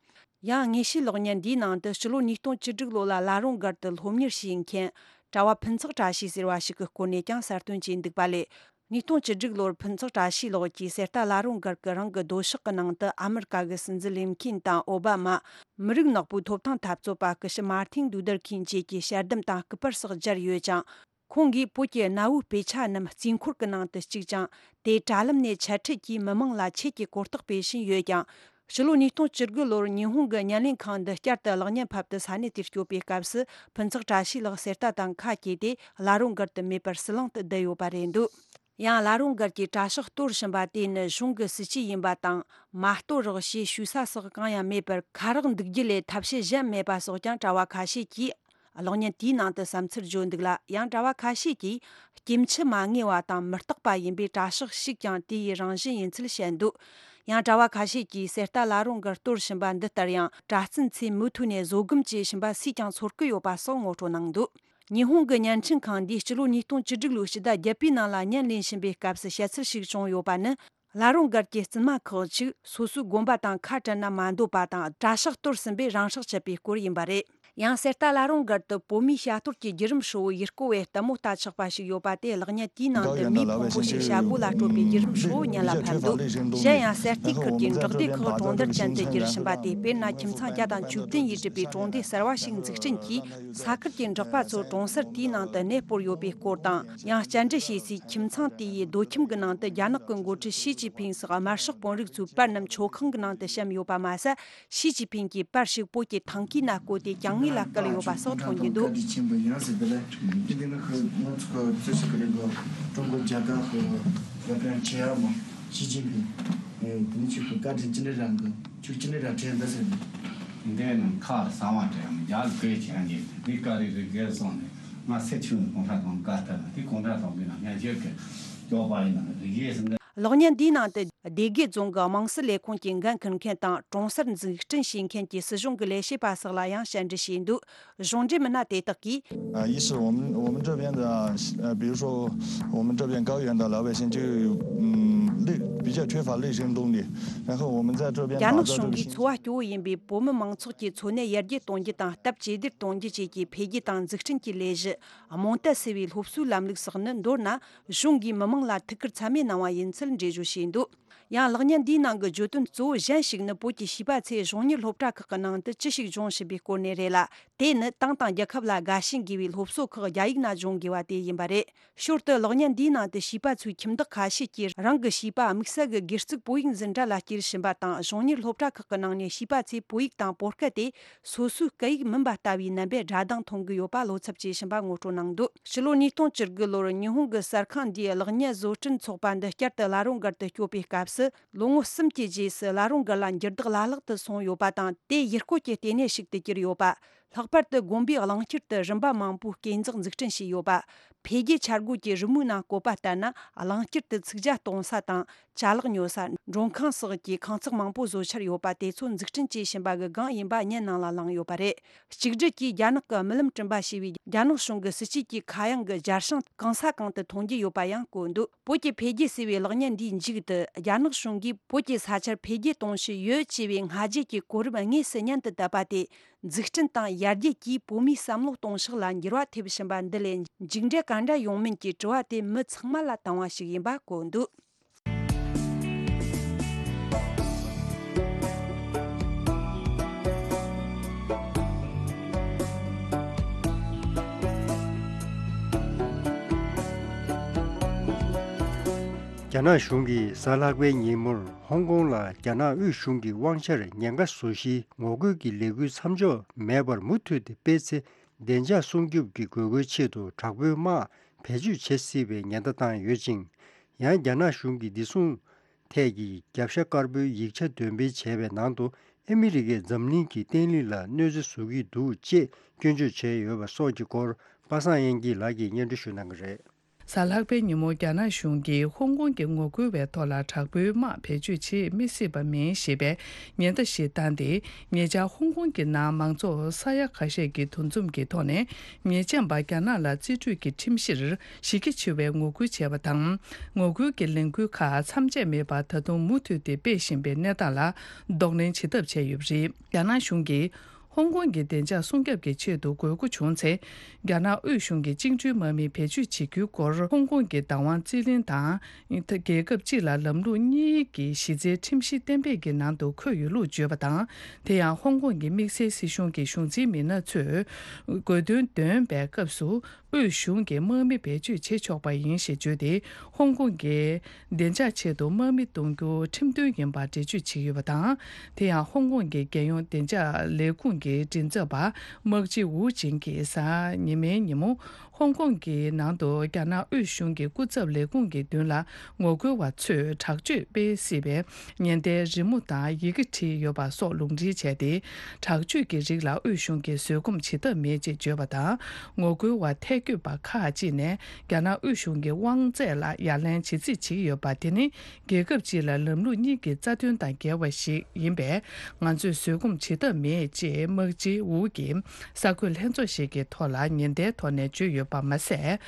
ཡང་། དངོས་བཤུས་གློག་བརྙན་འདིའི་ནང་དུ་སྤྱི་ལོ་ཉིས་སྟོང་བཅུ་དྲུག་ལོ་ལ་བླ་རུང་སྒར་དུ་སློབ་གཉེར་བྱེད་མཁན་གྲྭ་བ་ཕུན་ཚོགས་བཀྲ་ཤིས་ཟེར་བ་ཞིག་གི་སྐོར་ནས་ཀྱང་གསལ་སྟོན་བྱས་འདུག་པ་ལས། ཉིས་སྟོང་བཅུ་དྲུག་ལོར་ཕུན་ཚོགས་བཀྲ་ཤིས་ལགས་ཀྱིས་གསེར་རྟ་བླ་རུང་སྒར་གྱི་རང་གི་སྡོད་ཤག་གི་ནང་དུ་ཨ་མི་རི་ཀ་གི་སྲིད་འཛིན་ལིན་ཁིན་དང་ཨོ་བྷ་མ། མི་རིགས་ནག་པོའི་ཐོབ་ཐང་འཐབ་རྩོད་པ་སྐུ་ཞབས་མཱར་ཐིན་ལུ་དར་ཁིང་བཅས་ཀྱི་ཞལ་འདེམས་དང་སྐུ་པར་སོགས་སྦྱར་ཡོད་ཅིང་། ཁོང་གིས་བོད་ཀྱི་གནའ་བོའི་དཔེ་ཆ་རྣམས་རྩིས་འཁོར་གྱི་ནང་དུ་བཅུག་ཅིང་། དེ་དྲ་ལམ་ནས་འཆད་ཁྲིད་ཀྱིས་མི་མང་ལ་ཆེད་ཀྱི་གོ་རྟོགས་སྤེལ་བཞིན་ཡོད་ཀྱང་། ཕྱི་ལོ་ཉིས་སྟོང་བཅུ་དགུ་ལོར་ཉི་ཧོང་གི་ཉམས་ལེན་ཁང་འདི་བསྐྱར་དུ་གློག་བརྙན་ཕབ་སྟེ་ས་གནས་དེར་སྐྱོད་པའི་སྐབས་སུ། ཕུན་ཚོགས་བཀྲ་ཤིས་ལགས་གསེར་རྟ་དང་ཁ་གྱེས་ཏེ། བླ་རུང་སྒར་དུ་མེད་པར་ཟི་ལིང་དུ་བསྡད་ཡོད་པ་རེད་འདུག་ཡང་། བླ་རུང་སྒར་གྱི་གྲྭ་ཤག་གཏོར་བཞིན་པ་དེ་ནི་གཞུང་གི་སྲིད་ཇུས་ཡིན་པ་དང་། མ་གཏོར་རོགས་ཞེས་ཞུ་ས་སོགས་གང་ཡང་མེད་པར། ཁ་རག་འདུག་རྒྱུ་ལས་ཐབས་ཤེས་གཞན་མེད་པ་སོགས་ཀྱང་གྲྭ་བ་ཁ་ཤས་ཀྱིས་གློག་བརྙན་དེའི་ནང་དུ་བསམ་ཚུལ་བརྗོད་འདུག་ལ། ཡང་གྲྭ་བ་ཁ་ཤས་ཀྱིས་སྐྱེ་འཆི་མ་ངེས་པ་དང་མི་རྟག་པ་ཡིན་པས། གྲྭ་ཤག་ཞིག་ཀྱང་དེ་ཡི་རང་བཞིན་ཡིན་ཚུལ་བཤད་འདུག་ཡང་གྲྭ་བ་ཁ་ཤས་ཀྱིས་གསེར་རྟ་བླ་རུང་སྒར་གཏོར་བཞིན་པ་འདི་ལྟར་ཡང་། གྲྭ་བཙུན་ཚོས་མུ་མཐུད་ནས་བཟོད་སྒོམ་བྱེད་བཞིན་པ་སུས་ཀྱང་ཚོར་གི་ཡོད་པ་སོགས་ངོ་སྤྲོད་གནང་འདུག་ཉི་ཧོང་གི་བརྙན་འཕྲིན་ཁང་འདིས་སྤྱི་ལོ་ཉིས་སྟོང་བཅུ་དྲུག་ལོའི་ཕྱི་ཟླ་བརྒྱད་པའི་ནང་ལ་བརྙན་ལེན་བཞིན་པའི་སྐབས་སུ་བཤད་ཚུལ་ཞིག་བྱུང་ཡོད་པ་ནི། བླ་རུང་སྒར་གྱི་བཙུན་མ་ཁག་ཅིག་སོ་སོའི་དགོན་པ་དང་ཁ་བྲལ་ན་མ་འདོད་པ་དང་། གྲྭ་ཤག་གཏོར་ཟིན་པས་རང་སྲོག་བཅད་པའི་སྐོར་ཡིན་པ་རེད། ཡང་། གསེར་རྟ་བླ་རུང་སྒར་དུ་བོད་མིའི་བྱ་གཏོར་གྱི་བརྒྱུད་རིམ་ཧྲིལ་བོ་ཡུལ་སྐོར་བས་ལྟད་མོ་ལྟ་ཆོག་པ་ཞིག་ཡོད་པ་དེ། གློག་བརྙན་དེའི་ནང་དུ་མིའི་ཕུང་པོ་ཞིག་བྱ་སྒོ་ལ་སྤྲོད་པའི་བརྒྱུད་རིམ་ཧྲིལ་བོ་སྙན་ལ་ཕབ་འདུག་གཞན་ཡང་། གསེར་རྟའི་ཁུལ་གྱི་འབྲོག་སྡེ་ཁག་གྲོང་རྡལ་ཅན་དུ་བསྒྱུར་བཞིན་པ་དེ། དཔེར་ན། ཁྱིམ་ཚང་བརྒྱ་དང་བཅུ་བདུན་ཡིས་གྲུབ་པའི་གྲོང་སྡེ་གསར་བ་ཞིག་འཛུགས་སྐྲུན་གྱིས། ས་ཁུལ་གྱི་འབྲོག་པ་ཚོ་གྲོང་གསར་དེའི་ནང་དུ་གནས་སྤོར་ཡོད་པའི་སྐོར་དང་། ཡང་། བཅར་འདྲི་བྱས་སའི་ཁྱིམ་ཚང་དེ་ཡི་སྡོད་ཁྱིམ་གྱི་ནང་དུ་རྒྱ་ནག་གི་འགོ་ཁྲིད་ཞི་ཅིན་ཕིང་སོགས་དམར་ཤོག་དཔོན་རིགས་ཚོའི་པར་རྣམས་མཆོད་ཁང་གི་ནང་དུ་བཤམས་ཡོད་པ་མ་ཟད། ཞི་ཅིན་ཕིང་གི་པར་ཞིག་བོད་ཀྱི་ཐང་གའི་ནང་བརྐོས་ཏེ་གྱང་ངོས་ལ་བཀལ་ཡོད་པ་སོགས་མཐོང་རྒྱུ་འདུག་གློག་བརྙན་འདིའི་ནང་དུ་སྡེ་དགེ་རྫོང་གི་དམངས་སྲིད་ལས་ཁུངས་ཀྱི་འགན་འཁུར་མཁན་དང་། གྲོང་གསར་འཛུགས་སྐྲུན་བྱེད་མཁན་གྱི་སྲིད་གཞུང་གི་ལས་བྱེད་པ་སོགས་ལ་ཡང་བཅར་འདྲི་བྱས་འདུག་གཞུང་འབྲེལ་མི་སྣ་དེ་དག་གིས། 啊，一是我们我们这边的呃，比如说我们这边高原的老百姓就嗯内比较缺乏内生动力，然后我们在这边打造这个新。རྒྱ་ནག་གཞུང་གིས་འཚོ་བ་སྐྱོ་བོ་ཡིན་པའི་བོད་མི་མང་ཚོགས་ཀྱི་འཚོ་གནས་ཡར་རྒྱས་གཏོང་རྒྱུ་དང་། སྟབས་ཇེ་བདེར་གཏོང་རྒྱུ་བཅས་ཀྱི་འཕེལ་རྒྱས་དང་འཛུགས་སྐྲུན་གྱི་ལས་གཞི། རྨོངས་དད་སེལ་བའི་སློབ་གསོའི་ལམ་ལུགས་སོགས་ནི། མདོར་ན། གཞུང་གིས་མི་མང་ལ་ཐུགས་ཁུར་ཚད་མེད་གནང་བ་ཡིན་ཚུལ་འགྲེལ་བརྗོད་བྱས་འདུག་ཡང་། གློག་བརྙན་འདིའི་ནང་གི་བརྗོད་དོན་གཙོ་བོ་གཞན་ཞིག་ནི། བོད་ཀྱི་བྱིས་པ་ཚོས་གཞུང་གཉེར་སློབ་གྲྭ་ཁག་གི་ནང་དུ་ཅི་ཞིག་སྦྱོང་བཞིན་པའི་སྐོར་ནས་རེད་ལ། དེ་ནི་ཏང་དང་རྒྱལ་ཁབ་ལ་དགའ་ཞེན་དགོས་པའི་སློབ་གསོ་ཁག་རྒྱ་ཡིག་ནང་སྦྱོང་དགོས་པ་དེ་ཡིན་པ་རེད། ཞོར་དུ། གློག་བརྙན་འདིའི་ནང་དུ་བྱིས་པ་ཚོའི་ཁྱིམ་བདག་ཁ་ཤས་ཀྱིས་རང་གི་བྱིས་པ་དམིགས་བསལ་གྱི་སྒེར་ཚུགས་བོད་ཡིག་འཛིན་གྲྭ་ལ་སྐྱེལ་བཞིན་པ་དང་། གཞུང་གཉེར་སློབ་གྲྭ་ཁག་གི་ནང་ནས་བྱིས་པ་ཚོས་བོད་ཡིག་དང་བོད་སྐད་དེ། སོ་སོའི་སྐད་ཡིག་མིན་པ་ལྟ་བུའི་རྣམ་པས་སྒྲ་གདངས་མཐོང་གི་ཡོད་པ་བློ་འཚབ་བྱེད་བཞིན་པ་ངོ་སྤྲོད་གནང་འདུག་ཕྱི་ལོ་ཉིས་སྟོང་བཅུ་དགུ་ལོར་ཉི་ཧོང་གི་གསར་ཁང་འདིའི་གློག་བརྙན་བཟོ་སྐྲུན་ཚོགས་པ་འདི་བསྐྱར་དུ་བླ་རུང་སྒར་དུ་སྐྱོད་པའི་སྐབས་སུ། ལོ་ངོ་གསུམ་གྱི་རྗེས་སུ་བླ་རུང་སྒར་ལ་འགྱུར་ལྡོག་བླ་ལྷག་ཏུ་སོང་ཡོད་པ་དང་། དེ་ཡུལ་སྐོར་གྱི་ལྟེ་གནས་ཤིག་ཏུ་གྱུར་ཡོད་པ། ལྷག་པར་དུ་དགོན་པའི་གླིང་ཁྱེར་དུ་རིམ་པ་མང་པོའི་སྐས་འཛེག་འཛུགས་སྐྲུན་བྱས་ཡོད་པ། འཕེལ་རྒྱས་འཆར་འགོད་ཀྱི་རི་མོའི་ནང་བཀོད་པ་ལྟར་ན། གླིང་ཁྱེར་དུ་ཚིག་ཇ་གཏོང་ས་དང་། ཅ་ལག་ཉོ་ས། མགྲོན་ཁང་སོགས་ཀྱི་ཁང་བརྩེགས་མང་པོ་བཟོ་འཆར་ཡོད་པ། དེ་ཚོ་འཛུགས་སྐྲུན་བྱེད་བཞིན་པ་གི་སྒང་ཡིན་པ་སྙན་ནང་ལ་ལངས་ཡོད་པ་རེད། གཅིག་སྒྲིལ་གྱིས་རྒྱ་ནག་གི་རྨི་ལམ་བསྐྲུན་པ་ཞེས་པའི་རྒྱ་ནག་གཞུང་གི་སྲིད་ཇུས་ཀྱི་ཁ་གཡང་གི་རྒྱ་ཤང་གང་ས་གང་དུ་མཐོང་རྒྱུ་ཡོད་པ་ཡང་བཀོད་འདུག་བོད་ཀྱི་འཕེལ་རྒྱས་ཟེར་བའི་གློག་བརྙན་འདིའི་མཇུག་ཏུ། རྒྱ་ནག་གཞུང་གིས་བོད་ཀྱི་ས་ཆར་འཕེལ་རྒྱས་གཏོང་བཞིན་ཡོད་ཅེས་པའི་སྔ་རྗེས་ཀྱི་གོ་རིམ་དངོས་སུ་སྙན་དུ་བཏབ་པ་དེ། འཛུགས་སྐྲུན་དང་ཡར་རྒྱས་ཀྱིས་བོད་མིའི་བསམ་བློ་གཏོང་ཕྱོགས་ལ་འགྱུར་བ་ཐེབས་བཞིན་པ་འདི་ལས་མཇུག་འབྲས་ག་འདྲ་ཡོང་མིན་གྱི་དྲི་བ་དེ་མི་ཚང་མ་ལ་དང་བ་ཞིག་ཡིན་པ་བཀོད་འདུག་རྒྱ་ནག་གཞུང་གིས་གཟའ་ལྷག་པའི་ཉིན་མོར་ཧོང་ཀོང་ལ་རྒྱ་ནག་དབུས་གཞུང་གི་དབང་ཆར་ཉེན་ཁ་བཟོ་གཞིའི་ངོ་རྒོལ་གྱི་ལས་འགུལ་མཚམས་འཇོག་མེད་པར་མུ་མཐུད་དེ་སྤེལ་ཚེ། བདེ་འཇགས་སྲུང་སྐྱོབ་ཀྱི་དགོས་མཁོའི་ཆེད་དུ་དྲག་པོའི་དམག་བེད་སྤྱོད་བྱེད་སྲིད་པའི་ཉེན་བརྡ་བཏང་ཡོད་ཅིང་། ཡང་། རྒྱ་ནག་གཞུང་གིས་འདི་མཚུངས་ཐད་ཀྱི་རྒྱབ་ཤ་དཀར་པོའི་ཡིག་ཆ་འདོན་སྤེལ་བྱས་པའི་ནང་དུ། ཨ་མི་རི་ཀས་འཛམ་གླིང་གི་བརྟན་ལྷིང་ལ་གནོད་འཚེ་བཟོ་གི་འདུག་ཅེས་སྐྱོན་བརྗོད་བྱས་ཡོད་པ་སོགས་ཀྱི་སྐོར། པ་སངས་དབྱངས་སྐྱིད་ལགས་ཀྱིས་སྙན་སྒྲོན་ཞུ་གནང་གི་རེད། གཟའ་ལྷག་པའི་ཉིན་མོ་རྒྱ་ནག་གཞུང་གིས་ཧོང་ཀོང་གི་ངོ་རྒོལ་བའི་ཐོག་ལ་དྲག་པོའི་དམག་བེད་སྤྱོད་བྱེད་མི་སྲིད་པ་མིན་ཞེས་པའི་ཉེན་བརྡ་ཞིག་བཏང་སྟེ། ཉེ་ཆར་ཧོང་ཀོང་གི་ནང་མང་ཚོགས་ས་ཡ་ཁ་ཤས་ཀྱི་འདུ་འཛོམས་ཀྱི་ཐོག་ནས། ཉེས་ཅན་པ་རྒྱ་ནག་ལ་རྩིས་སྤྲོད་ཀྱི་ཁྲིམས་གཞིར་གཞི་རྒྱ་ཆེ་བའི་ངོ་རྒོལ་བྱས་པ་དང་། ངོ་རྒོལ་གྱི་ལས་འགུལ་ཁག་མཚམས་ཆད་མེད་པར་ད་དུང་མུ་མཐུད་དེ་སྤེལ་བཞིན་པའི་གནས་སྟངས་ལ་གདོང་ལེན་བྱེད་ཐབས་བྱས་ཡོད་པ་རེད། རྒྱ་ནག་གཞུང་གིས། ཧོང་ཀོང་གི་བདེ་འཇགས་སྲུང་སྐྱོབ་ཀྱི་ཆེད་དུ་དགོས་མཁོ་བྱུང་ཚེ། རྒྱ་ནག་དབུས་གཞུང་གིས་བཅིངས་འགྲོལ་དམག་མི་བེད་སྤྱོད་བྱེད་རྒྱུའི་སྐོར་ཧོང་ཀོང་གི་བདག་དབང་རྩིས་ལེན་དང་། རྒྱལ་ཁབ་སྤྱི་ལ་ལམ་ལུགས་གཉིས་ཀྱི་གཞི་རྩའི་ཁྲིམས་གཞི་གཏན་འབེབས་ཀྱི་ནང་དུ་འཁོད་ཡོད་ལུགས་བརྗོད་པ་དང་། དེ་ཡང་ཧོང་ཀོང་གི་དམིགས་བསལ་སྲིད་གཞུང་གི་གཞུང་འཛིན་མི་སྣ་ཚོས་དགོས་འདུན་འདོན་པའི་སྐབས་སུ། དབུས་གཞུང་གིས་དམག་མི་བེད་སྤྱོད་བྱེད་ཆོག་པ་ཡིན་ཞེས་བརྗོད་དེ། ཧོང་ཀོང་གི་བདེ་འཇགས་ཆེད་དུ་དམག་མི་གཏོང་རྒྱུ་ཁྲིམས་མཐུན་ཡིན་པར་འགྲེལ་བརྗོད་བྱས་ཡོད་པ་དང་། དེ་ཡང་ཧོང་ཀོང་གི་རྒྱལ་ཡོངས་བདེ་འཇགས་ལས་ཁུངས་ཀྱི་མགྲིན་ཚབ་པ་དམག་སྤྱི་ཝུའུ་ཅིང་གིས་གཟའ་ཉི་མའི་ཉིན་མོ། ཧོང་ཀོང་གི་ནང་དུ་རྒྱ་ནག་དབུས་གཞུང་གི་སྐུ་ཚབ་ལས་ཁུངས་ཀྱི་མདུན་ལ་ངོ་རྒོལ་བ་ཚོས་དྲག་སྤྱོད་སྤེལ་སྲིད་པའི་ཉེན་བརྡའི་རི་མོ་དང་ཡི་གེ་བྲིས་ཡོད་པ་སོགས་ལུང་འདྲེན་བྱས་ཏེ། དྲག་སྤྱོད་ཀྱི་རིགས་ལ་དབུས་གཞུང་གིས་བཟོད་སྒོམ་བྱེད་ཐབས་མེད་ཅེས་བརྗོད་པ་དང་། ངོ་རྒོལ་བ་ཐལ་འགྱོད་པ་ཁག་ཅིག་ནས་རྒྱ་ནག་དབུས་གཞུང་གི་དབང་ཚད་ལ་ཡ་ལན་བྱེད་རྩིས་བྱེད་ཀྱི་ཡོད་པ་དེ་ནི། རྒྱལ་ཁབ་སྤྱི་ལ་ལམ་ལུགས་གཉིས་ཀྱི་རྩ་དོན་དང་འགལ་བ་ཞིག་ཡིན་པས། ང་ཚོས་བཟོད་སྒོམ་བྱེད་ཐབས་མེད་ཅེས་དམག་སྤྱི་ཝུའུ་གིས་གསར་འགོད་ལྷན་ཚོགས་ཤིག་གི་ཐོག་ལ་ཉེན་བརྡའི་ཐོག་ནས་བརྗོད་ཡོད་པ་མ་ཟད།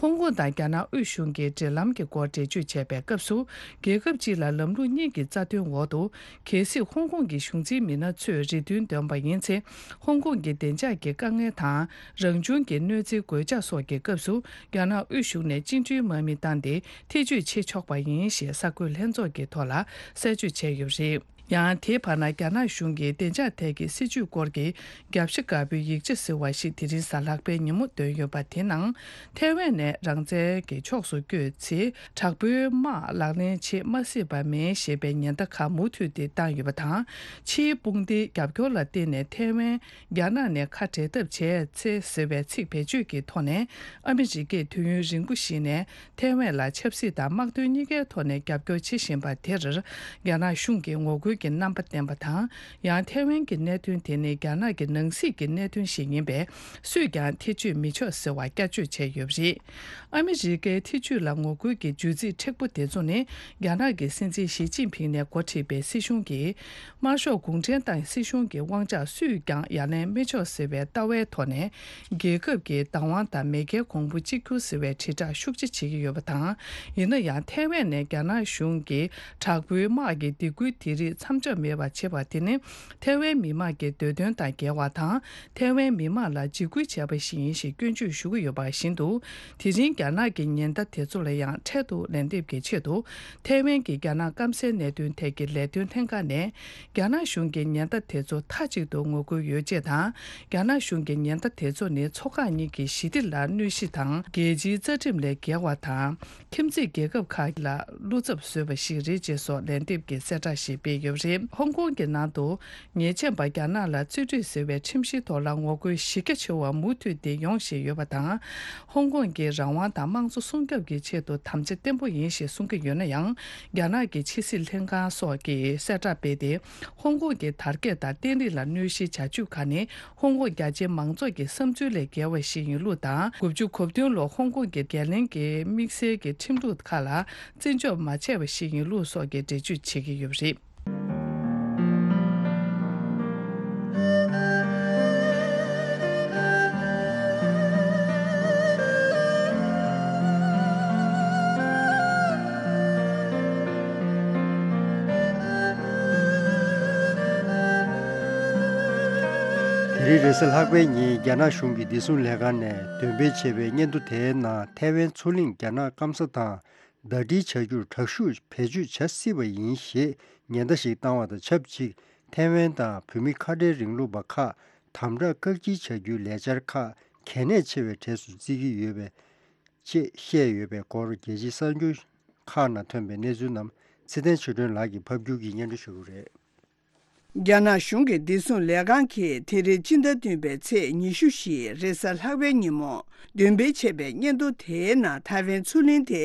ཧོང་ཀོང་དང་རྒྱ་ནག་དབུས་གཞུང་གི་འབྲེལ་ལམ་གྱི་སྐོར་འགྲེལ་བརྗོད་བྱས་པའི་སྐབས་སུ། རྒྱལ་ཁབ་སྤྱི་ལ་ལམ་ལུགས་གཉིས་ཀྱི་རྩ་དོན་འོག་ཏུ། གལ་སྲིད་ཧོང་ཀོང་གི་གཞུང་འཛིན་མི་སྣ་ཚོས་རེ་འདུན་འདོན་པ་ཡིན་ཚེ། ཧོང་ཀོང་གི་བདེ་འཇགས་ཀྱི་དཀའ་ངལ་དང་། རང་བྱུང་གི་གནོད་འཚེའི་གོད་ཆག་སོགས་ཀྱི་སྐབས་སུ། རྒྱ་ནག་དབུས་གཞུང་ནས་བཅིངས་འགྲོལ་དམག་མི་བཏང་སྟེ། ཐེ་བྱུས་བྱེད་ཆོག་པ་ཡིན་ཞེས་གསར་འགོད་ལྷན་ཚོགས་ཀྱི་ཐོག་ལ་གསལ་བརྗོད་བྱས་ཡོད་པ་རེད། ཡང་དེའི་བར་ན། རྒྱ་ནག་གཞུང་གིས་བདེ་འཇགས་ཐད་ཀྱི་སྲིད་ཇུས་སྐོར་གྱི་རྒྱབ་ཤ་དཀར་པོའི་ཡིག་ཆ་ཟེར་བ་ཞིག་དེ་རིང་གཟའ་ལྷག་པའི་ཉིན་མོ་བཏོན་ཡོད་པ། དེའི་ནང་། ཐའེ་ཝན་ནས་རང་བཙན་གྱི་ཕྱོགས་སུ་བསྐྱོད་ཚེ། དྲག་པོའི་དམག་ལག་ལེན་བྱེད་མ་སྲིད་པ་མིན་ཞེས་པའི་ཉེན་བརྡ་ཁག་མུ་མཐུད་དེ་བཏང་ཡོད་པ་དང་། ཕྱིའི་དཔུང་སྡེའི་རྒྱབ་སྐྱོར་ལ་བརྟེན་ནས་ཐའེ་ཝན་རྒྱ་ནག་ནས་ཁ་བྲལ་ཐབས་བྱས་ཚེ་ཟེར་བའི་ཚིག་བེད་སྤྱོད་ཀྱི་ཐོག་ནས། ཨ་མི་རི་ཀས་དུས་ཡུན་རིང་པོ་ཞིག་ནས་ཐའེ་ཝན་ལ་ཆབ་སྲིད་དང་དམག་དོན་གཉིས་ཀའི་ཐོག་ནས་རྒྱབ་སྐྱོར་བྱེད་བཞིན་པ་དེར། རྒྱ་ནག་གཞུང་གིས་ངོ་རྒོལ་གྱི་རྣམ་པ་བསྟན་པ་དང་། ཡང་ཐའེ་ཝན་གྱི་གནད་དོན་དེ་ནི་རྒྱ་ནག་གི་ནང་སྲིད་ཀྱི་གནད་དོན་ཞིག་ཡིན་པས། སུས་ཀྱང་ཐེ་བྱུས་མི་ཆོག་ཟེར་བ་བསྐྱར་བརྗོད་བྱས་ཡོད་པ་རེད། ཨ་མི་རི་ཀའི་ཐེ་བྱུས་ལ་ངོ་རྒོལ་གྱི་བརྗོད་ཚིག་མཁྲེགས་པོ་དེ་ཚོ་ནི། རྒྱ་ནག་གི་སྲིད་འཛིན་ཞི་ཅིན་ཕིང་ནས་འགོ་ཁྲིད་པའི་སྲིད་གཞུང་གིས། དམར་ཤོག་གུང་ཁྲན་ཏང་སྲིད་གཞུང་གི་དབང་ཆ་སུས་ཀྱང་ཡ་ལན་མི་ཆོག་ཟེར་བའི་ལྟ་བའི་ཐོག་ནས། རྒྱལ་ཁབ་ཀྱི་བདག་དབང་དང་མེས་རྒྱལ་གོང་བུ་གཅིག་གྱུར་ཟེར་བའི་དྲིལ་བསྒྲགས་ཤུགས་ཆེ་བྱེད་ཀྱི་ཡོད་པ་དང་། ཡིན་ན་ཡང་། ཐའེ་ཝན་ནས་རྒྱ་ནག་གཞུང་གིས་དྲག་པོའི་དམག་གི་སྡིགས་སྐུལ་དེ་རིགས་མཚམས་འཇོག་མེད་པར་བྱེད་པ་དེ་ནི། ཐའེ་ཝན་མི་དམངས་ཀྱི་འདོད་དོན་དང་འགལ་བ་དང་། ཐའེ་ཝན་མི་དམངས་ལ་འཇིགས་སྐུལ་བྱས་པ་ཞིག་ཡིན་ཞེས་སྐྱོན་བརྗོད་ཞུ་གི་ཡོད་པ་བཞིན་དུ། དེ་རིང་རྒྱ་ནག་གི་ཉེན་བརྡ་དེ་ཚོ་ལ་ཡང་འཕྲལ་དུ་ལན་འདེབས་ཀྱི་ཆེད་དུ། ཐའེ་ཝན་གྱི་རྒྱ་ནག་སྐམ་སའི་གནད་དོན་ཐད་ཀྱི་ལས་དོན་ལྷན་ཁང་ནས། རྒྱ་ནག་གཞུང་གི་ཉེན་བརྡ་དེ་ཚོ་མཐའ་གཅིག་ཏུ་ངོ་རྒོལ་ཡོད་ཅེས་དང་། རྒྱ་ནག་གཞུང་གི་ཉེན་བརྡ་དེ་ཚོ་ནི་མཚོ་འགག་གཉིས་ཀྱི་ཞི་བདེ་ལ་གནོད་གཞི་དང་། རྒྱལ་སྤྱིའི་རྩ་ཁྲིམས་ལས་འགལ་བ་དང་། ཁྱིམ་མཚེས་རྒྱལ་ཁབ་ཁག་ལ་བློ་འཚབ་བཟོས་པ་ཞིག་རེད་ཅེས་སོགས་ལན་འདེབས་ཀྱི་གསལ་བསྒྲགས་ཤིག་སྤེལ་ཡོད་པ་རེད། ཧོང་ཀོང་གི་ནང་དུ། ཉེས་ཅན་པ་རྒྱ་ནག་ལ་རྩིས་སྤྲོད་ཟེར་བའི་ཁྲིམས་གཞིའི་ཐོག་ལ་ངོ་རྒོལ་གཞི་རྒྱ་ཆེ་བ་མུ་མཐུད་དེ་ཡོང་བཞིན་ཡོད་པ་དང་། ཧོང་ཀོང་གི་རང་དབང་དང་དམངས་གཙོ་སྲུང་སྐྱོབ་ཀྱི་ཆེད་དུ་དམ་བཅའ་བརྟན་པོ་ཡིན་ཞེས་གསུང་གི་ཡོད་ན་ཡང་། རྒྱ་ནག་གི་ཕྱི་སྲིད་ལྷན་ཁང་སོགས་ཀྱིས་གསལ་བསྒྲགས་སྤེལ་ཏེ། ཧོང་ཀོང་གི་དར་རྒྱས་དང་བརྟན་ལྷིང་ལ་གནོད་གཞིའི་བྱ་སྤྱོད་ཁག་ནི། ཧོང་ཀོང་རྒྱ་ཆེའི་མང་ཚོགས་ཀྱི་བསམ་ཚུལ་ལས་བརྒལ་བ་ཞིག་ཡིན་ལུགས་དང་། དགུ་བཅུ་གོ་བདུན་ལོར་ཧོང་ཀོང་གི་རྒྱལ་གླིང་གི་དམིགས་བསལ་གྱི་ཁྲིམས་ལུགས་ཁག་ལ་བརྩི་འཇོག་མ་བྱས་པ་ཞིག་ཡིན་ལུགས་སོགས་ཀྱི་འགྲེལ་བརྗོད་བྱེད་ཀྱི་ཡོད་པ་རེད། དེ་རིང་རེས་གཟའ་ལྷག་པའི་ཉིན་རྒྱ་ནག་གཞུང་གི་བདེ་སྲུང་ལས་ཁང་ནས་འདོན་སྤེལ་བྱས་པའི་སྙན་ཐོ་དེའི་ནང་ཐའེ་ཝན་མཚོ་གླིང་རྒྱ་ནག་སྐམ་ས་དང་ཟླ་སྒྲིལ་བྱ་རྒྱུར་དྲག་ཤུགས་བེད་སྤྱོད་བྱ་སྲིད་པ་ཡིན་ཞེས་ཉེན་བརྡ་ཞིག་བཏང་བ་དང་ཆབས་ཅིག་ཐའེ་ཝན་དང་བོད་མིའི་ཁ་བྲལ་རིང་ལུགས་པ་ཁག་དམ་དྲག་བཀག་སྐྱིལ་བྱ་རྒྱུའི་ལས་འཆར་ཁག་གལ་གནད་ཆེ་བའི་གྲས་སུ་བརྩི་གི་ཡོད་པའི་ཅེས་བཤད་ཡོད་པའི་སྐོར་རྒྱལ་སྤྱིའི་གསར་འགྱུར་ཁག་ནང་ཐོན་པའི་གནས་ཚུལ་རྣམས་ཚེ་བརྟན་ཆོས་སྒྲོན་ལགས་ཀྱིས་ཕབ་སྒྱུར་གྱིས་སྙན་སྒྲོན་ཞུ་གི་རེད། རྒྱ་ནག་གཞུང་གི་བདེ་སྲུང་ལས་ཁང་གིས་དེ་རིང་སྤྱི་ཟླ་བདུན་པའི་ཚེས་ཉི་ཤུ་བཞི་རེས་གཟའ་ལྷག་པའི་ཉིན་མོ་འདོན་སྤེལ་བྱས་པའི་སྙན་ཐོ་དེའི་ནང་ཐའེ་ཝན་མཚོ་གླིང་དེ་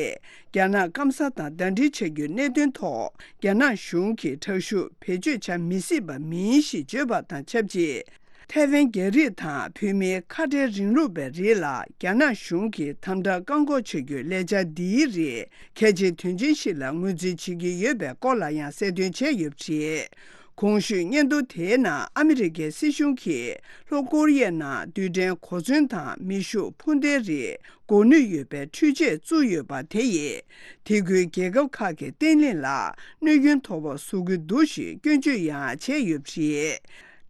རྒྱ་ནག་སྐམ་ས་དང་ཟླ་སྒྲིལ་བྱ་རྒྱུའི་གནད་དོན་ཐོག་རྒྱ་ནག་གཞུང་གིས་དྲག་ཤུགས་བེད་སྤྱོད་བྱ་མི་སྲིད་པ་མིན་ཞེས་བརྗོད་པ་དང་ཆབས་ཅིག་ཐའེ་ཝན་རྒྱ་རིགས་དང་བོད་མིའི་ཁ་བྲལ་རིང་ལུགས་པའི་རིགས་ལ་རྒྱ་ནག་གཞུང་གིས་དམ་དྲག་བཀག་འགོག་བྱ་རྒྱུའི་ལས་འཆར་འདིའི་རིགས་གལ་ཆེའི་དོན་ཆེན་ཞིག་ལ་ངོས་འཛིན་བྱེད་ཀྱི་ཡོད་པའི་སྐོར་ལ་ཡང་གསལ་སྟོན་བྱས་ཡོད་པ་རེད། གོང་ཞུས་སྙན་ཐོ་དེའི་ནང་ཨ་མི་རི་ཀའི་སྲིད་གཞུང་གིས་ལྷོ་ཀོ་རི་ཡའི་ནང་རྡུལ་ཕྲན་གོ་མཚོན་དང་མེ་ཤུགས་འཕུར་མདེལ་རིགས་འགོ་ནུས་ཡོད་པའི་འཕྲུལ་ཆས་བཙུགས་ཡོད་པ་དེ་ཡིས། དེ་ཁུལ་རྒྱལ་ཁབ་ཁག་གི་བརྟན་ལྷིང་ལ་གནོད་སྐྱོན་མཐོ་པོ་བཟོ་གི་འདུག་ཞེས་སྐྱོན་བརྗོད་ཡང་བྱས་ཡོད་པ་རེད།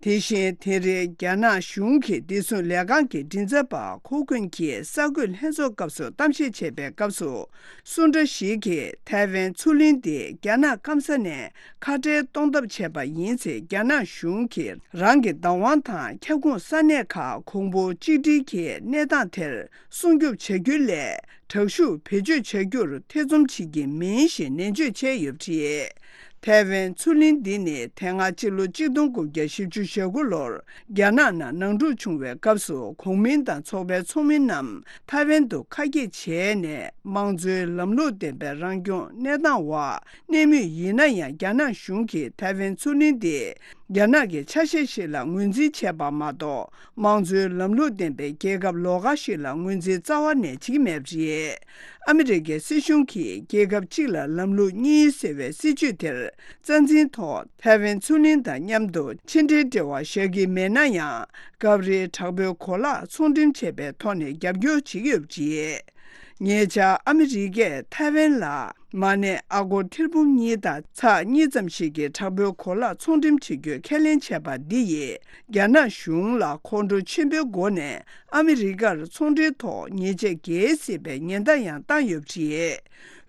དེ་བཞིན་དེ་རིང་རྒྱ་ནག་གཞུང་གི་བདེ་སྲུང་ལས་ཁང་གི་མགྲིན་ཚབ་པ་ཁོ་ཀུན་གྱིས་གསར་འགོད་ལྷན་ཚོགས་སྐབས་སུ་གཏམ་བཤད་བྱེད་པའི་སྐབས་སུ། སུ་འདྲ་ཞིག་གིས་ཐའེ་ཝན་མཚོ་གླིང་འདི་རྒྱ་ནག་སྐམ་ས་ནས་ཁ་བྲལ་གཏོང་ཐབས་བྱས་པ་ཡིན་ཚེ། རྒྱ་ནག་གཞུང་གིས་རང་གི་བདག་དབང་དང་ཁྱབ་ཁོངས་ས་གནས་ཁག་གོང་བུ་གཅིག་སྒྲིལ་གྱི་གནས་སྟངས་དེར་སྲུང་སྐྱོབ་བྱ་རྒྱུ་ལས། དྲག་ཤུགས་བེད་སྤྱོད་བྱ་རྒྱུར་ཐེ་ཚོམ་བྱེད་ཀྱི་མིན་ཞེས་ནན་བརྗོད་བྱས་ཡོད་པ་རེད། ཐའེ་ཝན་མཚོ་གླིང་འདི་ནི་དེ་སྔ་སྤྱི་ལོ་གཅིག་སྟོང་དགུ་བརྒྱ་བཞི་བཅུ་ཞེ་དགུ་ལོར་རྒྱ་ནག་ནང་ནང་འཁྲུག་བྱུང་བའི་སྐབས་སུ། གོང་མིན་དང་ཚོགས་པའི་ཚོགས་མི་རྣམས་ཐའེ་ཝན་དུ་ཁ་གྱེས་བྱས་ནས། དམངས་གཙོའི་ལམ་ལུགས་ལྡན་པའི་རང་སྐྱོང་གནས་སྟངས་འོག་གནས་མུས་ཡིན་ན་ཡང་། རྒྱ་ནག་གཞུང་གིས་ཐའེ་ཝན་མཚོ་གླིང་འདི་རྒྱ་ནག་གི་ཆ་ཤས་ཤིག་ལ་ངོས་འཛིན་བྱས་པ་མ་གཏོགས། དམངས་གཙོའི་ལམ་ལུགས་ལྡན་པའི་རྒྱལ་ཁབ་ལོགས་ཀ་ཞིག་ལ་ངོས་འཛིན་རྩ་བ་ནས་བྱེད་ཀྱི་མེད་པ་རེད། ཨ་མི་རི་ཀའི་སྲིད་གཞུང་གིས་རྒྱལ་ཁབ་གཅིག་ལ་ལམ་ལུགས་གཉིས་ཟེར་བའི་སྲིད་བྱུས་དེར་རྩ་འཛིན་ཐོག་ཐའེ་ཝན་མཚོ་གླིང་དང་མཉམ་དུ་ཕྱི་འབྲེལ་འབྲེལ་བ་བཞག་གི་མེད་ན་ཡང་། སྐབས་རེ་དྲག་པོའི་གོ་ལག་ཚོང་འགྲེམས་བྱས་པའི་ཐོག་ནས་རྒྱབ་སྐྱོར་བྱེད་ཀྱི་ཡོད་པ་རེད། ཉེ་ཆར་ཨ་མི་རི་ཀས་ཐའེ་ཝན་ལ་མ་ཎི་ཨ་སྒོར་ཐེར་འབུམ་གཉིས་དང་ཚེག་གཉིས་ཙམ་ཞིག་གི་དྲག་པོའི་གོ་ལག་ཚོང་འགྲེམས་བྱེད་རྒྱུའི་ཁས་ལེན་བྱས་པ་འདི་ཡིས། རྒྱ་ནག་གཞུང་ལ་ཁོང་ཁྲོ་ཆེན་པོའི་སྒོ་ནས་ཨ་མི་རི་ཀར་ཚོང་འབྲེལ་ཐོག་ཉེས་ཆད་འགེལ་སྲིད་པའི་ཉེན་བརྡ་ཡང་བཏང་ཡོད་པ་རེད།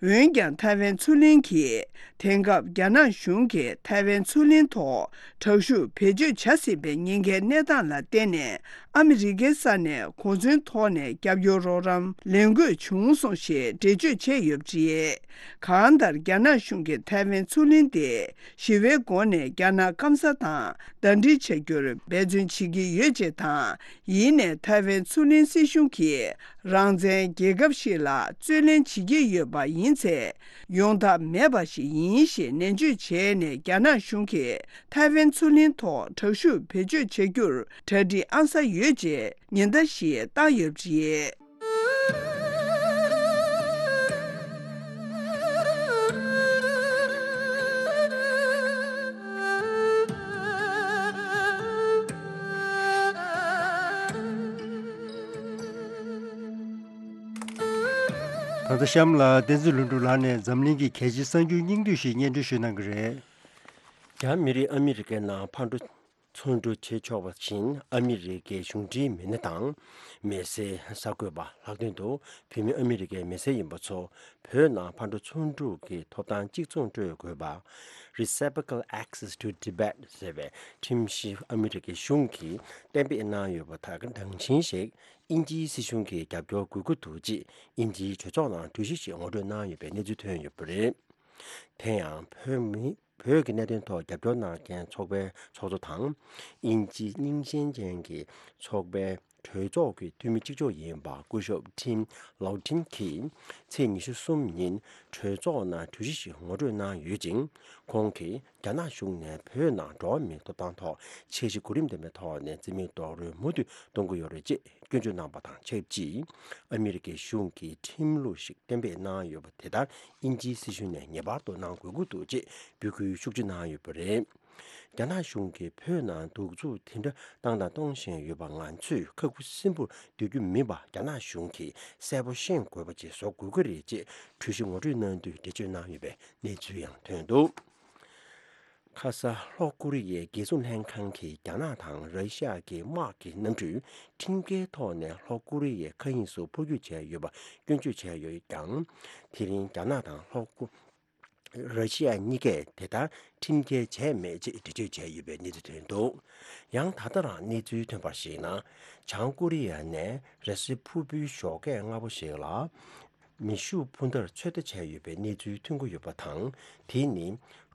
འོན་ཀྱང་ཐའེ་ཝན་མཚོ་གླིང་གིས། དེང་སྐབས་རྒྱ་ནག་གཞུང་གིས་ཐའེ་ཝན་མཚོ་གླིང་ཐོག་དྲག་ཤུགས་བེད་སྤྱོད་བྱ་སྲིད་པའི་ཉེན་ཁའི་གནས་སྟངས་ལ་བརྟེན་ནས། ཨ་མི་རི་ཀའི་ས་ནས་གོ་མཚོན་ཐོག་ནས་རྒྱབ་སྐྱོར་རོགས་རམ་ལེན་དགོས་བྱུང་སོང་ཞེས་འགྲེལ་བརྗོད་བྱས་ཡོད་པ་རེད། གང་ལྟར། རྒྱ་ནག་གཞུང་གིས་ཐའེ་ཝན་མཚོ་གླིང་དེ་ཞི་བའི་སྒོ་ནས་རྒྱ་ནག་སྐམ་ས་དང་ཟླ་སྒྲིལ་བྱ་རྒྱུར་འབད་བརྩོན་བྱེད་ཀྱི་ཡོད་ཅེས་དང་། ཡིན་ནའི་ཐའེ་ཝན་མཚོ་གླིང་སྲིད་གཞུང་གིས་རང་བཙན་རྒྱལ་ཁབ་ཞིག་ལ་རྩོད་ལེན་བྱེད་ཀྱི་ཡོད་པ་ཡིན་ཚེ། ཡོང་ཐབས་མེད་པ་ཞིག་ཡིན་ཞེས་ནན་བརྗོད་བྱས་ནས། རྒྱ་ནག་གཞུང་གིས་ཐའེ་ཝན་མཚོ་གླིང་ཐོག་དྲག་ཤུགས་བེད་སྤྱོད་བྱ་རྒྱུར་གྲ་སྒྲིག་ཨང་གསར་ཡོད་ཅེས་ཉེན་བརྡ་ཞིག་བཏང་ཡོད་པ་རེད། ད་ལྟ་གཤམ་ལ་བསྟན་འཛིན་ལྷུན་གྲུབ་ལགས་ནས་འཛམ་གླིང་གི་གལ་ཆེའི་གསར་འགྱུར་སྙིང་བསྡུས་ཤིག་སྙན་སྒྲོན་ཞུ་གནང་གི་རེད། རྒྱ་མི་རིགས་ཨ་མི་རི་ཀའི་ནང་ཕར་འགྲོ་ཚུར་འགྲོ་བྱེད་ཆོག་པ་བཞིན། ཨ་མི་རི་ཀའི་གཞུང་འབྲེལ་མི་སྣ་དང་མི་སེར། གསར་འགོད་པ་ལྷག་དོན་དུ་བོད་མི་ཨ་མི་རི་ཀའི་མི་སེར་ཡིན་པ་ཚོ་བོད་ནང་ཕར་འགྲོ་ཚུར་འགྲོ་གི་ཐོབ་ཐང་གཅིག་མཚུངས་སྤྲོད་དགོས་པ། Reciprocal Access to Tibet ཟེར་བའི་ཁྲིམས་གཞི་ཨ་མི་རི་ཀའི་གཞུང་གིས་གཏན་འབེབས་གནང་ཡོད་པ་དང་། གྲངས་ཆེན་ཞིག་དབྱིན་ཇིའི་སྲིད་གཞུང་གིས་རྒྱབ་སྐྱོར་དགོས་ཀྱི་འདུག་ཅེས་དབྱིན་ཇིའི་གྲོས་ཚོགས་ནང་གྲོས་གཞི་ཞིག་ངོ་སྤྲོད་གནང་ཡོད་པའི་གནས་ཚུལ་ཐོན་ཡོད་པ་རེད། དེ་ཡང་བོད་མི། བོད་ཀྱི་གནད་དོན་ཐོག་རྒྱབ་སྐྱོར་གནང་མཁན་ཚོགས་པའི་ཚོགས་གཙོ་དང་། དབྱིན་ཇི་རྙིང་ཞེན་ཅན་གྱི་ཚོགས་པའི་གྲོས་ཚོགས་ཀྱི་འཐུས་མི་གཅིག་ལྕོགས་ཡིན་པ་སྐུ་ཞབས་ཊིམ་ལའོ་ཊིན་གྱིས་ཚེས་ཉི་ཤུ་གསུམ་ཉིན་གྲོས་ཚོགས་ནང་གྲོས་གཞི་ཞིག་ངོ་སྤྲོད་གནང་ཡོད་ཅིང་། ཁོང་གིས་རྒྱ་ནག་གཞུང་ནས་བོད་ནང་འགྲོ་བ་མིའི་ཐོབ་ཐང་ཐོག་འཆར་གཞི་གོ་རིམ་ལྡན་པའི་ཐོག་ནས་རྩིས་མེད་རྡོག་རོལ་མུ་མཐུད་གཏོང་གི་ཡོད་རེད་ཅེས་སྐྱོན་བརྗོད་གནང་པ་དང་ཆབས་ཅིག་ཨ་མི་རི་ཀའི་གཞུང་གིས་ཁྲིམས་ལུགས་ཤིག་གཏན་འབེབས་གནང་ཡོད་པ་དེ་ལྟར་དབྱིན་ཇིའི་སྲིད་གཞུང་ནས་ངེས་པར་དུ་གནང་དགོས་ཀྱི་འདུག་ཅེས་འབོད་སྐུལ་ཤུགས་ཆེ་གནང་ཡོད་པ་རེད། རྒྱ་ནག་གཞུང་གིས་བོད་ནང་གདུག་རྩུབ་དེ་འདྲ་བཏང་དང་གཏོང་བཞིན་ཡོད་པ། ང་ཚོས་ཁ་ཁུ་སིམ་པོར་སྡོད་རྒྱུ་མིན་པ་རྒྱ་ནག་གཞུང་གིས་གསལ་པོ་ཤེས་དགོས་པ་ཅིག་བཟོ་དགོས་ཀྱི་རེད་ཅེས་གྲོས་གཞི་ངོ་སྤྲོད་གནང་དུས་འགྲེལ་བརྗོད་གནང་ཡོད་པའི་གནས་ཚུལ་ཡང་ཐོན་འདུག་ཁ་ས་ལྷོ་ཀོ་རི་ཡའི་རྒྱལ་སྲུང་ལྷན་ཁང་གིས་རྒྱ་ནག་དང་ར་ཤི་ཡ་གི་དམག་གི་གནམ་གྲུས་ཁྲིམས་འགལ་ཐོག་ནས་ལྷོ་ཀོ་རི་ཡའི་མཁའ་དབྱིངས་སུ་འཕུར་སྐྱོད་བྱས་ཡོད་པ་སྐྱོན་བརྗོད་བྱས་ཡོད་ཀྱང་། དེ་རིང་རྒྱ་ནག་དང་ལྷོ་ཀོ་ར་ཤི་ཡ་གཉིས་ཀས་དེ་ལྟར་ཁྲིམས་འགལ་བྱས་མེད་ཅེས་འགྲེལ་བརྗོད་བྱས་ཡོད་པའི་གནས་ཚུལ་ཐོན་འདུག་ཡང་ད་ལྟ་རང་གནས་ཚུལ་ཐོན་པར་གཞིགས་ན། བྱང་ཀོ་རི་ཡ་ནས་རེས་གཟའ་ཕུར་བུའི་ཞོགས་ཀས་སྔ་པོ་ཞིག་ལ། མེ་ཤུགས་འཕུར་མདའ་ཚོད་ལྟ་བྱས་ཡོད་པའི་གནས་ཚུལ་ཐོན་གྱི་ཡོད་པ་དང་། དེ་ནི་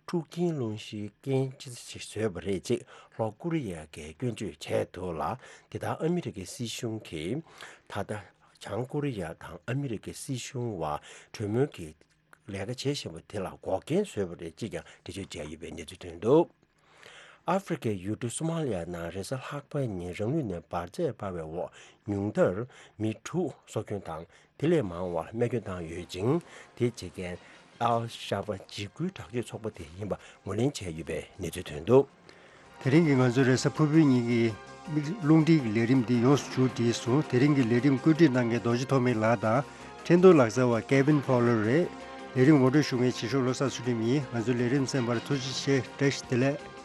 འཁྲུག་རྐྱེན་སློང་གཞིའི་རྐྱེན་ཅི་ཞིག་བཟོས་པ་རེད་ཅེས་ལྷོ་ཀོ་རི་ཡ་གིས་སྐྱོན་བརྗོད་བྱས་འདུག་ལ། དེ་ལྟར་ཨ་མི་རི་ཀའི་སྲིད་གཞུང་གིས་ད་ལྟ་བྱང་ཀོ་རི་ཡ་དང་ཨ་མི་རི་ཀའི་སྲིད་གཞུང་བར་གྲོས་མོལ་གྱི་ལས་ཀ་བྱེད་བཞིན་པ་དེ་ལ་འགོག་རྐྱེན་བཟོས་པ་རེད་ཅེས་ཀྱང་འགྲེལ་བརྗོད་བྱས་ཡོད་པའི་གནས་ཚུལ་ཐོན་འདུག་ཨ་ཧྥེ་རི་ཁའི་ཡུལ་གྲུ་སོ་མ་ལི་ཡ་ནང་རེས་གཟའ་ལྷག་པའི་ཉིན་རང་ལུས་ནས་འབར་རྫས་འབར་བའི་འོག་ཉུང་མཐར་མི་དྲུག་སྲོག་སྐྱོན་དང་། དེ་ལས་མང་བར་རྨས་སྐྱོན་བཏང་ཡོད་ཅིང་། དེ་བྱེད་མཁན་ཨལ་ཤ་བ་འཇིགས་སྐུལ་དྲག་སྤྱོད་ཚོགས་པ་དེ་ཡིན་པ་ངོས་ལེན་བྱས་ཡོད་པའི་གནས་ཚུལ་ཐོན་འདུག་དེ་རིང་གི་ང་ཚོའི་རེས་གཟའ་ཕུར་བུའི་ཉིན་གྱི་རླུང་འཕྲིན་གྱི་ལས་རིམ་འདི་ཡོངས་སུ་མཇུག་བསྒྲིལ་སོང་། དེ་རིང་གི་ལས་རིམ་བཀོད་སྒྲིག་གནང་མཁན་རྡོ་རྗེ་ཐོགས་མེད་ལགས་དང་། འཕྲིན་གཏོང་ལག་རྩལ་བ་ཀེ་བིན་ཕོ་ལར་རེད། ལས་རིམ་ངོ་སྤྲོད་ཞུ་མཁན་བྱེད་ཤོག་བློ་བཟང་ཚུལ་ཁྲིམས་ཡིན། ང་ཚོའི་ལས་རིམ་གསན་པར་ཐུགས་རྗེ་ཆེ། བཀྲ་ཤིས་བདེ་ལེགས།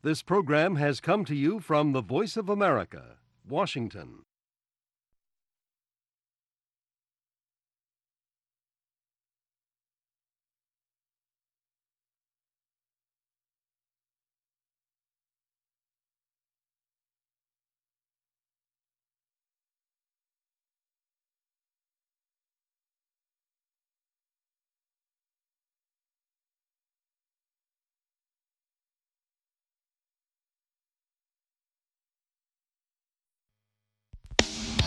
This program has come to you from the Voice of America, Washington.